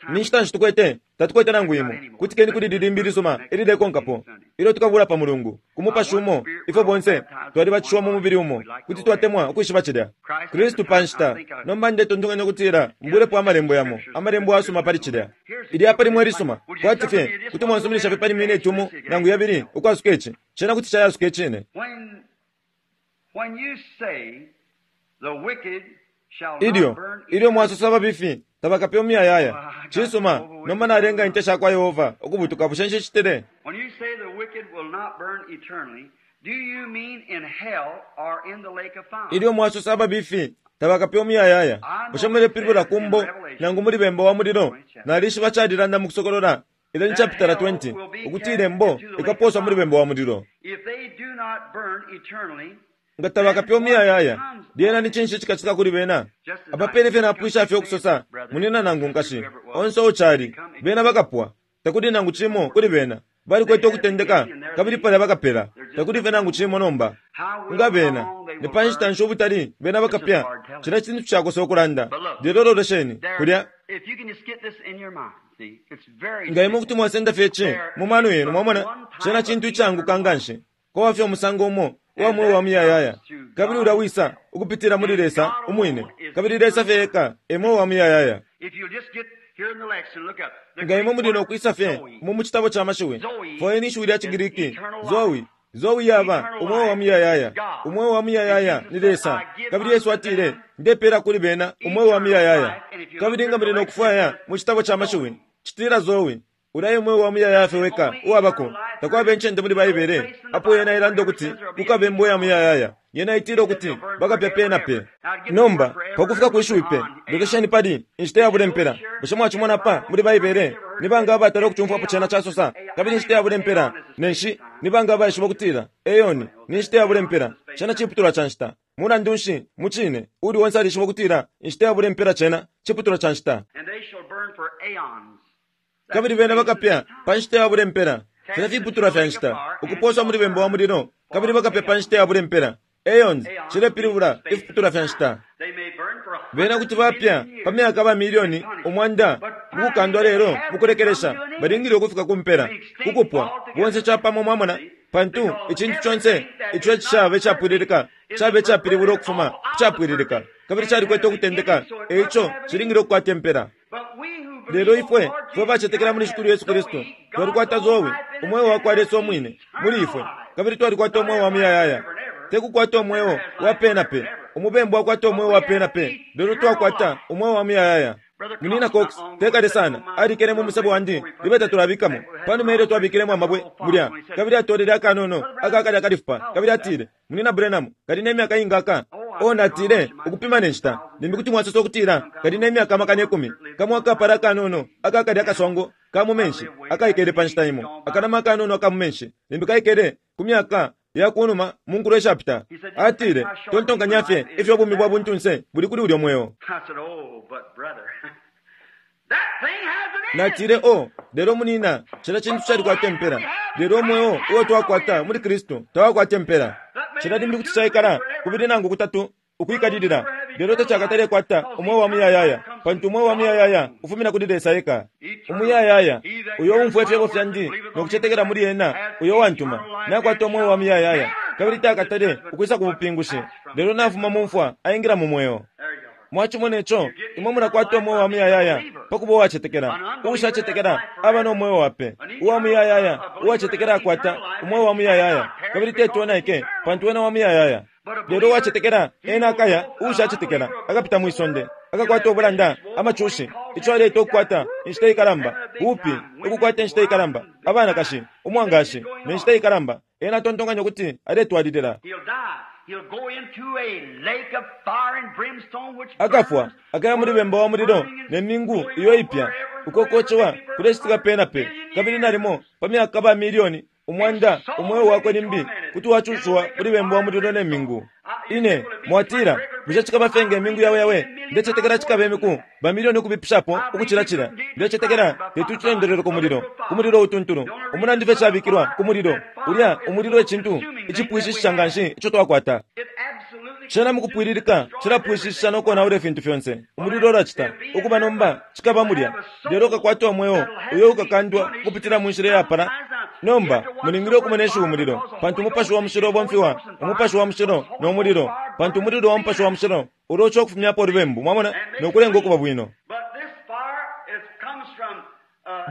Ni nshita nshi tukwete? Tatukwete nangu imo. Kutikeni kuli ili limbi ilisuma ililekonkapo, ilyo tukabula pa Mulungu, ku Mupashi umo, ifwe bonse twalibatishiwa mu mubili umo. Kuti twatemwa ukwishiba cilya. Kristu pa nshita. Nomba ndetontonkanya ukutila mbulepo Amalembo yamo, Amalembo ayasuma pali cilya. Ili apa limo ilisuma, kwati fye kuti mwansuminisha fye pali mineti umo nangu yabili ukwasuka ici. Cena kuti cayasuka icine. Ilyo, ilyo mwasosa ababifi tabakapye umuyayaya. Cisuma, nomba nalenga Inte sha kwa Yehova ukubutuka, bushe nshicitile? Ilyo mwasosa ababifi tabakapye umuyayaya, bushe mulepilibula ku mbo nangu muli bemba wa mulilo? Nalishiba calilanda mu Kusokolola 11 chapitala 20 ukuti ilembo likapooswa muli bemba wa mulilo. Nga tabakapye umuyayaya, lyena ni cinshi icikacitika kuli bena? Apa pene fye napwisha fye ukusosa, munyina nangu nkashi, onse uo cali, bena bakapwa. Takuli nangu cimo kuli bena. Balikwete ukutendeka, kabili palya bakapela. Takuli fye nangu cimo nomba. Nga bena, ni pa nshita nshi ubutali bena bakapya? Cilya cintu cakosa ukulanda. Lelo lolesheni, kulya. Nga imwe kuti mwasenda fye ici mu mano yenu, mwamona, cena cintu icaanguka nganshi. Kwaba fye umusango umo uwa mweo wa muyayaya, kabili ulya wisa ukupitila muli Lesa umwine, kabili Lesa fye eka e mweo wa muyayaya. Nga imwe muli no kwisa fye umu mu citabo ca mashiwi, fwayeni ishiwi lya ciGriki, Zoe. Zoe yaba umweo wa muyayaya. Umweo wa muyayaya ni Lesa. Kabili Yesu atile, Ndepeela kuli bena umweo wa muyayaya. Kabili nga muli no kufwaya mu citabo ca mashiwi, citila Zoe. Ulya e mweo wa muyayaya fye weka uwabako. Takwaba incende muli Baibele apo yena ilanda ukuti kukaba imbo ya muyayaya. Yena itila ukuti bakapya pe na pe. Nomba, pa kufika kwi shiwi pe, lolesheni pali, inshita yabule mpela. Bushe mwacimona apa muli Baibele? Ni banga abatala ukucumfwapo cena casosa, kabili inshita yabule mpela? Ne nshi, ni banga abaishiba ukutila eoni ni nshita yabule mpela? Cena ciputulwa ca nshita. Mulandu nshi, mucine, uuli onse alishiba ukutila inshita yabule mpela cena ciputulwa ca nshita. Kabili bena bakapya pa nshita yabule mpela. Filya fiputulwa fya nshita, ukupooswa muli bemba wa mulilo, kabili bakapya pa nshita yabule mpela. Aeons cilepilibula ifiputulwa fya nshita. Bena kuti bapya pa myaka ba milioni 100 mukukandwa lelo mukulekelesha balingile ukufika ku mpela, ku kupwa, bonse capamo, mwamona, pantu icintu conse ico icishaba icapwililika caba icapilibulwa ukufuma ku capwililika, kabili calikwete ukutendeka, e ico cilingile ukukwata impela. Lelo ifwe fwe bacetekela muli Shikulu Yesu Kristu twalikwata Zoe, umweo wa kwa Lesa umwine, muli ifwe, kabili twalikwata umweo wa muyayaya. Te kukwata umweo wa pe na pe. Umubembu akwata umweo wa pe na pe, lelo twakwata umweo wa muyayaya. Munyina Cox, te kale sana, alikele mu musebo wandi libe tatulabikamo, panuma ilyo twabikilemo amabwe mulya, kabili atolele akanono aka kalya kalifupa, kabili atile, Munyina Branham, kali ne myaka inga aka? Oh, natile, ukupima ne nshita, limbi kuti mwasosa ukutila kali ne myaka 10,000. Kamo akapala akanono aka kalya kaswango ka mu menshi akaikele pa nshita imo, akanama akanono aka mu menshi, limbi kaikele ku myaka ya ku numa mu nkulo ishapita. Atile, Tontonkanya fye ifyo ubumi bwa buntunse buli kuli ulyo mweo. Natile, Oh, lelo munina, cilya cintu calikwata impela. Lelo umweo uo twakwata muli Kristu tawakwata impela. Cilya limbi kuti caikala kubili nangu kutatu ukwikalilila, lelo tacakatalekwata umweo wa muyayaya, pantu umweo wa muyayaya ufumina kuli Lesa eka. Umuyayaya, uyo uumfwa ifyebo fyandi no kucetekela muli ena uyo uwantuma, nakwata umweo wa muyayaya, kabili takatale ukwisa ku bupingushi, lelo nafuma mu mfwa aingila mu mweo. Mwacimone co, imwe mulakwata umweo wa muyayaya pa kuba uwacetekela. Uushacetekela aba no mweo wa pe. Uwa muyayaya uwacetekela akwata umweo wa muyayaya, kabili teti onaike, pantu wena wa muyayaya. Lelo uwacetekela ena akaya, uushacetekela akapita mwi sonde, akakwata ubulanda, amacushi, ico aleita ukukwata inshita ikalamba, bupi, ukukwata inshita ikalamba, abanakashi, umwangashi, ne nshita ikalamba. Ena atontonkanya ukuti aletwalilila. He'll die. He'll go into a lake of fire and brimstone which Akafwa, burns, akaya muli bemba wa mulilo ne mingu iyo ipya, uko kocewa kulecitika pe na pe, kabili nalimo pa myaka ba milioni 100 umweo wakwe limbi kuti wacushiwa kuli bemba wa mulilo ne mingu. Ine mwatila, bushe cikaba fye nge mingu yawe yawe? Ndecetekela cikaba imiku ba milioni ukubipishapo ukucila cila. Ndecetekela teti ucilondolole ku mulilo, ku mulilo utuntulu. Umulandu fye cabikilwa ku mulilo, ulya umulilo e cintu icipwishishisha nga nshi ico twakwata. It absolutely Cena mukupwililika cilapwishishisha no konaula ifintu fyonse. Umulilo ulacita ukuba nomba cikaba mulya, lelo ukakwata umweo uyo ukakandwa ukupitila mu nshila iyapala. Nomba mulingile ukumona ishiwi umulilo, pantu umupashi wa mushilo ubomfiwa, umupashi wa mushilo no mulilo, pantu umulilo wa mupashi wa mushilo uloca ukufumyapo ulubembu, mwamona, no kulenga ukuba bwino. But this fire is, comes from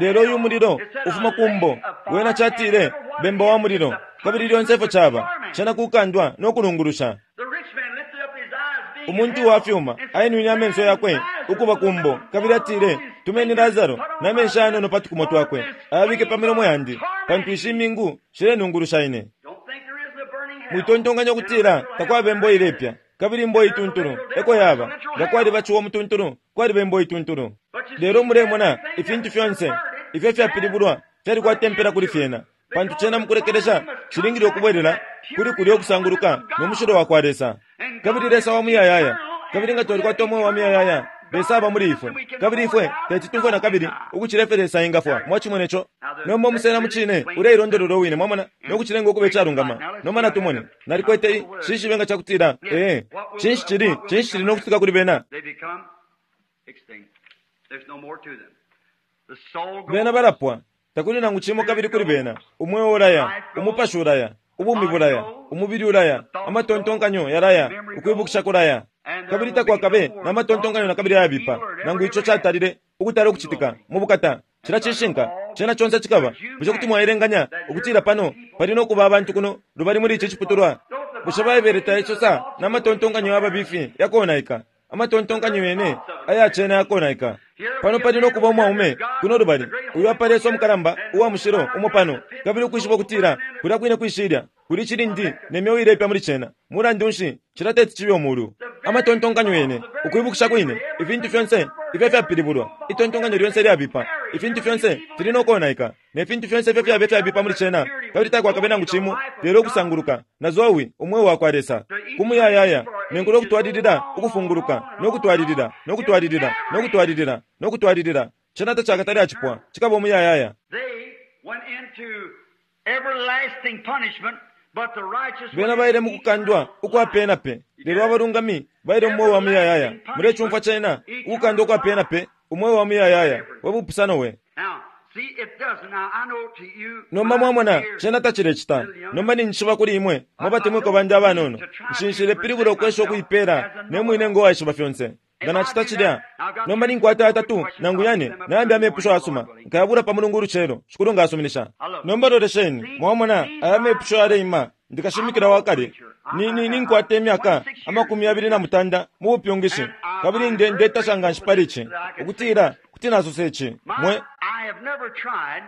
Lelo uyu hell. mulilo It said a ufuma ku mbo, lake of fire wena catile and what bemba wa is mulilo, the kabili lyonse ifyo caba torment. cena kukandwa no kulungulusha. The rich man lifted up his eyes, being in Umuntu hell, wa fyuma and said, ainwine amenso yakwe Lazarus, ukuba ku mbo, kabili atile, tumeni Lazaro na menshi ayanono pa tukumo twakwe, ayabike pa milomo yandi, pantu ishi mingu shilenungulusha ine. Don't think there isn't a burning hell. Mwitontonkanya ukutila takwaba imbo ilepya, kabili imbo ituntulu eko yaba. Nga kwaliba ciwa umutuntulu, kwaliba imbo ituntulu. Lelo mulemona ifintu fyonse ifyo fyapilibulwa fyalikwata impela kuli fyena, pantu cena mukulekelesha cilingile ukubwelela kuli kulya ukusanguluka no mushilo wa kwa Lesa. Kabili Lesa wa muyayaya, kabili nga twalikwata umweo wa muyayaya, Lesa aba muli ifwe, kabili ifwe teti tumfwe na kabili ukucila ifyo Lesa engafwa. Mwacimone co? Nomba umusena mu cine uleilondolola uwine, mwamona, no kucilenga ukuba icalungama. Nomba natumone, nalikwete shishibe nga cakutila, ee, cinshi cili, cinshi cili no kucitika kuli bena? They become extinct. There's no more to them. The soul goes, Bena balapwa, takuli nangu cimo kabili kuli bena. Umweo ulaya, umupashi ulaya, ubumi bulaya, umubili ulaya, amatontonkanyo yalaya, ukwibukisha kulaya. Kabili takwakabe na matontonkanyo na kabili ayabipa, nangu ico catalile ukutala ukucitika mu bukata. Cila cishinka, cena conse cikaba. Bushe kuti mwaelenganya ukutila pano pali no kuba abantu kuno lubali muli ici ciputulwa? Bushe Baibele taisosa na matontonkanyo yababifi yakonaika? Amatontonkanyo yene ayacena yakonaika. Pano pali no kuba umwaume kuno lubali, uyu apa Lesa umukalamba uwa mushilo umo pano, kabili ukwishiba ukutila kulya kwine kwishilya kuli cilindi ne myeo ilepya muli cena. Mulandu nshi cila teti cibe umulu? Amatontonkanyo yene, ukwibukisha kwine, ifintu fyonse ifyo fyapilibulwa, itontonkanyo lyonse lyabipa, ifintu fyonse fili no konaika, ne fintu fyonse ifyo fyabe fyabipa muli cena, kabili takwakabe nangu cimo lelo ukusanguluka na zoe umweo wa kwa Lesa kumuyayaya, nenkulo kutwalilila ukufunguluka no kutwalilila no kutwalilila no kutwalilila no kutwalilila. Cena tacakatale acipwa, cikaba umuyayaya. They went into everlasting punishment, but the righteous Bena went baile mu into kukandwa eternal ukwa life. pe na pe, lelo abalungami baile mu mweo wa muyayaya. Mulecumfwa cena, ukukandwa ukwa pe na pe, umweo wa muyayaya we bupusano we. Now, see, it doesn't. Now, I know to you, Nomba my mwamona dear cena tacilecita. Nomba ninjishiba kuli imwe mwabatemwiko bandi abanono, nshinshile pilibula ukwesha ukuipela ne mwine ngo waishiba fyonse. Nga nacita cilya, nomba ninkwata atatu nangu yane nayambi amepusho asuma, nkayabula pa mulungu ulucelo, Shikulu ngasuminisha. Nomba lolesheni, mwamona aya amepusho yaleima, ndikashimikila wakale. Ni ninkwata imyaka 26 mu bupyungishi, kabili nde ndetasha nga nshi pali ici, ukutila kuti nasosa ici. My, Mwe I have never tried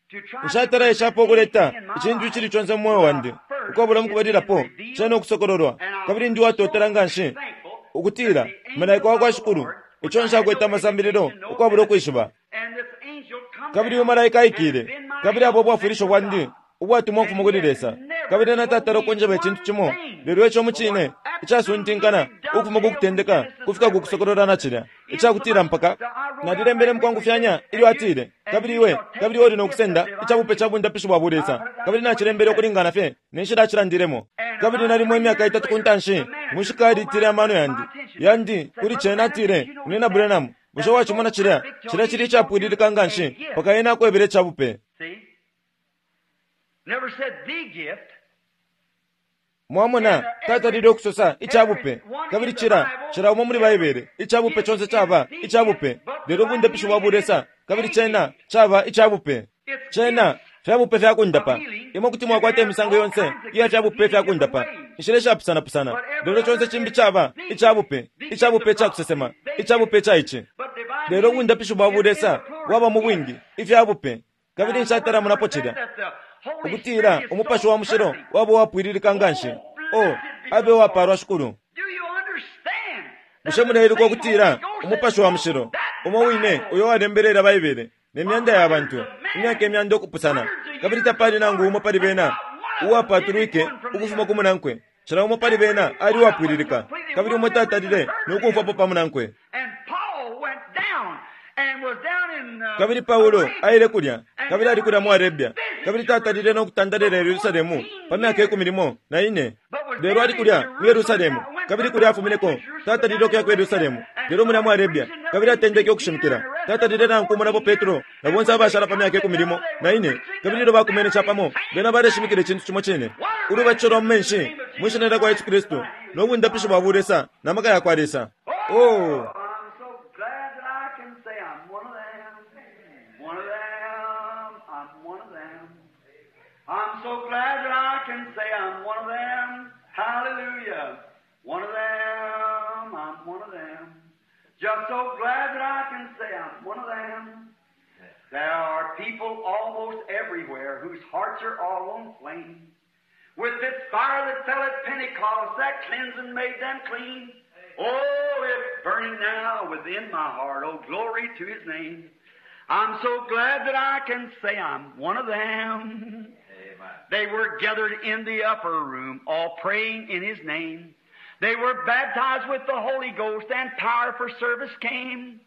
to try to nshatala eshapo ukuleta present anything in my icintu life icili conse mu mweo wandi without first ukwabula it mukubalilapo being revealed, cena ukusokololwa, and I'm kabili ndi watotela so nga nshi thankful ukutila that the angel malaika wa of kwa the Shikulu Lord, which ico I had nshakwete no amasambililo education, no ukwabula benefit, ukwishiba. and this angel come Kabili uyu down malaika and aikile, been my kabili abo help ubwafwilisho sent from bwandi God. ubwatumwa And ukufuma he kuli has Lesa, never kabili natatala told me ukunjeba icintu one cimo, thing lelo ico mu but cine what icasuntinkana absolutely ukufuma ku dovetailed with kutendeka Genesis kufika ku Revelation. kusokolola na cilya icakutila Insomuch mpaka that I wrote out nalilembele right quickly mukwangufyanya said, ilyo and you atile, and kabili you iwe shall take kabili iwe the uli no gift of kusenda divine icabupe ca healing. bundapishi bwa I bulesa, put it down kabili just what he nacilembele said. ukulingana fye ne nshila acilandilemo. And Kabili about nalimo 3 imyaka years itatu ku later, ntanshi the manager mushika called alitile my, amano my yandi attention. yandi Said, kuli Brother cena Branham, atile, did you know Munyina that Branham, bushe that's so wacimona cilya perfect till cilya he cili showed you icapwililika nga a nshi gift? mpaka ena akwebele icabupe. See? Never said the gift. Mwamona, tatalile ukusosa icabupe. Kabili cila, cila umo muli Baibele, icabupe conse caba icabupe, lelo ubundapishi bwa bulesa, kabili cena caba icabupe. Cena fyabupe fya kundapa. Imwe kuti mwakwata imisango yonse iya fyabupe fya kundapa, inshila ishapusanapusana, lelo conse cimbi caba icabupe, icabupe ca kusesema, icabupe ca ici. Lelo ubundapishi bwa bulesa bwaba mu bwingi ifyabupe, kabili nshatala monapo cilya ukutila Umupashi wa Mushilo waba uwapwililika nganshi. Oh, abe uwapalwa Shikulu! Bushe muleiluka ukutila Umupashi wa Mushilo umo wine uyo walembele Baibele ne myanda ya bantu, imyaka imyanda ukupusana, kabili tapali nangu umo pali bena uwapatulwike ukufuma ku munankwe? Cila umo pali bena ali uwapwililika, kabili umo tatalile no kumfwapo pa munankwe. Kabili Paulo aile kulya, kabili ali kulya mu Arabia, kabili tatalile no kutandalila Yerusalemu pa myaka 14. Lelo ali kulya mu Yerusalemu, kabili kulya afumineko, tatalile ukuya ku Yerusalemu, lelo mulya mu Arabia, kabili atendeke ukushimikila. Tatalile nangu kumonapo Petro na bonse abashala pa myaka 14, kabili ilyo bakumene capamo, bena baleshimikila icintu cimo cine, ulubatisho lwa mu menshi mwi Shina lyakwa Yesu Kristu, no bundapishi bwa bulesa na maka yakwa Lesa. Oh! I'm so glad that I can say I'm one of them. One of them. I'm one of them. I'm so glad that I can say I'm one of them. Hallelujah. One of them. I'm one of them. Just so glad that I can say I'm one of them. There are people almost everywhere whose hearts are all on flame. With this fire that fell at Pentecost, that cleansing made them clean. Oh, it's burning now within my heart. Oh, glory to His name. I'm so glad that I can say I'm one of them. They were gathered in the upper room, all praying in His name. They were baptized with the Holy Ghost, and power for service came.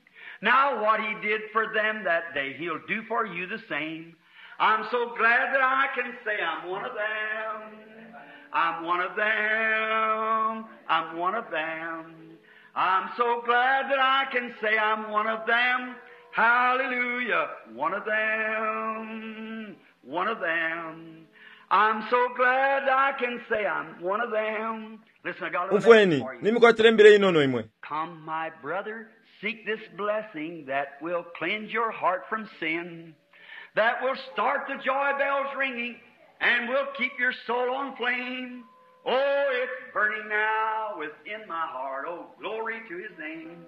Now what He did for them that day, He'll do for you the same. I'm so glad that I can say I'm one of them. I'm one of them. I'm one of them. I'm so glad that I can say I'm one of them. Hallelujah. One of them. One of them. I'm so glad I can say I'm one of them. Listen, I got a little message Umfweni, for you. nimikwatile imbila inono imwe. Come, my brother, seek this blessing that will cleanse your heart from sin, that will start the joy bells ringing, and will keep your soul on flame. Oh, it's burning now within my heart. Oh, glory to His name.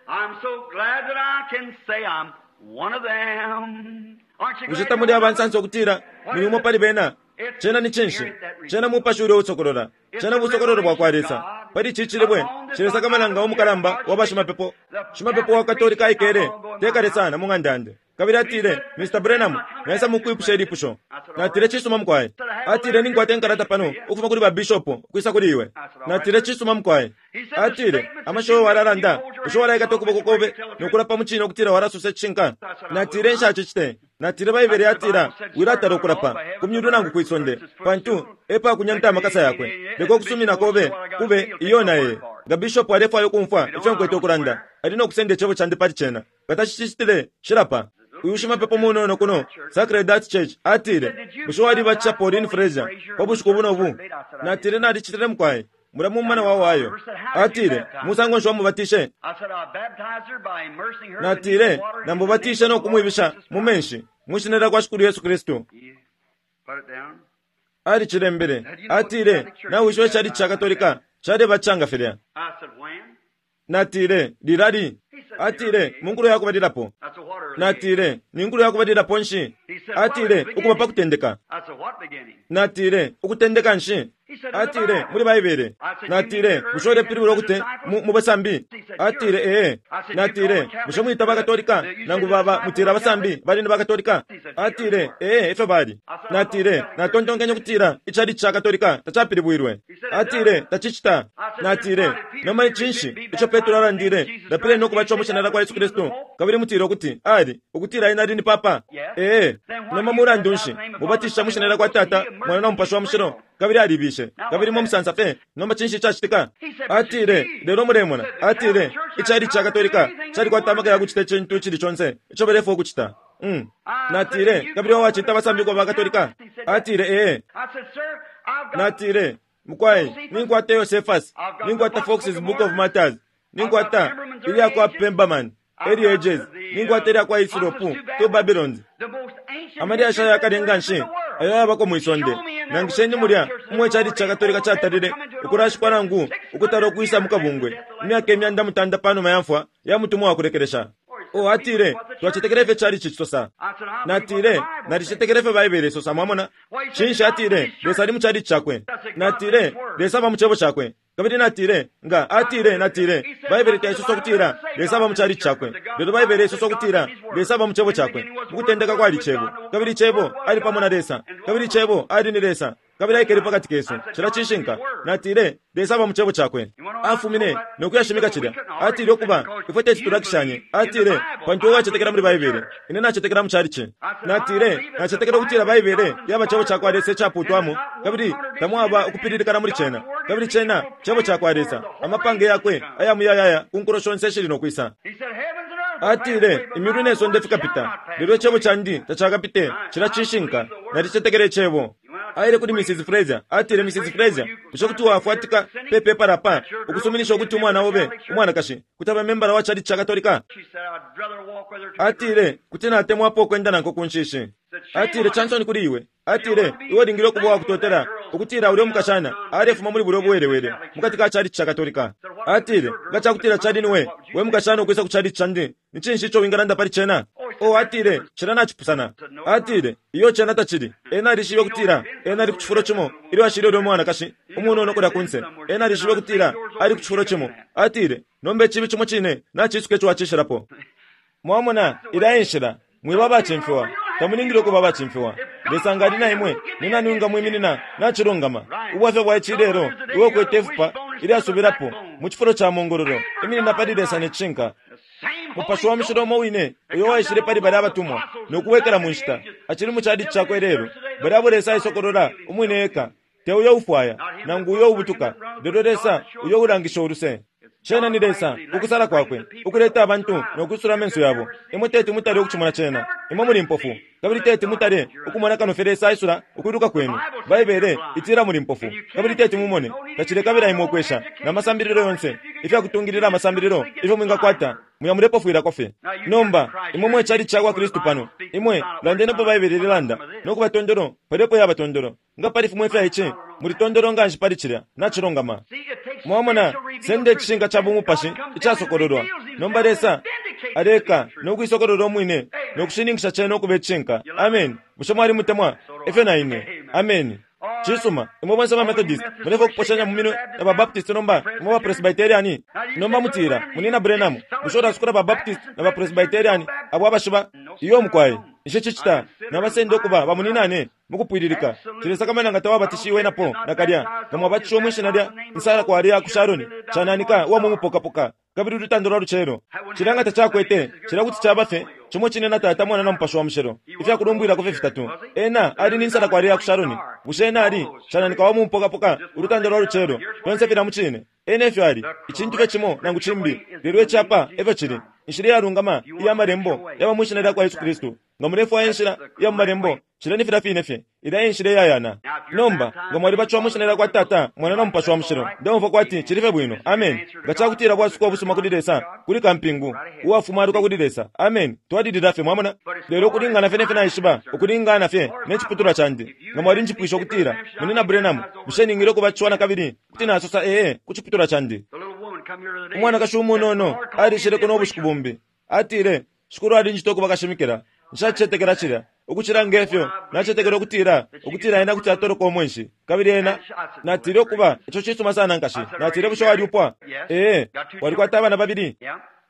I'm so glad that I can say I'm one of them. Aren't you Bushe glad you're tamuli one of aba them? nsansa ukutila muli umo pali bena? Cena ni cinshi? Cena mupashi ulya uusokolola. Cena busokololo bwa kwa Lesa. Pali ici cilibwe, cilesakamana nga umukalamba wa bashimapepo. Shimapepo wa Katolika aikele te kale sana mu ng'anda yandi. Kabili atile, Mr. Branham, naisa mukwipusha ilipusho. Natile, Cisuma mukwai. Atile, Ninkwata inkalata pano ukufuma kuli ba bishop ukwisa kuli iwe. Natile, Cisuma mukwai. Atile, Amashiwi walalanda, bushe walaikata ukuboko kobe no kulapa mu cine ukutila walasosa icishinka? Natile, Nshacicite. Natile, Baibele yatila, Wilatala ukulapa ku myulu nangu kwi sonde, pantu e pa kunyanta amakasa yakwe. Leka ukusumina kobe kube iyo na ee. Nga bishop alefwaya ukumfwa ifyo nkwete ukulanda, ali no kusenda icebo candi pali cena. Nga tacicitile, nshilapa. Uyu shimapepo munono kuno, Sacred Heart Church, atile, Bushe walibatisha Pauline Frazier pa bushiku buno bu? Natile, Nalicitile mukwai. Mulya mu mumana wa Ohio. Atile, Musango nshi wamubatishe? I said, I baptized her by immersing her beneath the Natile, water in the name Namubatishe of no the Lord kumwibisha Jesus mu Christ. menshi, mwi shina lyakwa Shikulu Yesu Kristu. He put it down. Alicilembele. Atile, Nawishiba icali ca Katolika calebatisha filya. I said, when? Natile, Lilali? Atile, Mu nkulo ya kubalilapo. I said, what early age? Natile, Ni nkulo ya kubalilapo nshi? Atile, Ukuba pa kutendeka. I said, what beginning? Natile, Ukutendeka nshi? Atile, Muli Baibele. Natile, Bushe ulepilibula ukuti mu mu basambi? Atile, Ee. Natile, Bushe mwita bakatolika nangu baba mutila abasambi bali ni bakatolika? Atile, Ee, efyo bali. Natile, Natontonkenye ukutila icali ca Katolika tacapilibwilwe. Atile, Tacicita. Natile, Nomba ni cinshi ico Petro alandile? Lapileni no kubatishiwa mu shina lyakwa Yesu Kristu, kabili mutile ukuti ali, ukutila ena ali ni papa. Ee. Nomba mulandu nshi mubatisha mu shina lyakwa Tata, Mwana na Mupashi wa Mushilo? Kabili alibishe. Kabili mwe musansa fye. Nomba cinshi icacitika? Atile, lelo mulemona. Atile, icali ca Katolika calikwata amaka ya kucita icintu icili conse ico balefwaya ukucita. Natile, kabili wawacita abasambi ukuba ba Katolika? Atile, Ee. I said, sir, I've got Natile, Mukwai, ninkwata Josephus, ninkwata Fox's Book of Martyrs, ninkwata ilya kwa Pemberman, Early Ages, ninkwata ilya kwa Isilopu, Two Babylons. Amalyashi ayakale nga nshi ayo ayabako mwi sonde. Nangisheni mulya umwe cali ca Katolika catalile ukulashikwa nangu ukutala ukwisa mu kabungwe imyaka 300 pa numa ya mfwa ya mutumwa wa kulekelesha. O atile, twacetekela ifyo cali cisosa. Natile, nalicetekela ifyo Baibele isosa, mwamona. Cinshi atile, Lesa ali mu cali cakwe. Natile, Lesa aba mu cebo cakwe. Kabili natile, nga atile, natile, Baibele taisosa ukutila Lesa aba mu cali cakwe. Lelo Baibele isosa ukutila Lesa aba mu cebo cakwe. Mukutendeka kwali Cebo, kabili Cebo ali pamo na Lesa, kabili Cebo ali ni Lesa, kabili aikele pakati kesu. Cila cishinka. Natile, Lesa aba mu cebo cakwe. Afumine no kuyashimika cilya. Atile ukuba ifwe teti tulakishanye. Atile, pantu uwe wacetekela muli Baibele, ine nacetekela mu calici. Natile, nacetekela ukutila Baibele yaba cebo cakwa Lesa icaputwamo, kabili tamwaba ukupililikana muli cena. Kabili cena cebo cakwa Lesa, amapange yakwe aya muyayaya ku nkulo shonse ishili no kwisa. Atile, imyulu ne sonde fikapita, lelo icebo candi tacakapite. Cila cishinka. Nalicetekela icebo. Aile kuli Mrs. Fraser. Atile, Mrs. Fraser, bushe kuti wafwatika pe pepala pa ukusuminisha ukuti umwana obe umwanakashi kuti abe membala wa chalichi ca Katolika? Atile, kuti natemwapo ukwenda nankwe ku nshishi. Atile, Chansoni kuli iwe. Atile, iwe ulingile ukuba uwakutotela ukutila ulya umukashana alefuma muli bulya ubuwelewele mukati ka chalichi ca Katolika. Atile, nga cakutila cali niwe, we mukashana ukwisa ku chalichi candi, ni cinshi ico wingalanda pali cena? Oh, atile, cena nacipusana. Atile, iyo cena tacili. Ena alishibe ukutila ena ali ku cifulo cimo ilyo ashile ulya umwanakashi umunono kulya kunse. Ena alishibe ukutila ali ku cifulo cimo. Atile, nomba icibi cimo cine nacisuka ico wacishilapo. Mwamona, ilya e nshila. Mwiba abacimfiwa. Tamulingile ukuba abacimfiwa. Lesa nga ali na imwe, ni nani wingamwiminina? Nacilungama. Ubwafya bwa ici ilelo, iwe ukwete ifupa ilyasubilapo mu cifulo ca mongololo. Iminina pali Lesa ne cishinka. Mupashi wa Mushilo umo wine uyo waishile pali balya abatumwa no kubwekela mu nshita, acili mu chalichi Cakwe ilelo. Balya abo Lesa aisokolola Umwine eka, te uyo ufwaya, nangu uyo ubutuka, lelo Lesa uyo ulangisha uluse. Cena ni Lesa, ukusala Kwakwe, ukuleta abantu no kwisula amenso yabo. Imwe teti mutale ukucimona cena. Imwe muli mpofu, kabili teti mutale ukumona kano fye Lesa aisula ukwiluka kwenu. Baibele itila muli mpofu, kabili teti mumone. Tacilekabila imwe ukwesha, na masambililo yonse, ifya kutungilila amasambililo ifyo mwingakwata, muya mulepofwilako fye. Nomba, imwe mwe chalichi cakwa Kristu pano, imwe landenipo Baibele ilelanda, no kuba tondolo, palyopo yaba tondolo. Nga pali fimo ifya ici, muli tondolo nganshi pali cilya. Nacilungama. Mwamona, senda icishinka ca bumupashi icasokololwa. Nomba Lesa aleka no kuisokolola umwine no kushininkisha cena ukuba icishinka. Ameni. Bushe mwali mutemwa? Efyo na ine. Ameni. Cisuma, imwe bonse ba Methodist mulefwaya ukuposhanya mu minwe na ba Baptist nomba, imwe ba Presbyterian. Nomba mutila, Munyina Branham, bushe ulasukula ba Baptist na ba Presbyterian abo abashiba? Iyo, mukwai. Nshicicita. Nabasenda ukuba bamunyinane mukupwililika. Nshilesakamana nga tawabatishiwe napo nakalya, nga mwabatishiwe mwi shina lya nsala kwali ya ku Sharoni, cananika uwa mu mupokapoka, kabili ulutanda lwa lucelo. Cilya nga tacakwete, cilya kuti caba fye cimo cine na Tata, Mwana, na Mupashi wa Mushilo, ifya kulumbwilako fye fitatu. Ena ali ni nsala kwali ya ku Sharoni. Bushe ena ali cananika wa mu mupokapoka, ulutanda lwa lucelo? Fyonse filya mucine. Ena efyo ali, icintu fye cimo nangu cimbi, lelo ici apa efyo cili. Inshila iyalungama iya Malembo yaba mwi Shina lyakwa Yesu Kristu. Nga mulefwaya inshila iya mu Malembo, cilya ni filya fine fye. Ilya e nshila iyayana. Nomba, nga mwalibatishiwa mwi Shina lyakwa Tata, Mwana, na Mupashi wa Mushilo, ndeumfwa kwati cili fye bwino. Ameni. Nga cakutila bwasuko ubusuma kuli Lesa, kuli kampingu uwafumaluka kuli Lesa. Ameni. Twalilila fye, mwamona. Lelo ukulingana fye ne fyo naishiba, ukulingana fye ne ciputulwa candi, nga mwalinjipwishe ukutila, Munyina Branham, bushe ningile ukubatishiwa nakabili? Kuti nasosa ee ku ciputulwa candi. Umwanakashi umunono alishileko no bushiku bumbi. Atile, Shikulu alinjita ukuba kashimikila. Nshacicetekela cilya, ukucila nge fyo nacetekela ukutila, ukutila ena kuti atoloka umwenshi. Kabili ena, natile ukuba, ico cisuma sana, nkashi. Natile, Bushe walyupwa? Ee. Walikwata abana babili?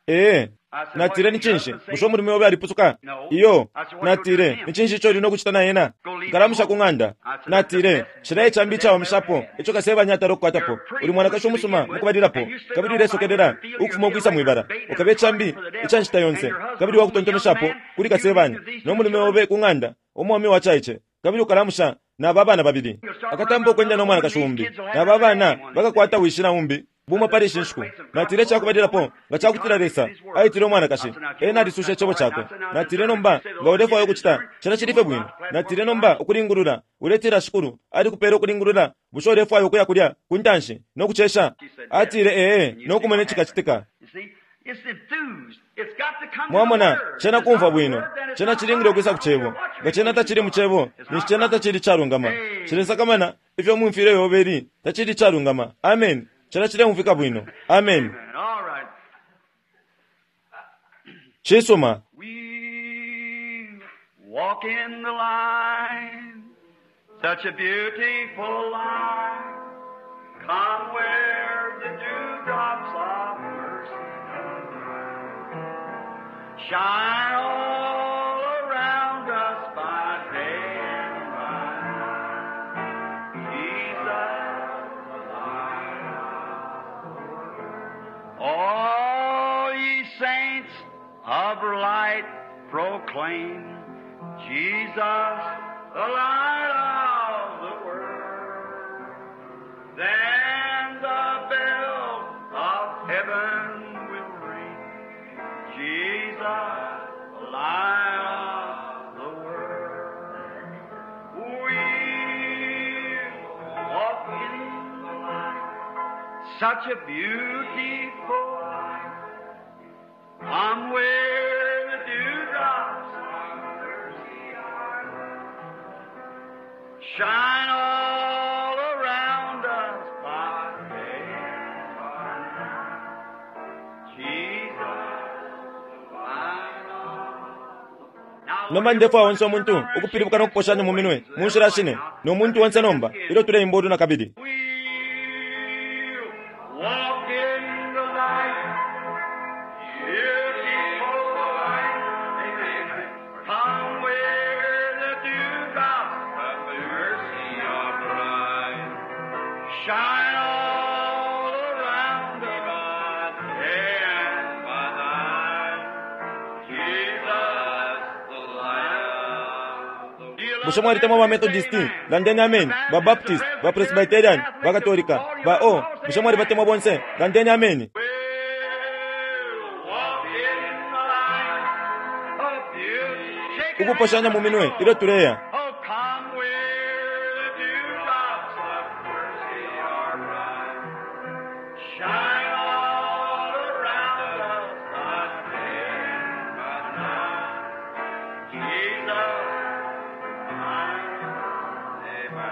Ee. Natile, Ni cinshi? Bushe umulume obe alipusuka? Iyo. Natile, Ni cinshi ico uli no kucita na ena? Nkalamusha ku ng'anda. Natile, Cilya e cambi icawamishapo ico Kasebanya atala ukukwatapo. Uli mwanakashi umusuma mukubalilapo, kabili ulesokelela ukufuma ukwisa mwibala. Ukaba icambi ica nshita yonse, kabili uwakutontomeshapo kuli Kasebanya, no mulume obe ku ng'anda, umwaume wacaice, kabili ukalamusha na aba bana babili. Akatampa ukwenda no mwanakashi umbi, na aba bana bakakwata wishi na umbi. Bumo pali ishi nshiku. Natile icakubalilapo, nga cakutila Lesa aitile umwanakashi, ena alisusha Icebo Cakwe. Natile nomba, nga ulefwaya ukucita, cena cili fye bwino. Natile nomba, ukulingulula, uletila Shikulu alikupele ukulingulula, bushe ulefwaya ukuya kulya ku ntanshi no kucesha? Atile, Ee, no kumona icikacitika. Mwamona, cena kumfwa bwino. Cena cilingile ukwisa ku Cebo. Nga cena tacili mu Cebo, ninshi cena tacili icalungama. Nshilesakamana ifyo mumfwile yobe ili, tacili icalungama. Ameni. Cena cileumfwika bwino. Ameni. Cisuma. Walk in the light, such a beautiful light. Come where the dewdrops of mercy shine all around us by day and by night. Jesus, the light of the world. All ye saints of light proclaim Jesus, the light of the world. Then the bell of heaven will ring. Jesus, the light of the world. We walk in the light, such a beautiful light. Come where the dewdrops of mercy are. Shine all around us by day and by night. Jesus, the light of the Nomba ndefwaya onse umuntu ukupilibuka no kuposhanya mu minwe mu nshila shine no muntu onse nomba ilyo tuleimba ulu nakabili. We'll walk in the light, beautiful light. Amen. Come where the dewdrops of mercy are bright. Shine all around us by day and by night. Jesus, the light of the Bushe mwalitemwa ba Methodist, landeni ameni, ba Baptist, ba Presbyterian, ba Katolika, ba o, bushe mwalibatemwa bonse, landeni ameni. We'll walk in the light of beauty. Shake Ukuposhanya mu minwe ilyo tuleya. Oh, come where the dewdrops of mercy are bright. Shine all around us by day and by night. Jesus, Amen.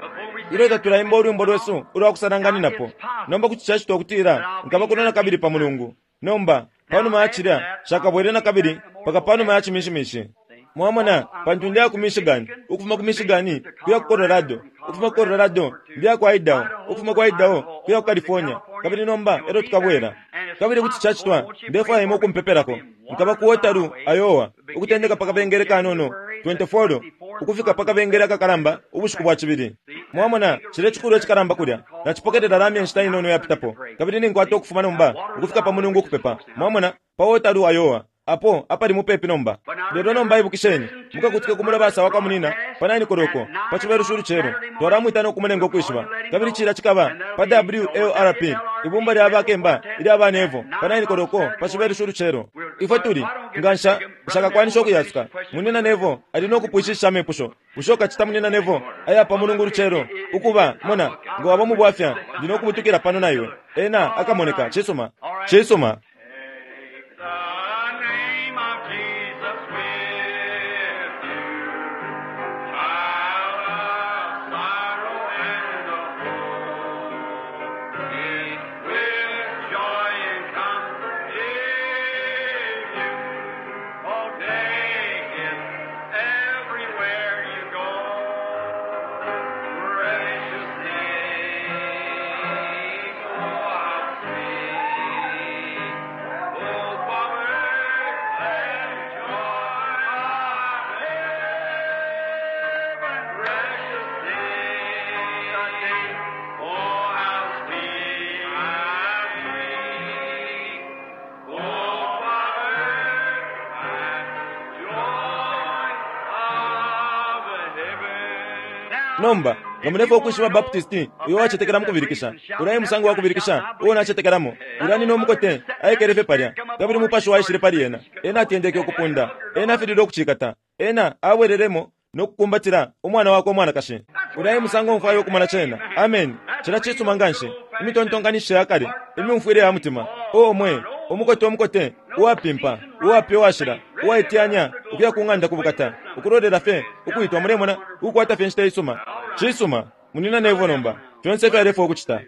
Before we Ilyo tatulaimba ulwimbo lwesu ulwa kusalanganinapo, nomba kuti cacitwa ukutila nkaba kuno nakabili pa mulungu. Nomba, panuma ya cilya, nshakabwele nakabili mpaka panuma ya cimishimishi. Mwamona, pantu ndiya ku Michigan, ukufuma ku Michigan kuya ku Colorado, ukufuma ku Colorado ndiya ku Idaho, ukufuma ku Idaho kuya ku California, kabili nomba elyo tukabwela. Kabili kuti cacitwa, ndefwaya imwe ukumpepelako. Nkaba ku Waterloo, Iowa, ukutendeka pa kabengele kanono 24 ukufika pa kabengele akakalamba ubushiku bwa cibili. Mwamona, cile cikulu ecikalamba kulya, nacipokelela lamya inshita inono yapitapo, kabili ninkwata ukufuma nomba ukufika pa mulungu ukupepa. Mwamona, pa Waterloo, Iowa, apo apali mupepi nomba. Lelo nomba ibukisheni, mukakutike ku mulabasa wa kwa munina pa 9 koloko pa cibelushi ulucelo, twalamwita no kumulenga ukwishiba. Kabili cilya cikaba pa WLRP, ibumba lya bakemba ilya banevo pa 9 koloko pa cibelushi ulucelo. Ifwe tuli nga nshakakwanisha ukuyasuka. Munina Nevo ali no kupwishisha amepusho. Bushe ukacita munina Nevo aya pa mulungu ulucelo ukuba mona nga waba mu bwafya ndi no kubutukila pano na iwe. Ena akamoneka. Cisuma, cisuma. Take the name of Jesus with you, child of sorrow and of woe. It will joy and comfort give you. Oh, take it everywhere you go. Precious name, oh, how sweet. Oh, power and joy of heaven, precious name, oh, how sweet, how sweet. Oh, power and joy of heaven. Nomba, Nga mulefwaya ukwishiba Baptist uyo wacetekela mu kubilikisha, ulya e musango wa kubilikisha uo nacetekelamo. Ulya nyina umukote aikele fye palya, kabili Umupashi waishile pali ena. Ena atendeke ukupunda. Ena afililwe ukucikata. Ena abwelelemo no kukumbatila umwana wakwe umwanakashi. Ulya e musango mfwaya ukumona cena. Ameni. Cilya cisuma nganshi. Imitontonkanishishe ya kale, imyumfwile ya mutima. Oo, mwe! Umukote umukote, uwapimpa, uwapya uwashila, uwaiteyanya ukuya ku ng'anda ku Bukata, ukulolela fye ukwitwa, mulemona, ukukwata fye inshita isuma. Cisuma, Munyina Neville nomba, fyonse ifyo alefwaya ukucita.